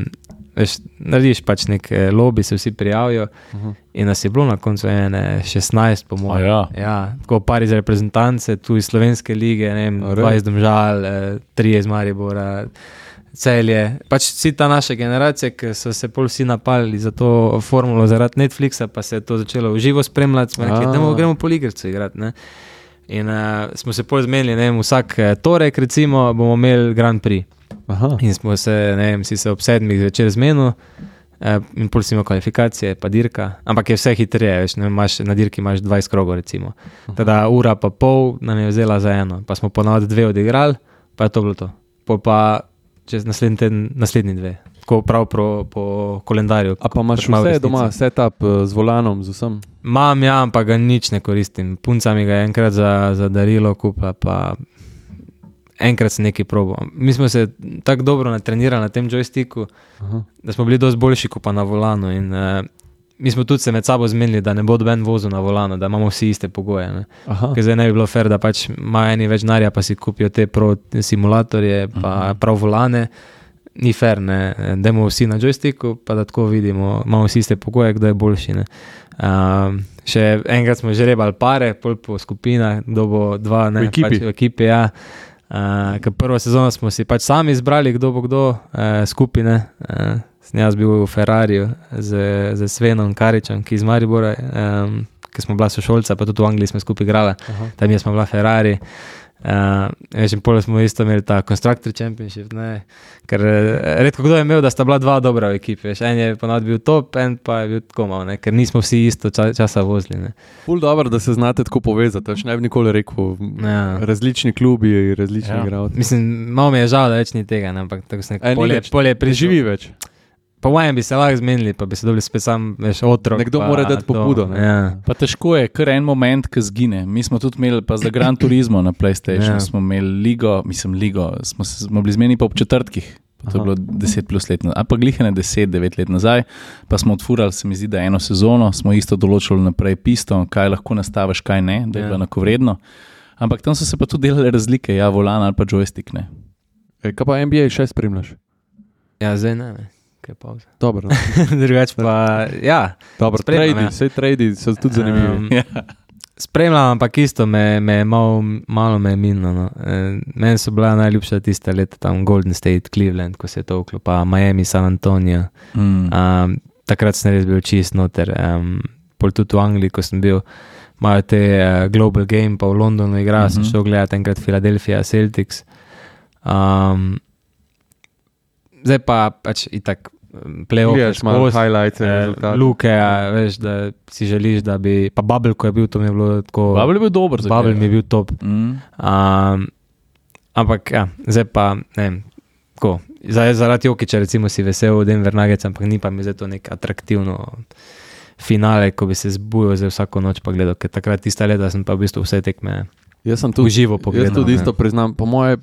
veš, narediš pač nek eh, lobby, se vsi prijavijo. Aha. In nas je bilo na koncu ene šestnajst, po A mojem. ja. Ja, tako par iz reprezentance, tu iz slovenske lige, ne vem, A res? dva iz Domžal, eh, tri iz Maribora, Celje. Pač vsi ta naša generacija, ki so se pol vsi napali za to formulo zaradi Netflixa, pa se je to začelo v živo spremljati, smo rekli, A. da gremo pol igrico igrati. Ne? In uh, smo se pol zmenili, ne vem, vsak eh, torek recimo bomo imeli Grand Prix. Aha. In smo se, ne vem, si se ob sedmih zvečer zmenili, eh, in pol si imel kvalifikacije, pa dirka, ampak je vse hitreje, veš, ne, imaš, na dirki imaš dvajset krogov recimo. Teda ura pa pol nam je vzela za eno, pa smo ponavadi dve odigrali, pa je to bilo to. Pol pa čez naslednji teden, naslednji dve. Tako prav pro, po kalendarju. A pa imaš kot ima v vse resnici. doma, setup eh, z volanom, z vsem. Mam, ja, ampak ga nič ne koristim. Punca mi ga je enkrat za, za darilo kupila, pa enkrat sem nekaj probal. Mi smo se tako dobro natrenirali na tem joysticku, Aha. da smo bili dosti boljši kot pa na volanu. In, uh, mi smo tudi se med sabo zmenili, da ne bo doben vozil na volanu, da imamo vsi iste pogoje. Ne. Aha. Ker zdaj ne bi bilo fair, da pač imajo eni več denarja, pa si kupijo te pro simulatorje, pa prav volane. Ni fair, ne, dajmo vsi na joysticku, pa da tako vidimo, imamo vsi iste pogoje, kdo je boljši. Ne. Um, še enkrat smo že rebali pare, pol po skupinah, kdo bo dva, ne, V ekipi. pač v ekipi, ja. Uh, ker prvo sezono smo si pač sami izbrali, kdo bo kdo, uh, skupine. Uh, sem jaz bil v Ferrariju z, z Svenom Karičem, ki iz Maribora, um, ki smo bila sošolca, pa tudi v Angliji smo skupaj igrali, tam je smo bila Ferrari. Uh, veš, in pol smo isto imeli ta Constructor Championship, ne, ker redko kdo je imel, da sta bila dva dobra v ekipi, veš, en je ponavadi bil top, en pa je bil tako malo, ne, ker nismo vsi isto ča, časa vozili, ne. Ful dobro, da se znate tako povezati, veš, ne bi nikoli rekel, ja. različni klubi, različni ja. igralci. Mislim, malo mi je žal, da več ni tega, ne, ampak tako se nekaj polje, polje priživi več. Po mojem bi se lahko zmenili, pa bi se dobili spet sam, veš, otrok. Nekdo mora dati pobudo. Ne? Ja. Pa težko je, kar en moment, ki zgine. Mi smo tudi imeli, pa za Gran Turismo na PlayStation, ja. smo imeli ligo, mislim ligo, smo, smo bili zmeni pa ob četrtkih, pa to je bilo deset plus let nazaj, a pa glihane deset, devet let nazaj, pa smo odfurali, se mi zdi, da eno sezono, smo isto določili naprej pisto, kaj lahko nastaviš, kaj ne, da je ja. bilo enakovredno. Ampak tam so se pa tudi delale razlike, ja, volan ali pa joystick, ne. E, kaj pa N B A še spremljaš? Ja, zdaj ne, ne. Dobro. Drugač pa, ja. Dobro, tradi, ja. Vse tradi so tudi zanimivi. Um, ja. Spremljam, ampak isto me, me malo, malo me je minilo. No. E, meni so bila najljubša tista leta, tam Golden State, Cleveland, ko se je to vklopa, Miami, San Antonio. Mm. Um, takrat sem res bil čist noter. Um, pol tudi v Angliji, ko sem bil, imajo te uh, Global Game, pa v Londonu igra, mm-hmm. sem šel gledati enkrat Philadelphia Celtics. Um, zdaj pa pač itak play-off, highlights, eh, luke, ja, veš, da si želiš, da bi, pa Bubble, ko je bil, to mi je bilo tako... Bubble je bil dober. Bubble mi je bil top. Mm. Um, ampak, ja, zdaj pa, ne vem, tako, zdaj zaradi Jokića, recimo, si vesel v Denver Nuggets, ampak ni pa mi zdaj to nek atraktivno finale, ko bi se zbujal zdaj vsako noč pa gledal, ker takrat tista leta sem pa v bistvu vse tekme uživo pogledal. Jaz tudi isto priznam, po moje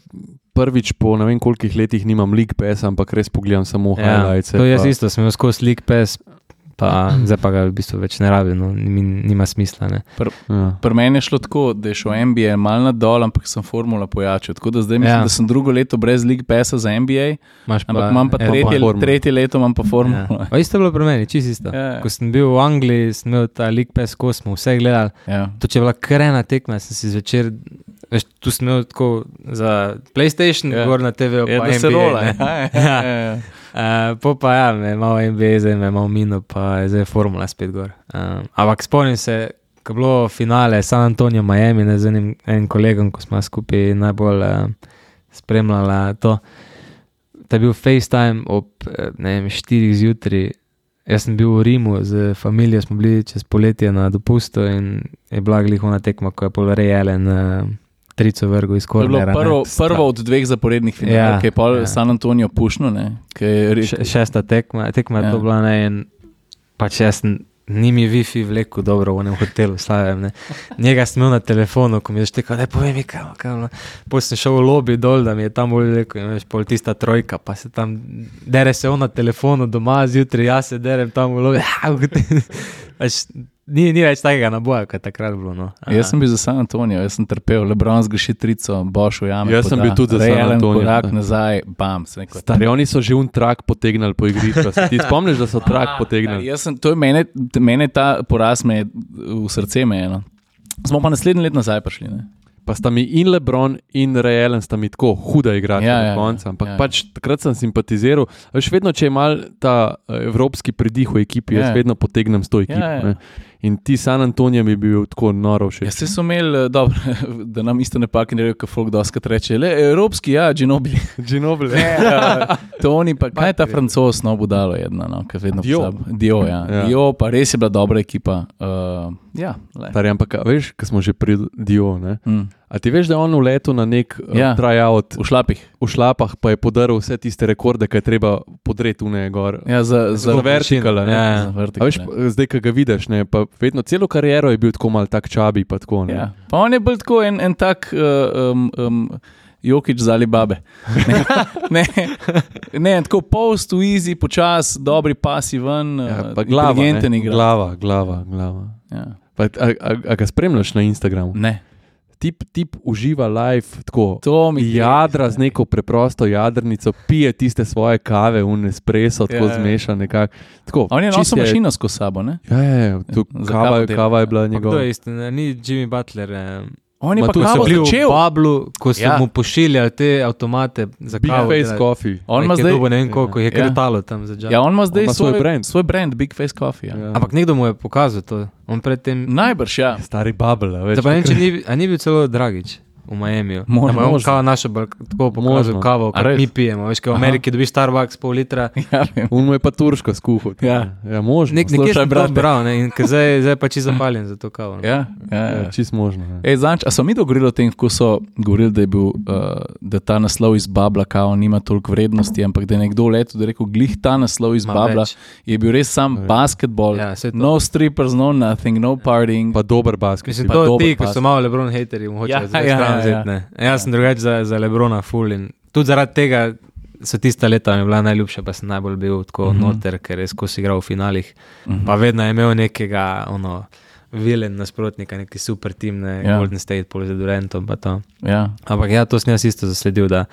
prvič po ne vem kolikih letih nimam League Pass, ampak res pogledam samo ja, highlights. To jaz pa... isto, sem imel skozi League Pass, pa zdaj pa ga v bistvu več ne rabim, no, nima smisla. Ne. Pr, ja. Pri meni je šlo tako, da je šel N B A malo nadol, ampak sem formula pojačil, tako da zdaj mislim, ja. da sem drugo leto brez League Passa za N B A, Maš ampak pa, imam pa tretje, tretje leto imam pa formula. Ja. Isto je bilo pri meni, čisto isto. Ja. Ko sem bil v Angliji, sem imel ta League Pass, ko smo vse gledali, ja. to če je bila krena tekma, sem si zvečer, veš, tu sem imel tako za PlayStation, ja. gor na T V, pa ja, N B A. Rola, ja. ja. ja, ja. Uh, po pa ja, me malo N B A, zdaj me malo minil, pa je zdaj formula spet gor. Uh, ampak spomnim se, ko je bilo finale San Antonio, Miami, ne, z enim, enim kolegom, ko smo skupaj najbolj uh, spremljala to. To je bil FaceTime ob, ne vem, štirih zjutraj. Jaz sem bil v Rimu, z familijo smo bili čez poletje na dopustu in je bila glihona tekma, ko je pol Ray Allen uh, trico vrgo iz kornera. Prvo, prvo od dveh zaporednih finalov, ja, ki je pol ja. San Antonio pušno, ne? Je... Še, šesta tekma, tekma ja. je to bila, ne, in pač jaz ni mi Wi-Fi vleku dobro v enem hotelu, slavim, ne. Njega sem imel na telefonu, ko mi je štekal, daj povej mi, kaj, kaj, pol sem šel v lobby dol, da mi je tam bolj vleku, in veš, pol tista trojka, pa se tam, dere se on na telefonu doma, zjutraj jaz se derem tam v lobby, pač, Ni, ni več takega naboja, kot je takrat bilo. No. Jaz sem bil za San Antonio, jaz sem trpel, LeBron zgreši trico, Boš v jame. Jaz poda, sem bil tudi za San Antonio. Korak nazaj, bam. Stari, oni so že un trak potegnali po igrišču. Ti spomniš, da so trak potegnali? Jaz sem, to je mene, mene ta poraz me v srce me eno. Smo pa naslednji let nazaj prišli, ne? Pa sta mi in LeBron in Ray Allen sta mi tako huda igrača ja, na koncu, ampak ja, pač takrat sem simpatiziral. Veš, vedno, če je mal ta evropski pridih v ekipi, ja. jaz vedno potegnem s to ekipo. Ja, ja. In ti San Antonio mi bi bil tako noro všeč. Ja, se so imeli, dobro, da nam isto ne paki ne rejo, ko folk doskrat reče, le, evropski, ja, Ginobili. Ginobili. Ja, to oni pa, kaj je ta Francoz, no, budalo jedna, no, kaj vedno Dio. Dio, ja. ja. Dio, pa res je bila dobra ekipa. Uh, ja, le. Tari, ampak, veš, ko smo že pri Dio, ne? Mm. A ti veš, da je on v letu na nek ja, uh, tryout v šlapih. V šlapah pa je podaril vse tiste rekorde, ki je treba podreti v ne gor. Ja, za, za, za vertikale. Ja, ja. Za vertikale. A veš, zdaj, ko ga vidiš, ne, pa vedno celo kariero je bil tako mal tak čabi, pa tako, ne. Ja. Pa on je bil tako en, en tak uh, um, um, Jokić za Alibabe. Ne, ne, ne, tako post, easy, počas, dobri pasi ven, ja, pa glava, inteligenten igra. Glava, glava, glava. Ja. Pa, a, a, a ga spremljaš na Instagramu? Ne. Tip, tip uživa live, tako mi jadra z neko preprosto jadrnico, pije tiste svoje kave, un espresso, tako ja, zmeša nekako. On je nosil mašino skozi sabo, ne? Ja, ja, ja. Tu, kava, kava je bila njegova. To je isto, ni Jimmy Butler, eh, On je Ma pa tu so kavo bili v začel. Bablu, ko so Ja. ja. mu pošiljali te avtomate za Big kavo. Face Coffee. On ima Zdaj, zdaj, dobo, ne vem koliko, je Ja. kretalo tam za džak. ja, on ima zdaj On ima svoj svoj, brand. svoj brand, Big Face Coffee. Ja. Ja. Ampak nekdo mu je pokazal to. On predtem... Najbrž, ja. Stari bubble, a več. Zdaj pa ne vem, če ni, a ni bil celo Dragič v Miamiju. Možno, Da mu je on možno. kao našo balk- tako pokazal Možno. kavo, A kot res? mi pijemo. Veš, kaj v Aha. Ameriki dobiš Starbucks pol litra. ja vem. On mu je pa turško skuhal. Ja. ja možno. Nek, nekje Slušaj, sem to brate. bral, ne, in ke zdaj, zdaj pa čisto zapaljen za to kavo. Ne. Ja, ja, Ja, ja. čist možno. Ja. Ej, zanč, a so mi dogovorili o tem, ko so govorili, da je bil, uh, da ta naslov iz Babla kao nima toliko vrednosti, ampak da je nekdo leto, da je rekel, glih ta naslov iz Ma Babla več. je bil res sam Ja. basketball, Ja, saj to. no strippers, no nothing, no partying. Pa dober basket. Mislim, Pa to dober ti, ko pas. so malo Lebron haterji, mu hočejo Ja, zdaj ja, stran ja, vzeti, ja. ne. Jaz sem drugače za, za Lebrona full in tudi zaradi tega so tista leta mi bila najljubša, pa sem najbolj bil tako Mhm. noter, ker je skozi igral v finalih. Mhm. Pa vedno je imel nekega, ono, vilen nasprotnika, neki super tim, ne, Ja. Golden State, pol z Durantom pa to. Ja. Ampak ja, to sem jaz isto zasledil, da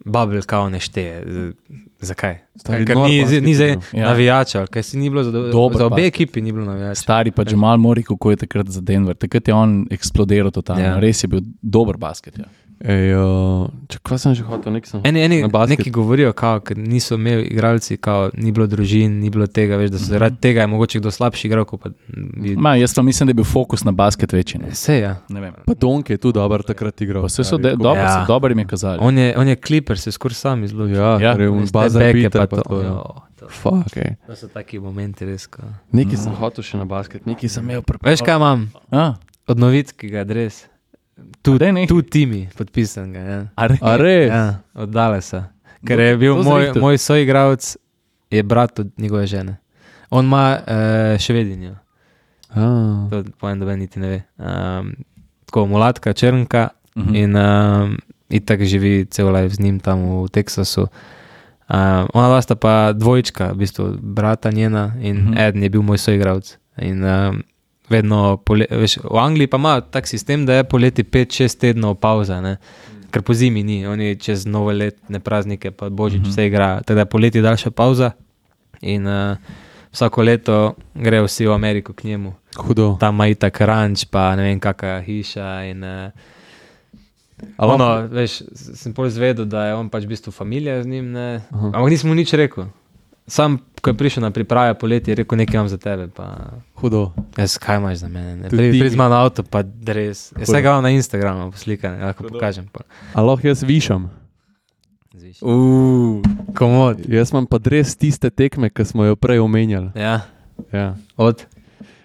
Bubble kao ne šteje. Z- Zakaj? Stari Ker nor ni, basket ni zdaj igral. Ja. navijača, ker si ni bilo za, do, Dober za obe basket. ekipi ni bilo navijača. Stari pa Jamal Murray, kako je takrat za Denver. Takrat je on eksplodiral totalno. Ja. Res je bil dober basket. Ja. Ej, uh, če kva sem že hotel, nek sem. Eni, eni Na basket. neki govorijo, kao, ker niso imeli igralci, kao, ni bilo družin, ni bilo tega, veš, da so zaradi tega je mogoče kdo slabši igral, kot pa bi... Ma, jaz pa mislim, da je bil fokus na basket večji. Ne, Se, ja. ne vem. Pa Donk je tudi dober takrat igral. Pa Vse so stari, de, tako- dobro, Ja. ja. dobro jim je kazali. On je, on je Clipper, se skoraj sam izločil. Ja, Ja. ker je un Veste, bazar beke Peter pa pa to, to. ja. jo, to. Fuck, ej. To so taki momenti res. Kao. Nekaj sem hotel še na basket, nekaj sem imel pri... Veš, kaj imam? A, Od novitskega adres. tu dej nekaj. Tu Timi, podpisan ga. Ja. A re- A res? Ja, od Dallasa. Ker je bil To moj, zrihtal. moj soigralec, je brat od njegove žene. On ima uh, švedinjo, A, to povem, da niti ne ve. Um, tako, mulatka, črnka Mhm. in um, itak živi cel life z njim tam v Teksasu. Um, ona dva sta pa dvojčka, v bistvu brata njena in Mhm. mhm. eden je bil moj soigralec. In um, vedno, pole, veš, v Angliji pa ima tak sistem, da je poleti pet šest tednov pauza, ne? Ker po zimi ni, oni čez novoletne praznike pa božič Mhm. vse igrajo, teda poleti je daljša pauza in uh, vsako leto grejo vsi v Ameriko k njemu. hudo. Tam ima itak ranč, pa ne vem kakšna hiša in uh, Ali ono, veš, s- sem pol izvedel, da je on pač v bistvu familija z njim, ne? Aha. Ampak nisem mu nič rekel. Sam, ko je prišel na priprave poleti, je rekel, nekaj imam za tebe, pa Hudo. jaz, kaj imaš za mene, ne? Tudi Pri, ti. pri z mano avto, pa dres. Jaz Hudo. vsega imam na Instagramu poslikane, lahko pokažem. Pa. A lahko jaz višam? Zviš. Uh, Komod. Jaz imam pa res tiste tekme, ki smo jo prej omenjali. Ja, Ja. od.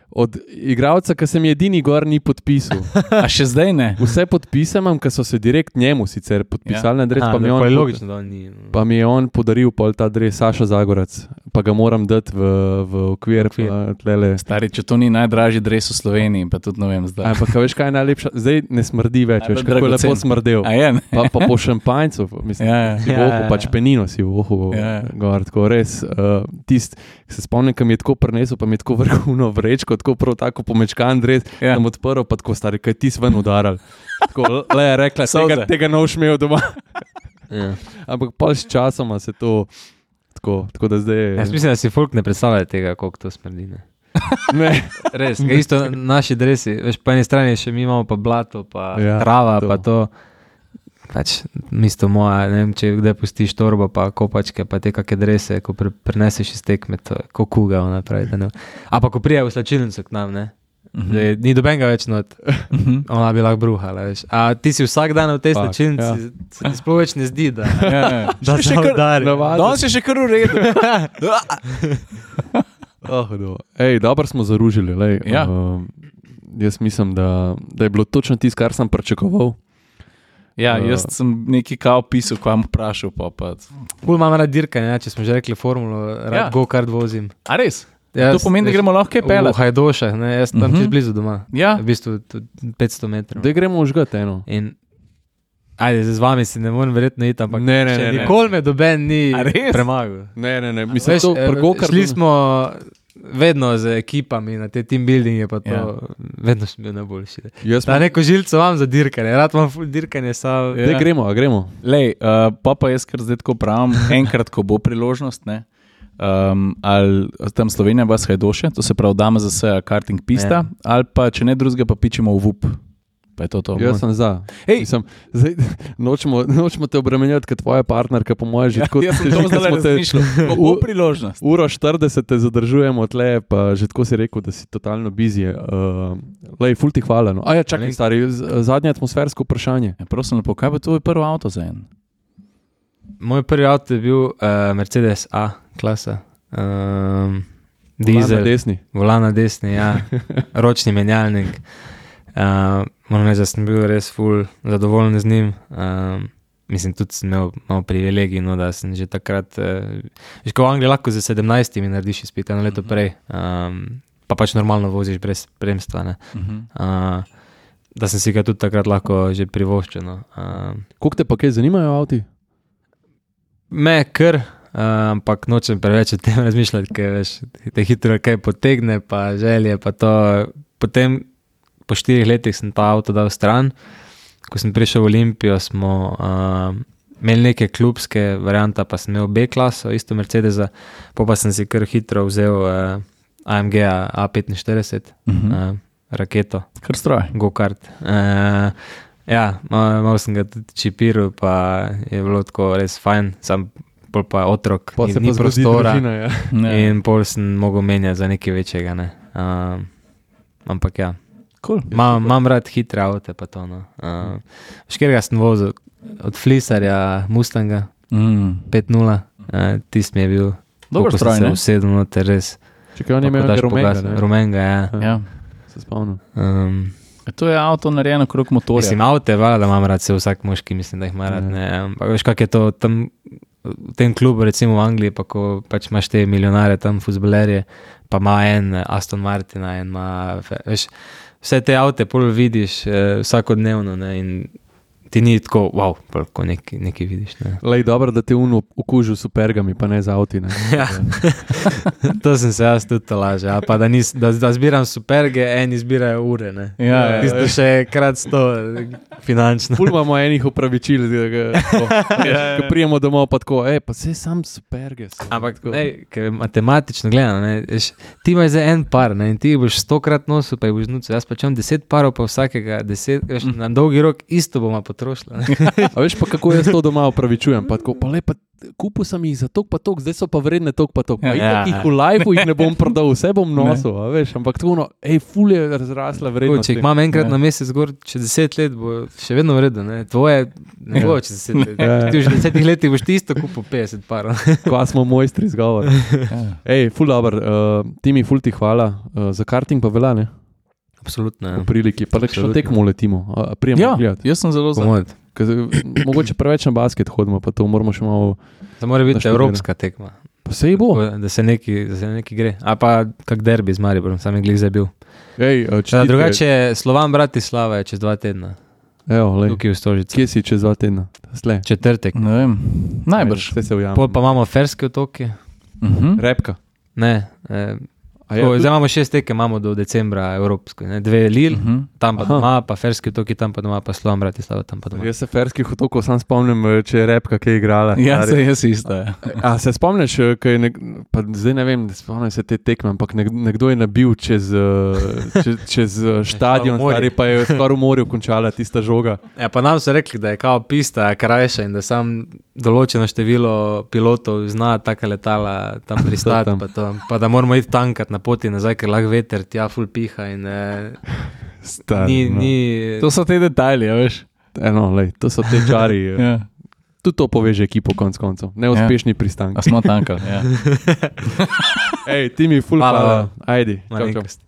Od igralca, ki sem edini gor ni podpisal. a še zdaj ne? Vse podpise imam, ki so se direkt njemu sicer podpisali, ja. na adres, A, pa, mi je pa on, je logično, da on ni. pa mi je on podaril pol ta adres, Saša Zagorac, pa ga moram dati v, v okvir. Okvir. Pa, tlele. Stari, če to ni najdražji dres v Sloveniji, pa tudi ne vem zdaj. Ampak a veš, kaj je najlepša? Zdaj ne smrdi več, Najbolj veš, kako je lepo dragocen. smrdel. A je, ne? Pa, pa po šampanjcu, mislim, Ja, ja. si v Ja, ohu, ja, pač ja. penino si v ohu, Ja, ja. gor, tako res. Uh, tist, se spomnim, ki mi je tako prinesel, pa mi je tako vrhunno vrečko, tako prav tako pomečkan dres, Ja. ja. sem odprl, pa tako stari, kaj ti si ven udaral. Tako, le je rekla, Solze. tega, tega ne boš imel doma. Ja. Ampak pol s časoma se to, tako, tako da zdaj... Jaz mislim, da si folk ne predstavlja tega, koliko to smrdi. Ne? Ne, Res, ga isto naši dresi, veš, po eni strani še mi imamo pa blato, pa Ja, ja, trava, to. to. pa to. Pač, mesto moja, ne vem, če kdaj pustiš torbo, pa kopačke, pa te kakšne drese, ko pre, preneseš iz tekme, to je kot kuga, ona pravi. da ne. A pa ko prije v slačilnico k nam, ne? Mhm. Da je- Ni dobenga več not, Mhm. ona bi lahko bruhala, veš. A ti si vsak dan v tej Fak, slačilnici, ja. ja. se ti sploh več ne zdi, da, Ja, ja. da Še se kar- udari. navadno. Danes je še kar v redu. Oh, hudo. Ej, dobro smo zaružili. Lej. Ja. Uh, jaz mislim, da, da je bilo točno tisto, kar sem pričakoval. Ja, jaz sem nekaj kao pisal, ko vam vprašal. Pa, pa. Ful imam rad dirkanje, ja, če smo že rekli formulo, rad Ja. ja. go-kart vozim. A res? Ja, To pomeni, da gremo lahko kaj V pelati. Hajdošah, ne, jaz sem tam Mhm. uh -huh. čez blizu doma. Ja. V bistvu tudi petsto metrov. Da gremo užgati eno. In, ajde, zdaj z vami si ne morem verjetno iti, ampak Ne, ne, še ne, ne. nikoli me doben ni A res? premagal. Ne, ne, ne. Mislim, Veš, to eh, pri go-kartu- šli smo vedno z ekipami na te team buildinge, pa to, Ja. ja. vedno sem bil najboljši. ne. Jaz Ta imam- neko žilco imam za dirkanje, rad imam ful dirkanje, sam. Ja. Daj gremo, a gremo. Lej, uh, pa pa jaz kar zdaj tako pravim, enkrat, ko bo priložnost, ne, um, ali tam Slovenija vas Hajdoše, to se pravi dama za vse karting pista, Ja. ali pa če ne drugega, pa pičemo v V U P. Pa je to to. Jaz sem za. Mislim, zdaj, nočemo, nočemo te obremenjati, kot tvoja partnerka, po mojem, že tako. Ja, jaz sem to zdaj razmišljal. Kako priložnost. Uro štirideset te zadržujemo tle, pa že tako si rekel, da si totalno busy. Uh, lej, ful ti hvala. No. A ja, čakaj, stari, zadnje atmosfersko vprašanje. Ja, prosim, lepo, kaj bo tvoj prvi avto za en? Moj prvi avto je bil uh, Mercedes A klasa. Um, dizel. Volan na desni. Volan na desni, ja. Ročni menjalnik. Uh, moram reči, da sem bil res ful zadovoljen z njim. Um, mislim, tudi sem imel malo privilegij, no, da sem že takrat, uh, že ko v Angliji lahko za sedemnajstimi narediš izpit, eno leto prej, um, pa pač normalno voziš brez spremstva, ne. Uh, da sem si ga tudi takrat lahko že privoščil. No. Uh, Koliko te pa kaj zanimajo avti? Me kar, uh, ampak nočem preveč o tem razmišljati, ker veš, te hitro kaj potegne, pa želje, pa to. Potem po štirih letih sem ta avto dal stran. Ko sem prišel v Olimpijo, smo uh, imeli neke klubske variante, pa sem imel B-klaso, isto Mercedesa, pa pa sem si kar hitro vzel uh, A M G A petinštirideset, uh-huh. uh, raketo. Kar stroj. Go-kart. Uh, ja, malo, malo sem ga tudi čipiral, pa je bilo tako res fajn, sam pol pa otrok, Pa ni, se ni pa zgodi prostora družina, ja. in pol sem mogel menjati za nekaj večjega. Ne. Uh, ampak ja. Cool. Imam, imam rad hitre avte, pa to. No. Uh, Škerga sem vozil od Flisarja Mustanga, Mm. pet nula, uh, tist mi je bil, Dober koliko stroj, sem se ne? usedel noter, res. Čekaj, on je imel Lahko daš rumenga, pogasniti. ne? Rumenga, ja. Ja. Se spomnim. Um, To je avto narejeno krog motorja. mislim, avte, vala, da imam rad, se vsak moški, mislim, da jih ima rad. Ne. Ampak veš, kak je to tam, v tem klubu, recimo v Angliji, pa ko pač imaš te milijonare tam, fuzbalerje, pa ima en Aston Martina, en ima, veš, vse te avte pol vidiš eh, vsakodnevno, ne, in ti ni tako, wow, ko nekaj, nekaj vidiš. Ne. Lej, dobro, da te uno okužil s supergami, pa ne z avti. Ne? Ja. To sem se jaz tudi lažje, a pa da, nis, da, da zbiram superge, eni zbirajo ure, ne. Ja, ja, Tisto ja. še krat sto finančno. Ful imamo enih upravičil, da ga, tako, ja, ko prijemo domov, pa tako, ej, pa se sam superge. sem." Ampak, Tako. ej, ker matematično gledano, ne, veš, ti imaš zdaj en par, ne, in ti boš stokrat nosil, pa jih boš nucil. Jaz pač imam deset parov, pa vsakega deset, veš, na dolgi rok isto bomo potrošili. A veš pa, kako jaz to doma upravičujem? Pa tako, pa le, pa kupil sem jih za tok pa tok, zdaj so pa vredne tok pa tok. Pa Ja. itak jih v lifeu jih ne bom prodal, vse bom nosil, a veš, ampak tako, no, ej, ful je razrasla vrednost. Če jih imam enkrat na mesec gor, čez deset let bo še vedno vredno, ne, tvoje ne bo čez deset let. Ja. Ti už v desetih letih boš ti isto kupil petdeset parov. Kva smo mojstri zgovor. Ja. Ej, ful dober, uh, Timi, ful ti hvala. Uh, za karting pa velja, ne? Absolutno, V ja. priliki. Pa le še Absolutno. tekmo letimo. A, prijemo Ja, gledati. jaz sem zelo za. Komod. Ker, mogoče preveč na basket hodimo, pa to moramo še malo... To mora biti Naštudirano. evropska tekma. Pa sej bo. Tako, Da se neki, da se neki gre. A pa kak derbi z Mariborom, sam je glih zdaj bil. Ej, uh, Da, čestitke. drugače, Slovan Bratislava je čez dva tedna. Evo, lej. Tukaj v Stožici. Kje si čez dva tedna? Sle. Četrtek. Ne vem, najbrž. Vse se ujame. Pol pa imamo Ferske otoke. Mhm. Repka. Ne, eh, A je, tako, zdaj imamo šest tekem, imamo do decembra evropsko. Ne? Dve Lil, Mhm. tam pa Aha. doma, pa Ferske otoki, tam pa doma, pa Slovan Bratislava, tam pa doma. Jaz se ferskih otokov sam spomnim, eh, če je repka kaj igrala. Ja, Stari. se jaz isto. Ja. A se spomniš, eh, kaj je nek, pa zdaj ne vem, spomnim se te tekme, ampak nek, nekdo je nabil čez, eh, čez, čez eh, štadion, v morje. stari, pa je skoraj v morju končala tista žoga. Ja, pa nam so rekli, da je kao pista krajša in da sam določeno število pilotov zna taka letala tam pristati, Tam. pa, to, pa da moramo iti tankat na poti nazaj, ker lahko veter tja ful piha in eh, Stari, ni, no. ni, To so te detajli, a veš. Eno, lej, to so te čari. eh, Ja. Tudi to poveže ekipo konc koncev. Neuspešni ja. pristanki. A smo tankali, ja. Ej, ti mi ful Hvala. hvala. Ajdi. Čau, čau. malenkost.